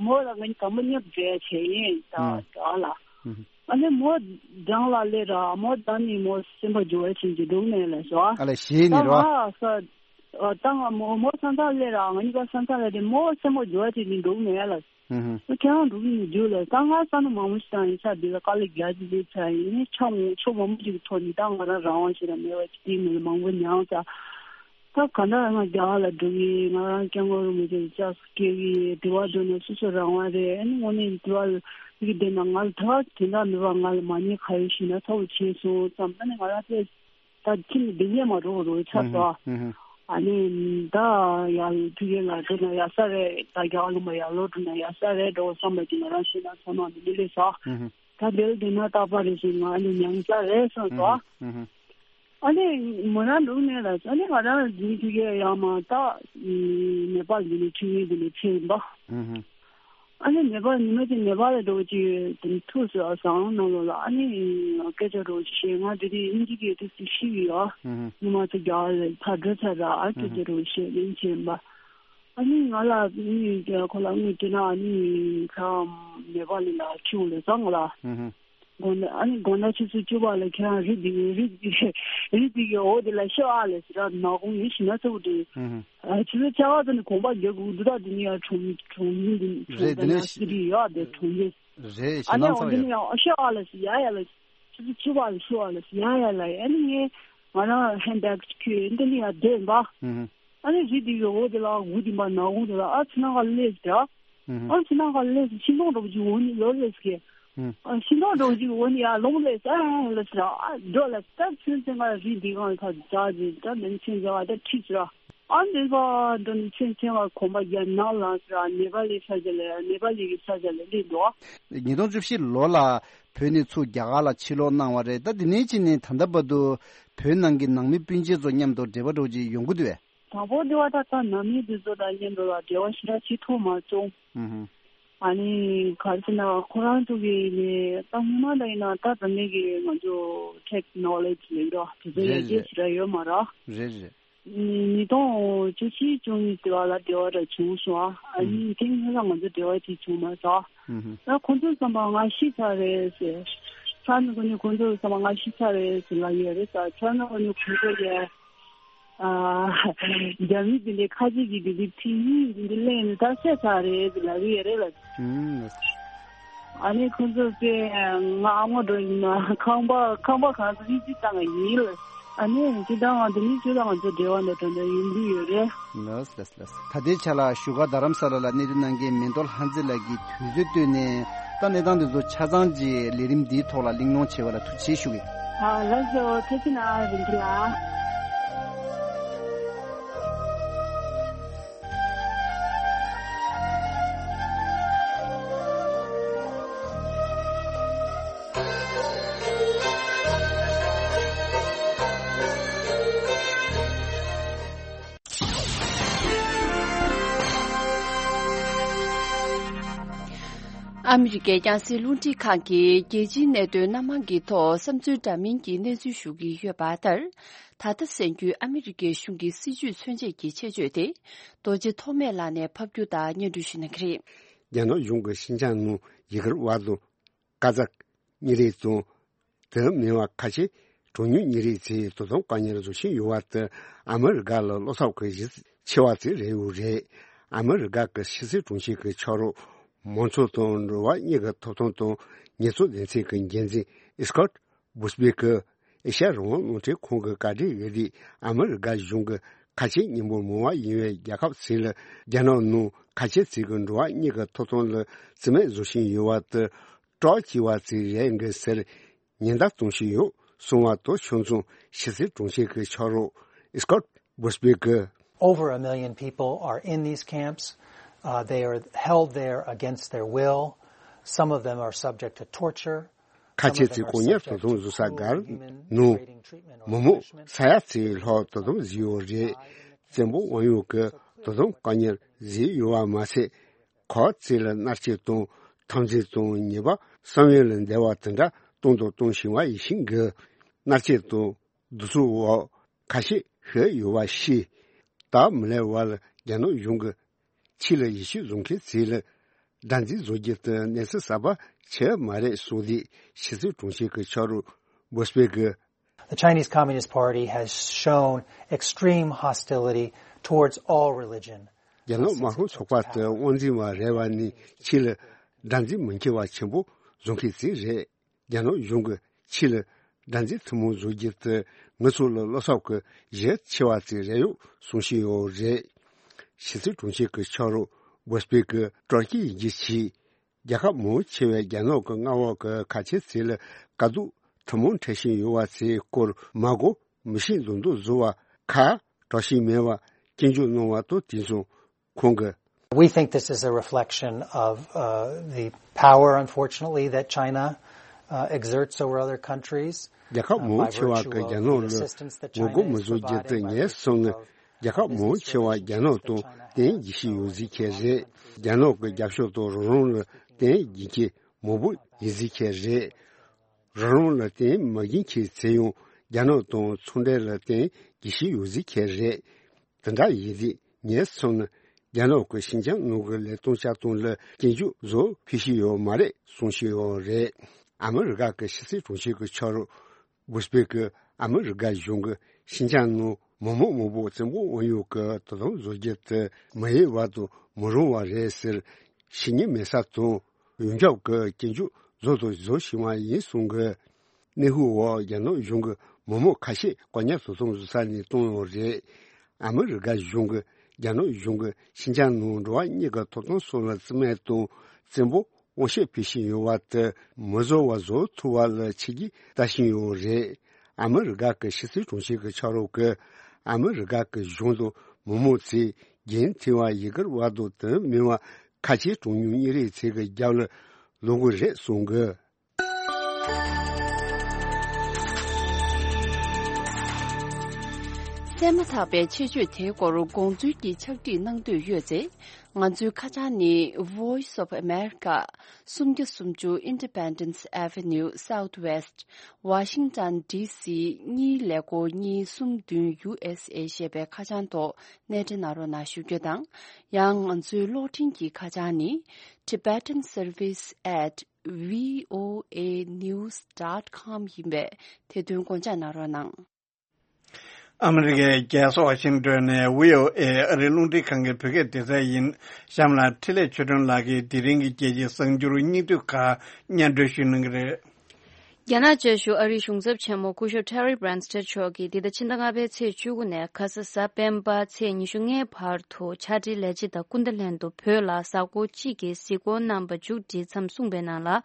མོ་ལ་ང་གཉིས་དང་པོ་མཉམ་འབྲེལ་བྱས་ཡིན་ད་ཨ་ལ། ཨ་ནི་མོ་འགྲམ་ལ་སླེབས་ར་མོ་ད་ནི་མོ་སེམས་པ་འགྱུར་བ་ཕྱིན་གྱི་འདུག་ནས་ལ་སོ། ཨ་ལས་ཞེས་ནི་རོ། ད་ང་ས་ད་ང་མོ་མོ་ས་མཚམས་སླེབས་ར་ང་གཉིས་ཀ་ས་མཚམས་སླེབས་ཏེ་མོ་སེམས་པ་འགྱུར་བ་ཕྱིན་གྱི་འདུག་ནས་ལ། ཨུ་ཧུ། ཁྱེད་རང་འགྲོ་གི་ཡོད་རྒྱུ་ལ་ད་ང་ས་ནས་མང་པོ་ཞིག་བཏང་ཡིན་ས་འདི་ལ་དཀའ་ལས་རྒྱག་གི་ཡོད་ཚ་ཡིན་ནི་ཆ་མོ་ཆོ་མང་པོ་ཞིག་གི་ཐོག་ནས་ད་ང་རང་རང་དབང་ཞིག་ལ་མེད་པ་ཅིག་དེའི་ངོས་ལ་མང་པོ་མྱངས་ཚ། ད་ག་འདྲ་ང་རྒྱ་གར་ལ་འགྲོ་གི། ང་རང་སྐྱབས་མགོན་རིན་པོ་ཆེ་ལ་ཕྱག་སྐྱེལ་གི། དྲི་བ་འདྲི་ན་སོ་སོ་རང་དབང་རེད། ཨ་ནི་དངོས་གནས་དྲི་བ་ལ་ཡི་གེ་བསྡད་ན་ང་ལ་ད་དེ་འདྲ་མེད་པ། ང་ལ་མ་ཉེས་ཁ་ཡོད་ཞིག་ན་ཚ་བོ་བྱས་སོང་ཙམ། ཨ་ནི་ང་རང་ཚོས་ད་ཁྱིམ་ནས་བསྡད་ཉན་མ་འགྲོ་རོགས་ཆགས་སོང་། ཨ་ནི་ད་ཡར་ཕ་གི་ལ་འགྲོ་ན་ཡག་ས་རེད། ད་རྒྱ་གར་ལུང་པ་ཡར་ལོག་འགྲོ་ན་ཡག་ས་རེད་འགྲོ་བསམ་པ་ཅིག་ང་རང་བྱས་ན་ཚོར་སྣང་དེ་འདྲ་སླེབས་སོང་། ད་འདིར་བསྡད་ན་རྟག་པར་རེ་ཞིག་ང་ཨ་ནི་མྱངས་ས་རེད་བསམ་སོང་། ཨ་ནི་མོ་རང་འདུག་ནས་ལ། ཨ་ནི་ང་རང་འཛིན་ཐུག་གི་ཡང་མ་ད་ནེ་པཱལ་འདི་ནས་ཆུ་ཡིན་འདི་ནས་ཕྱིན་པ། ཨ་ནི་ནེ་པཱལ་ཉི་མ་གཅིག་ནེ་པཱལ་ལ་འགྲོ་གི་དེ་ནས་ཐུག་སོང་ཟངས་ནང་ལོགས་ལ། ཨ་ནི་སྐད་ཆ་འགྲོ་གི་བཤད། ང་དེ་དུས་དབྱིན་ཇི་གི་དུས་སུ་ཤི་ཡོད། ཨ་ཉི་མ་ཚོ་རྒྱ་གར་ལ་ཕར་འགྲོ་ཚར་ར། ཨ་སྐད་ཆ་འགྲོ་གི་བཤད་ལན་བྱིན་པ། ཨ་ནི་ང་ལ་ཨ་ནི་ཁོ་ལ་དངུལ་སྤྲད་ན་ཨ་ནི་ཁ་ནེ་པཱལ་ལ་ཁྱིའུ་ལ་ཟངས་ལ། དགོང་དག་ཨ་ནི་དགོང་དག་ཆུ་ཚོད་བཅུ་པ་ལ་ཁྱེད་རང་རི་འདི་གི་རི་འདི་གི་རི་འདི་གི་འོག་དེ་ལ་ཤི་ཨ་ལས་ཟེར་ར། ནག་ཁུང་ཡིན་ཞིག་ན་ཚ་བོ་དེ། ཨ་ཆུ་ཚོད་ཆ་ག་ཙམ་ནས་གོམ་པ་རྒྱག་དགོས་འདུག་ད་དེ་ནི་ཡ་གྲོང་གྲོང་ཡིན་འདི་གྲོང་རེད། དེ་དེ་ནས་ན་སི་རི་ཡ་དེ་གྲོང་ཡིན། རེད། ཞེད་ཨ་ནི་སྣང་འོ་ཚ་བ་དེ་ནི་ཡོད། ཡང་ཤི་ཨ་ལས་ཟེར་ཡ་ཡ་ལ་ཆུ་ཚོད་བཅུ་པ་ལ་ཤི་ཨ་ལས་ཟེར་ཡ་ཡ་ལ་ཡ། ཨ་ནི་ངས་ང་རང་ཧན་བེག་ཁྱོད་འདི་ནི་ཡ་བསྡད་པ། ཨ་ནི་རི་འདི་གི་འོག་དེ་ལ་འུ་འདི་མ་ནག་ཁུང་དེ་ལ་ཨ་ཕྱི་ནང་ག་སླེབས་ཟེར། ཨ་ཕྱི་ནང་ག་སླེབས་ཤིང་སྡོང་འདྲ་པོ་ཅིག་འོག་ནས་ལོག་སླེབས་ཀྱི། ཨ་ཤིང་སྡོང་འདྲ་པོ་ཅིག་འོག་ནས་ཡར་ལོངས་སླེབས་ཨ་ལ་ཟེར། ཨ་འགྲོ་ལ་ད་ཚུན་ཚོད་ང་རི་འདི་གང་ལ་ཕར་འཛེགས་ཅིག་ད་མིང་ཆེན་འཛེགས་པ་ད་ཁྲིད་ཟེར། ཨ་འདི་པ་འགྲོ་ནས་ཚུན་ཚོད་ང་གོམ་པ་རྒྱབ་ནང་ལངས་ཟེར། ནེ་པ་ལི་ས་ཆ་ལ་ནེ་པ་ལི་གི་ས་ཆ་ལ་སླེབས་འདུག་ཉིས་སྟོང་བཅུ་བཞི་ལོ་ལ་བོད་ནས་ཚུར་རྒྱ་གར་ལ་ཕྱིར་ལོག་གནང་བ་རེད། ད་འདི་ནས་ཕྱིན་ནས་ད་ལྟ་བར་དུ་བོད་ནང་གི་ནང་མི་སྤུན་མཆེད་ཚོ་མཉམ་དུ་འབྲེལ་བ་འདྲ་པོ་ཅིག་ཡོང་གི་འདུག་གས། དང་པོ་དེ་བ་ད་ལྟ་ནང་མི་དེ་ཚོ་དང་མཉམ་དུ་ལ་འབྲེལ་བ་ཞེ་དྲག་བྱེད་ཐུབ་མ་བྱུང་། ཨུ་ཧུ། ཨ་ནི་ག་རེ་ཟེར་ན་ཁོ་རང་ཚོ་གི་ནི་ད་སྔོན་མ་ད་ཡིན་ན་ད་འཛམ་གླིང་གི་ང་ཚོ་ཊེག་ནོ་ལེ་ཇི་ལས་འགྲོ་དེ་ཚོ་ཡར་རྒྱས་ཞེ་དྲག་ཡོད་མ་རེད། རེད་རེད། ཉིས་སྟོང་བཅུ་བཞི་བཅུ་གཉིས་དེ་བ་ལ་འབྲེལ་བ་འདྲ་བྱུང་སོང་། ཨ་ནི་དེ་སྔོན་ལ་ང་ཚོ་འབྲེལ་བ་ཅིག་བྱུང་མ་སོང་། ཨུ་ཧུ། ད་ཁོ་ཚོ་བསམ་པ་ང་ཤི་ཚར་རེད་ཟེར། ཚར་ནི་ཁོ་ནི་ཁོ་ཚོ་བསམ་པ་ང་ཤི་ཚར་རེད་ཟེར་ལབ་ཡོད་རེད་ཟེར། ཚར་ནི་ཁོ་ནི་ཁོ་ཚོ་ཡ། ཨ། རྒྱ་མི་འདི་འདྲའི་ཁ་ཆེ་གི་འདི་འདྲའི་ཕྱི་ཡིན་འདི་འདྲའི་གླེང་ནས་ད་བཤད་ཚར་རེད་ཟེར་ལབ་ཀྱི་ཡོད་རེད་ལ། ཨུམ། ཨ་ནི་ཁོ་ཚོ་ཚེ་ང་ཨ་མ་འགྲོ་ཡིན་ན་ཁང་པ་ཁང་པ་གང་ཚོ་ཡིན་ཅི་བཏང་ཡིན་ལ། ཨ་ནི་ཅི་ད་ང་འདི་ནི་ཅི་ད་ང་ཚོ་འབྲེལ་བ་འདི་དོན་དུ་ཡིན་འདི་ཡོད་རེད། ལགས་ལགས་ལགས། ད་ལྟའི་ཆ་ལ་བཞུགས་སྒར་རྡ་རམ་ས་ལ་ལ་གནས་སྡོད་གནང་མཁན་མེ་ཏོག་ལྷ་མཛེས་ལགས་ཀྱིས་དུས་ཚོད་བཏོན་ནས་ད་གནས་སྟངས་འདི་ཚོ་ཆ་ཚང་གི་ལས་རིམ་འདིའི་ཐོག་ལ་གླེང་སློང་བྱས་པ་ལ་ཐུགས་རྗེ་ཆེ་ཞུ་གི། ཨ་ལགས་སོ། ཐུགས་རྗེ་གནང་རིན་པོ་ཆེ་ལགས། ཨ་མི་རི་ཀའི་རྒྱང་སྲིང་རླུང་འཕྲིན་ཁང་གིས་རྒྱལ་སྤྱིའི་གནད་དོན་སྣ་མང་གི་ཐོག་བསམ་ཚུལ་འདྲ་མིན་གྱི་གནས་ཚུལ་ཞུ་གི་ཡོད་པ་ལྟར། ད་ལྟ་གསན་རྒྱུའི་ཨ་མི་རི་ཀའི་གཞུང་གི་སྲིད་བྱུས་མཚོན་བྱེད་ཀྱི་ཆེད་བརྗོད་དེ། རྡོ་རྗེ་ཐོགས་མེད་ལགས་ནས་ཕབ་སྒྱུར་དང་སྙན་སྒྲོན་ཞུ་གནང་གི་རེད། རྒྱ་ནག་གཞུང་གིས་ཤིན་ཅང་ནང་ཡི་གེར་བར་དུ་ཀ་ཛག་གཉིས་རིགས་དང་། དེ་མིན་པ་ཁ་ཆེ་གྲངས་ཉུང་གཉིས་རིགས་ཚོའི་དོ་དམ་བཀག་ཉར་བཟོ་བཞིན་ཡོད་པ་དེ་ཨ་མི་རི་ཀ་ལ་བློ་འཚབ་ཀྱི་གཞི་ཆེ་བ་དེ་རེད་ཡོད་རེད། ཨ་མི་རི་ཀ་གི་ཕྱི་སྲིད་དྲུང་ཆེ་གི་ཕྱག་རོགས་མང་གཙོ་དང་འགྲོ་བ་གཉིས་ཀྱི་ཐོབ་ཐང་དང་ཉེས་ཚབས་སྡེ་ཚན་གྱི་འགན་འཛིན་ཨི་སི་ཀོད་བུ་སྦེ་གིས་ཨེ་ཤ་ཡ་རང་དབང་རླུང་འཕྲིན་ཁང་གི་བཀའ་འདྲི་ཡི་རིགས། ཨ་མི་རི་ཀ་གཞུང་གི་ཁ་ཆེ་མི་འབོར་མང་བ་ཡིན་པའི་རྒྱལ་ཁབ་ཚོ་ལ་རྒྱ་ནག་ནང་ཁ་ཆེ་ཚོ་གི་འགྲོ་བ་གཉིས་ཀྱི་ཐོབ་ཐང་ལ་རྩིས་མེད་བཟོ་བཞིན་ཡོད་པ་དེ་སྐྲག་སྐྱེ་བ་ཚོ་རེད་འགའ་ཟེར་ཉེན་བརྡ་གཏོང་བཞིན་ཡོད་གསུངས་པ་དང་ཕྱོགས་མཚུངས་ཕྱི་སྲིད་དྲུང་ཆེ་གི་ཕྱག་རོགས་ཨི་སི་ཀོད་བུ་སྦེ་གིས། Over a million people are in these camps. Uh, they are held there against their will. Some of them are subject to torture. ཁ་ཆེ་ཚོས་བཀག་ཉར་དོ་དམ་བཟོ་ས་སྒར་ནང་མི་མང་ས་ཡ་ཚོའི་ལྷག་དོ་དམ་བཟོས་ཡོད་རེད། བཙན་པོ་དབང་ཡོད་ཀྱི་དོ་དམ་བཀག་ཉར་བཟོས་ཡོད་པ་མ་ཟད། ཁོ་ཚོ་ལ་མནར་གཅོད་དང་འཐབ་འཛིང་དང་ཉེས་པ་བསམ་ཡུལ་ལས་འདས་པ་དེ་འདྲ་གཏོང་དང་གཏོང་བཞིན་པ་ཡིན་ཞིང་གི། མནར་གཅོད་དང་། གདུག་རྩུབ་འོག་ཁ་ཤས་ཤི་ཡོད་པ་ཤེས། ད་མི་ལའི་བར་ལ་རྒྱ་ནག་གཞུང་གིས་ཕྱི་ལ་ཡིད་ཆེས་བཟུང་མཁན་ཚོ་ལ་དགྲར་འཛིན་བཟོ་རྒྱུ་དེ་གནས་ཚུལ་གསར་པ་ཆགས་མ་རེད་གསུངས་ཏེ་ཕྱི་སྲིད་དྲུང་ཆེ་གི་ཕྱག་རོགས་བུ་སྦེ་གིས། The Chinese Communist Party has shown extreme hostility towards all religion. རྒྱ་ནག་དམར་ཤོག་ཚོགས་པ་དེ་དབང་འཛིན་པ་རེད་པ་ནི་ཕྱི་ལ་དགྲར་འཛིན་མི་འཁྱེར་བ་ཆེན་པོ་བཟོ་མཁན་ཚོ་རེད། རྒྱ་ནག་གཞུང་གིས་ཕྱི་ལ་དགྲར་འཛིན་ཐུན་མོང་བཟོ་རྒྱུ་དེ་ ང་ཚོ་ལ་བློ་འཚབ་ཀྱི་གཞི་ཆེ་བ་ཅིག་རེད་ཡོད་གསུང་བཞིན་ཡོད་རེད། ཕྱི་སྲིད་དྲུང་ཆེ་གི་ཕྱག་རོགས་བྷུ་སྤེ་གི་ཀྲོར་ཀི་ཡིན་གྱི་ཆེད། རྒྱལ་ཁབ་མང་ཆེ་བས་རྒྱ་ནག་གི་མངའ་འོག་གི་ཁ་ཆེ་ཚོ་ལ་དཀའ་སྡུག་ཐུན་མོང་འཕྲད་བཞིན་ཡོད་པ་ཚོའི་སྐོར་མ་གོ་མི་ཤེས་མདོག་མདོག་བཟོ་བ་ཁ་གྲག་བཞིན་མེད་པ་སྐྱོན་བརྗོད་གནང་བ་དང་དེ་མཚུངས་ཁོང་གིས། We think this is a reflection of uh, the power, unfortunately, that China uh, exerts over other countries. རྒྱལ་ཁབ་མང་ཆེ་བ་གིས་རྒྱ་ནག་ལ་ངོ་རྒོལ་མི་བཟོ་རྒྱུ་དེ་ངས་བསམ་ན། རྒྱལ་ཁབ་མང་ཆེ་བ་རྒྱ་ནག་དང་བརྟེན་རྒྱུ་ཞིག་ཡོད་ཟིག་ཁྱེད་རེད། རྒྱ་ནག་གི་རྒྱབ་ཕྱོགས་དང་རང་རང་ལ་བརྟེན་རྒྱུ་ཁྱེད་མང་པོ་ཡིན་ཟིག་ཁྱེད་རེད། རང་རང་ལ་བརྟེན་མ་གིན་ཁྱེད་ཚེ་ཡང་རྒྱ་ནག་དང་ཚོང་འབྲེལ་ལ་བརྟེན་རྒྱུ་ཞིག་ཡོད་ཟིག་ཁྱེད་རེད། དེ་འདྲ་ཡིན་དུས་ངས་མཚོན་ན་རྒྱ་ནག་གི་ཤིན་ཅང་ནང་གི་ལས་དོན་བྱ་སྟངས་ལ་སྐྱོན་བརྗོད་བཟོ་ཕོད་ཀྱི་ཡོད་མ་རེད་གསུང་བཞིན་ཡོད་རེད། ཨ་མི་རི་ཀ་གི་ཕྱི་སྲིད་དྲུང་ཆེ་གི་ཕྱག་རོགས་བྷུ་སྤེ་གིས་ཨ་མི་རི་ཀ་གཞུང་གིས་ཤིན་ཅང་ནང་མི་མང་མང་པོ་བཙན་པོ་དབང་ཡོད་ཀྱི་དོ་དམ་བཟོ་རྒྱུ་དེ་མི་འོས་པ་དང་མི་རུང་བ་རེད་ཟེར་ཤེས་ཉེན་མེད་ས་དང་། ཡོངས་ཁྱབ་ཀྱི་སྐྱོན་བརྗོད་བཟོ་དང་བཟོ་བཞིན་པ་ཡིན་གསུང་གི། གནས་ཚུལ་འོག་རྒྱ་ནག་གཞུང་གིས་མི་མང་ཁ་ཤས་བཀག་ཉར་དོ་དམ་བཟོ་ས་ནས་བཏང་ཡོད་རེད། ཨ་མི་རི་ཀ་གཞུང་གིས་རྒྱ་ནག་གཞུང་གིས་ཤིན་ཅང་ནང་འགྲོ་བ་མིའི་གི་ཐོབ་ཐང་སོགས་ལ་བརྩི་མེད་དང་བཙན་པོ་དབང་ཤེད་སྤེལ་བཞིན་ཡོད་པ་དེ་མི་བཟོ་བ་བཟོ་ཐུབ་པ་ལ་ཆིག་སྒྲིལ་ལྟ་བཞིན་ཡོད་རེད། ཨ་མི་རི་ཀ་གི་ཕྱི་སྲིད་དྲུང་ཆེ་གི་ཕྱག་རོགས་ཀྱིས་ཨ་མི་རི་ཀ་གི་གཞུང་དང་མི་མང་ཚོས་རྒྱུན་མཐུད་པ་ཡི་གེར་བ་དང་དེ་མིན་པ་ཁ་ཆེའི་གྲངས་ཉུང་མི་རིགས་ཚོ་གི་རྒྱབ་ལ་ལོག་གི་རེད་གསུང་གི། བཙས་མ་ཐག་པའི་ཆེད་བརྗོད་དེའི་སྐོར་དགོངས་ཚུལ་གྱི་ཕྱག་བྲིས་གནང་འདོད་ཡོད་ཚེ། ང་ཚོའི་ཁ་བྱང་ནི། Voice of America། སུམ་བརྒྱ་སུམ་ཅུ་Independence Avenue Southwest། Washington D C གཉིས་ཀླད་ཀོར་གཉིས་གསུམ་བདུན་U S A ཞེས་པའི་ཁ་བྱང་ཐོག་སྣེ་འདྲེན་གནང་རོགས་གནང་ཞུ་རྒྱུ་དང་། ཡང་ང་ཚོའི་གློག་འཕྲིན་གྱི་ཁ་བྱང་ནི། Tibetan Service at V O A news dot com ཡིན་པས་དེ་དོན་དགོངས་འཇགས་གནང་རོགས་གནང་། ཨ་མི་རི་ཀའི་རྒྱལ་ས་ཝ་ཤིང་ཏོན་ནས་V O A ཨ་རིའི་རླུང་འཕྲིན་ཁང་གི་བོད་སྐད་སྡེ་ཚན་ཡིན། གཤམ་ལ་འཕྲིན་ལས་ཆོས་སྒྲོན་ལགས་ཀྱིས་དེ་རིང་གི་རྒྱལ་སྤྱིའི་གསར་འགྱུར་སྙིང་བསྡུས་ཁག་སྙན་སྒྲོན་ཞུ་གནང་གི་རེད། རྒྱ་ནག་བཅའ་བཞུགས་ཨ་རིའི་གཞུང་ཚབ་ཆེན་མོ་སྐུ་ཞབས་Terry Branstad མཆོག་གིས་འདི་ཟླ་ཕྱི་ཟླ་ལྔ་པའི་ཚེས་བཅུ་དགུ་ནས་ཁ་ས་གཟའ་སྤེན་པ་ཚེས་ཉི་ཤུ་ལྔའི་བར་དུ་ཕྱག་བྲིས་ལས་བྱེད་དང་སྐུ་ཟླ་ལྷན་དུ་བོད་ལ་གཟའ་འཁོར་གཅིག་གི་གཟིགས་སྐོར་གནང་བ་མཇུག་བསྒྲིལ་མཚམས་གསུངས་པའི་ནང་ལ།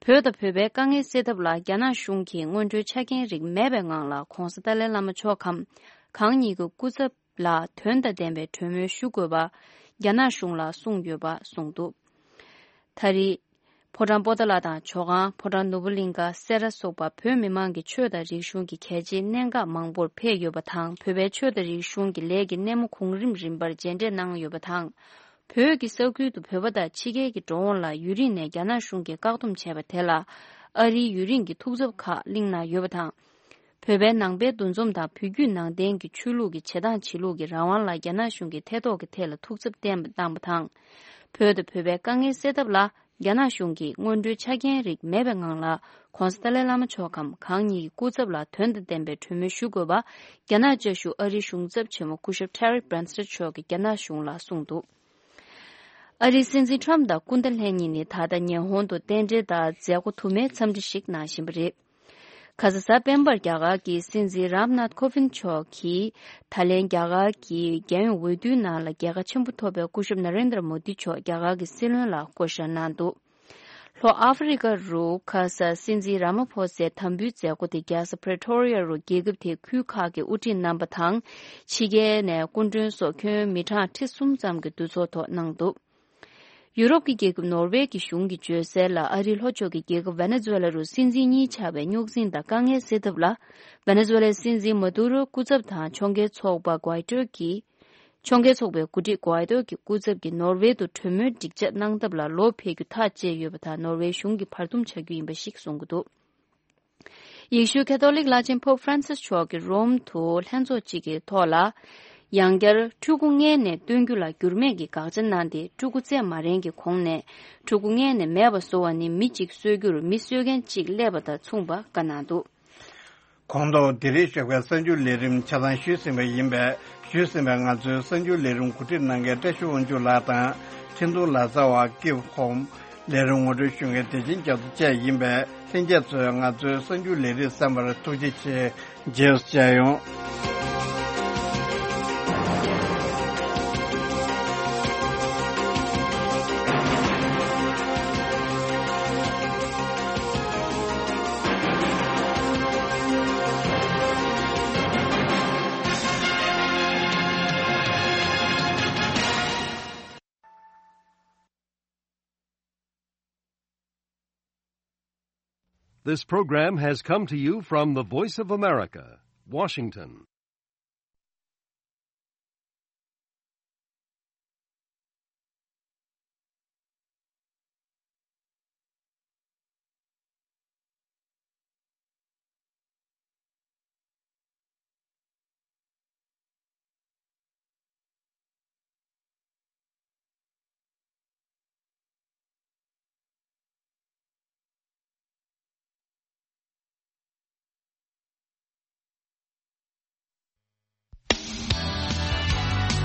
བོད་དང་བོད་པའི་དཀའ་ངལ་སེལ་ཐབས་ལ་རྒྱ་ནག་གཞུང་གིས་སྔོན་འགྲོའི་ཆ་རྐྱེན་རིགས་མེད་པའི་ངང་ལ་༧གོང་ས་ཏཱ་ལའི་བླ་མ་མཆོག་གམ་གང་ཉིད་ཀྱི་སྐུ་ཚབ་ལ་དོན་དང་ལྡན་པའི་གྲོས་མོལ་ཞུ་དགོས་པ་རྒྱ་ནག་གཞུང་ལ་གསུངས་ཡོད་པ་གསུངས་འདུག་ད་རེས་ཕོ་བྲང་པོ་ཏཱ་ལ་དང་ཇོ་ཁང་། ཕོ་བྲང་ནོར་བུ་གླིང་ཀ། སེ་ར་སོགས་པ་བོད་མི་མང་གི་ཆོས་དང་རིག་གཞུང་གི་གལ་ཆེའི་གནད་འགག་མང་པོར་ཕེབས་ཡོད་པ་དང་། བོད་པའི་ཆོས་དང་རིག་གཞུང་གི་ལས་ཀྱི་སྣེ་མོ་གོང་རིམ་རིམ་པར་མཇལ་འཕྲད་གནང་ཡོད་པ་དང་། བོད་ཀྱི་ས་ཁུལ་དུ་བོད་པ་དང་ཕྱི་རྒྱལ་གྱི་འགྲོ་འོང་ལ་ཡུན་རིང་ནས་རྒྱ་ནག་གཞུང་གིས་བཀག་སྡོམ་བྱས་པ་དེ་ལ་ཨ་རིའི་ཡུན་རིང་གི་ཐུགས་འཚབ་ཁག་གླེང་གནང་ཡོད་པ་དང་། བོད་པའི་ནང་པའི་འདུ་འཛོམས་དང་བོད་བརྒྱུད་ནང་བསྟན་གྱི་ཆོས་ལུགས་ཀྱི་བྱེད་སྟངས་བྱེད་ལུགས་ཀྱི་རང་དབང་ལ་རྒྱ་ནག་གཞུང་གིས་ཐེ་གཏོགས་ཀྱི་ཐད་ལ་ཐུགས་འཚབ་བརྟན་པ་བཏང་བ་དང་། བོད་དང་བོད་པའི་དཀའ་ངལ་སེལ་ཐབས་ལ་རྒྱ་ནག་གཞུང་གིས་སྔོན་འགྲོའི་ཆ་རྐྱེན་རིགས་མེད་པའི་ངང་ལ་༧གོང་ས་ཏཱ་ལའི་བླ་མ་མཆོག་གམ་གང་ཉིད་ཀྱི་སྐུ་ཚབ་ལ་དོན་དང་ལྡན་པའི་གྲོས་མོལ་ཞུ་དགོས་པ་རྒྱ་ནག་བཅའ་བཞུགས་ཨ་རིའི་གཞུང་ཚབ་ཆེན་མོ་སྐུ་ཞབས་Terry Branstad མཆོག་གིས་རྒྱ་ནག་གཞུང་ལ་གསུངས་འདུག་ཨ་རིའི་སྲིད་འཛིན་ཁྲམ་དང་སྐུ་ཟླ་ལྷན་གཉིས་ནི་ད་ལྟ་ཉི་ཧོང་དུ་རྟེན་འབྲེལ་དང་མཛད་སྒོ་དུ་མའི་འཚམས་འདྲི་ཞིག་གནང་བཞིན་པ་རེད། ཁ་ས་གཟའ་སྤེན་པར་རྒྱ་གར་གྱི་སྲིད་འཛིན་རམ་ནཱཐ་ཁོ་ཝིན་མཆོག་གིས་ད་ལན་རྒྱ་གར་གྱི་རྒྱལ་ཡོངས་འོས་བསྡུའི་ནང་ལ་རྒྱལ་ཁ་ཆེན་པོ་ཐོབ་པའི་སྐུ་ཞབས་ན་རེན་དྲ་མོ་དི་མཆོག་རྒྱ་གར་གྱི་སྲིད་བློན་ལ་བསྐོ་བཞག་གནང་འདུག་ལྷོ་ཨ་ཧྥེ་རི་ཀ་རུ་ཁ་ས་སྲིད་འཛིན་ར་མ་ཕོ་སའི་དམ་འབུལ་མཛད་སྒོ་དེ་རྒྱལ་ས་Pretoria རུ་རྒྱལ་ཁབ་དེའི་ཁུལ་ཁག་གི་དབུ་ཁྲིད་རྣམ་པ་དང་། ཕྱི་རྒྱལ་ནས་སྐུ་མགྲོན་སོགས་ཁྱོན་མི་གྲངས་ཁྲི་གསུམ་ཙམ་གྱི་འདུ་ཚོགས་ཐོག་གནང་འདུག་ཡུ་རོབ་ཀྱི་རྒྱལ་ཁབ་ནོར་ཝེ་གྱི་གཞུང་གིས་བརྗོད་གསལ་ལ། ཨ་རིའི་ལྷོ་ཕྱོགས་ཀྱི་རྒྱལ་ཁབ་ཝེ་ནེ་ཛུ་ཝེ་ལ་རུ་སྲིད་འཛིན་གཉིས་ཆགས་པའི་རྙོག་འཛིང་དང་དཀའ་ངལ་སེལ་ཐབས་ལ། ཝེ་ནེ་ཛུ་ཝེ་ལའི་སྲིད་འཛིན་མ་དུ་རོའི་སྐུ་ཚབ་དང་ཕྱོགས་འགལ་ཚོགས་པ་གུའི་ཏོ་གི་ཕྱོགས་འགལ་ཚོགས་པའི་འགོ་ཁྲིད་གུའི་ཏོ་གི་སྐུ་ཚབ་ཀྱིས་ནོར་ཝེ་དུ་གྲོས་མོལ་སྒྲིག་འཇགས་གནང་ཐབས་ལ་ལོ་ཕེབས་རྒྱུ་ཐག་བཅད་ཡོད་པ་དང་། ནོར་ཝེ་གཞུང་གི་བར་འདུམ་བྱ་རྒྱུ་ཡིན་པ་ཞིག་གསུང་གི་འདུག་ཡེ་ཤུའི་ཁ་ཐོ་ལིག་བླ་ཆེན་པོབ་ཧྥ་རན་སིས་མཆོག་གིས་རོམ་དུ་ལྷན་ཚོགས་གཅིག་གི་ཐོག་ལ། ཡང་བསྐྱར་ཕྲུ་གུ་མངལ་ནས་བཏོན་རྒྱུ་ལ་འགྱུར་མེད་ཀྱི་དགག་བྱ་གནང་སྟེ། ཕྲུ་གུ་བཙས་མ་རན་གྱི་གོང་ནས་ཕྲུ་གུ་མངལ་ནས་མེད་པ་བཟོ་བ་ནི་མི་གཅིག་གསོད་རྒྱུར་མི་གསོད་མཁན་གཅིག་སླེབས་པ་དང་མཚུངས་པ་བཀའ་གནང་འདུག་ཁོང་ཐོག་འདི་རིང་ཞོགས་པའི་གསར་འགྱུར་ལས་རིམ་ཆ་ཚང་ཞུས་ཟིན་པ་ཡིན་པས། ཞུས་ཟིན་པའི་ང་ཚོའི་གསར་འགྱུར་ལས་རིམ་གོ་སྒྲིག་གནང་མཁན་བཀྲ་ཤིས་དབང་ཕྱུག་ལགས་དང་། འཕྲིན་གཏོང་ལག་རྩལ་བ་ཀིབ་ཧོམ། ལས་རིམ་ངོ་སྤྲོད་ཞུ་མཁན་བདེ་ཆེན་རྒྱ་མཚོ་བཅས་ཡིན་པས། ལྷན་རྒྱས་ཚོས་ང་ཚོའི་གསར་འགྱུར་ལས་རིམ་གསན་པར་ཐུགས་རྗེ་ཆེ། རྗེས་སུ་མཇལ་ཡོང་། This program has come to you from the Voice of America, Washington.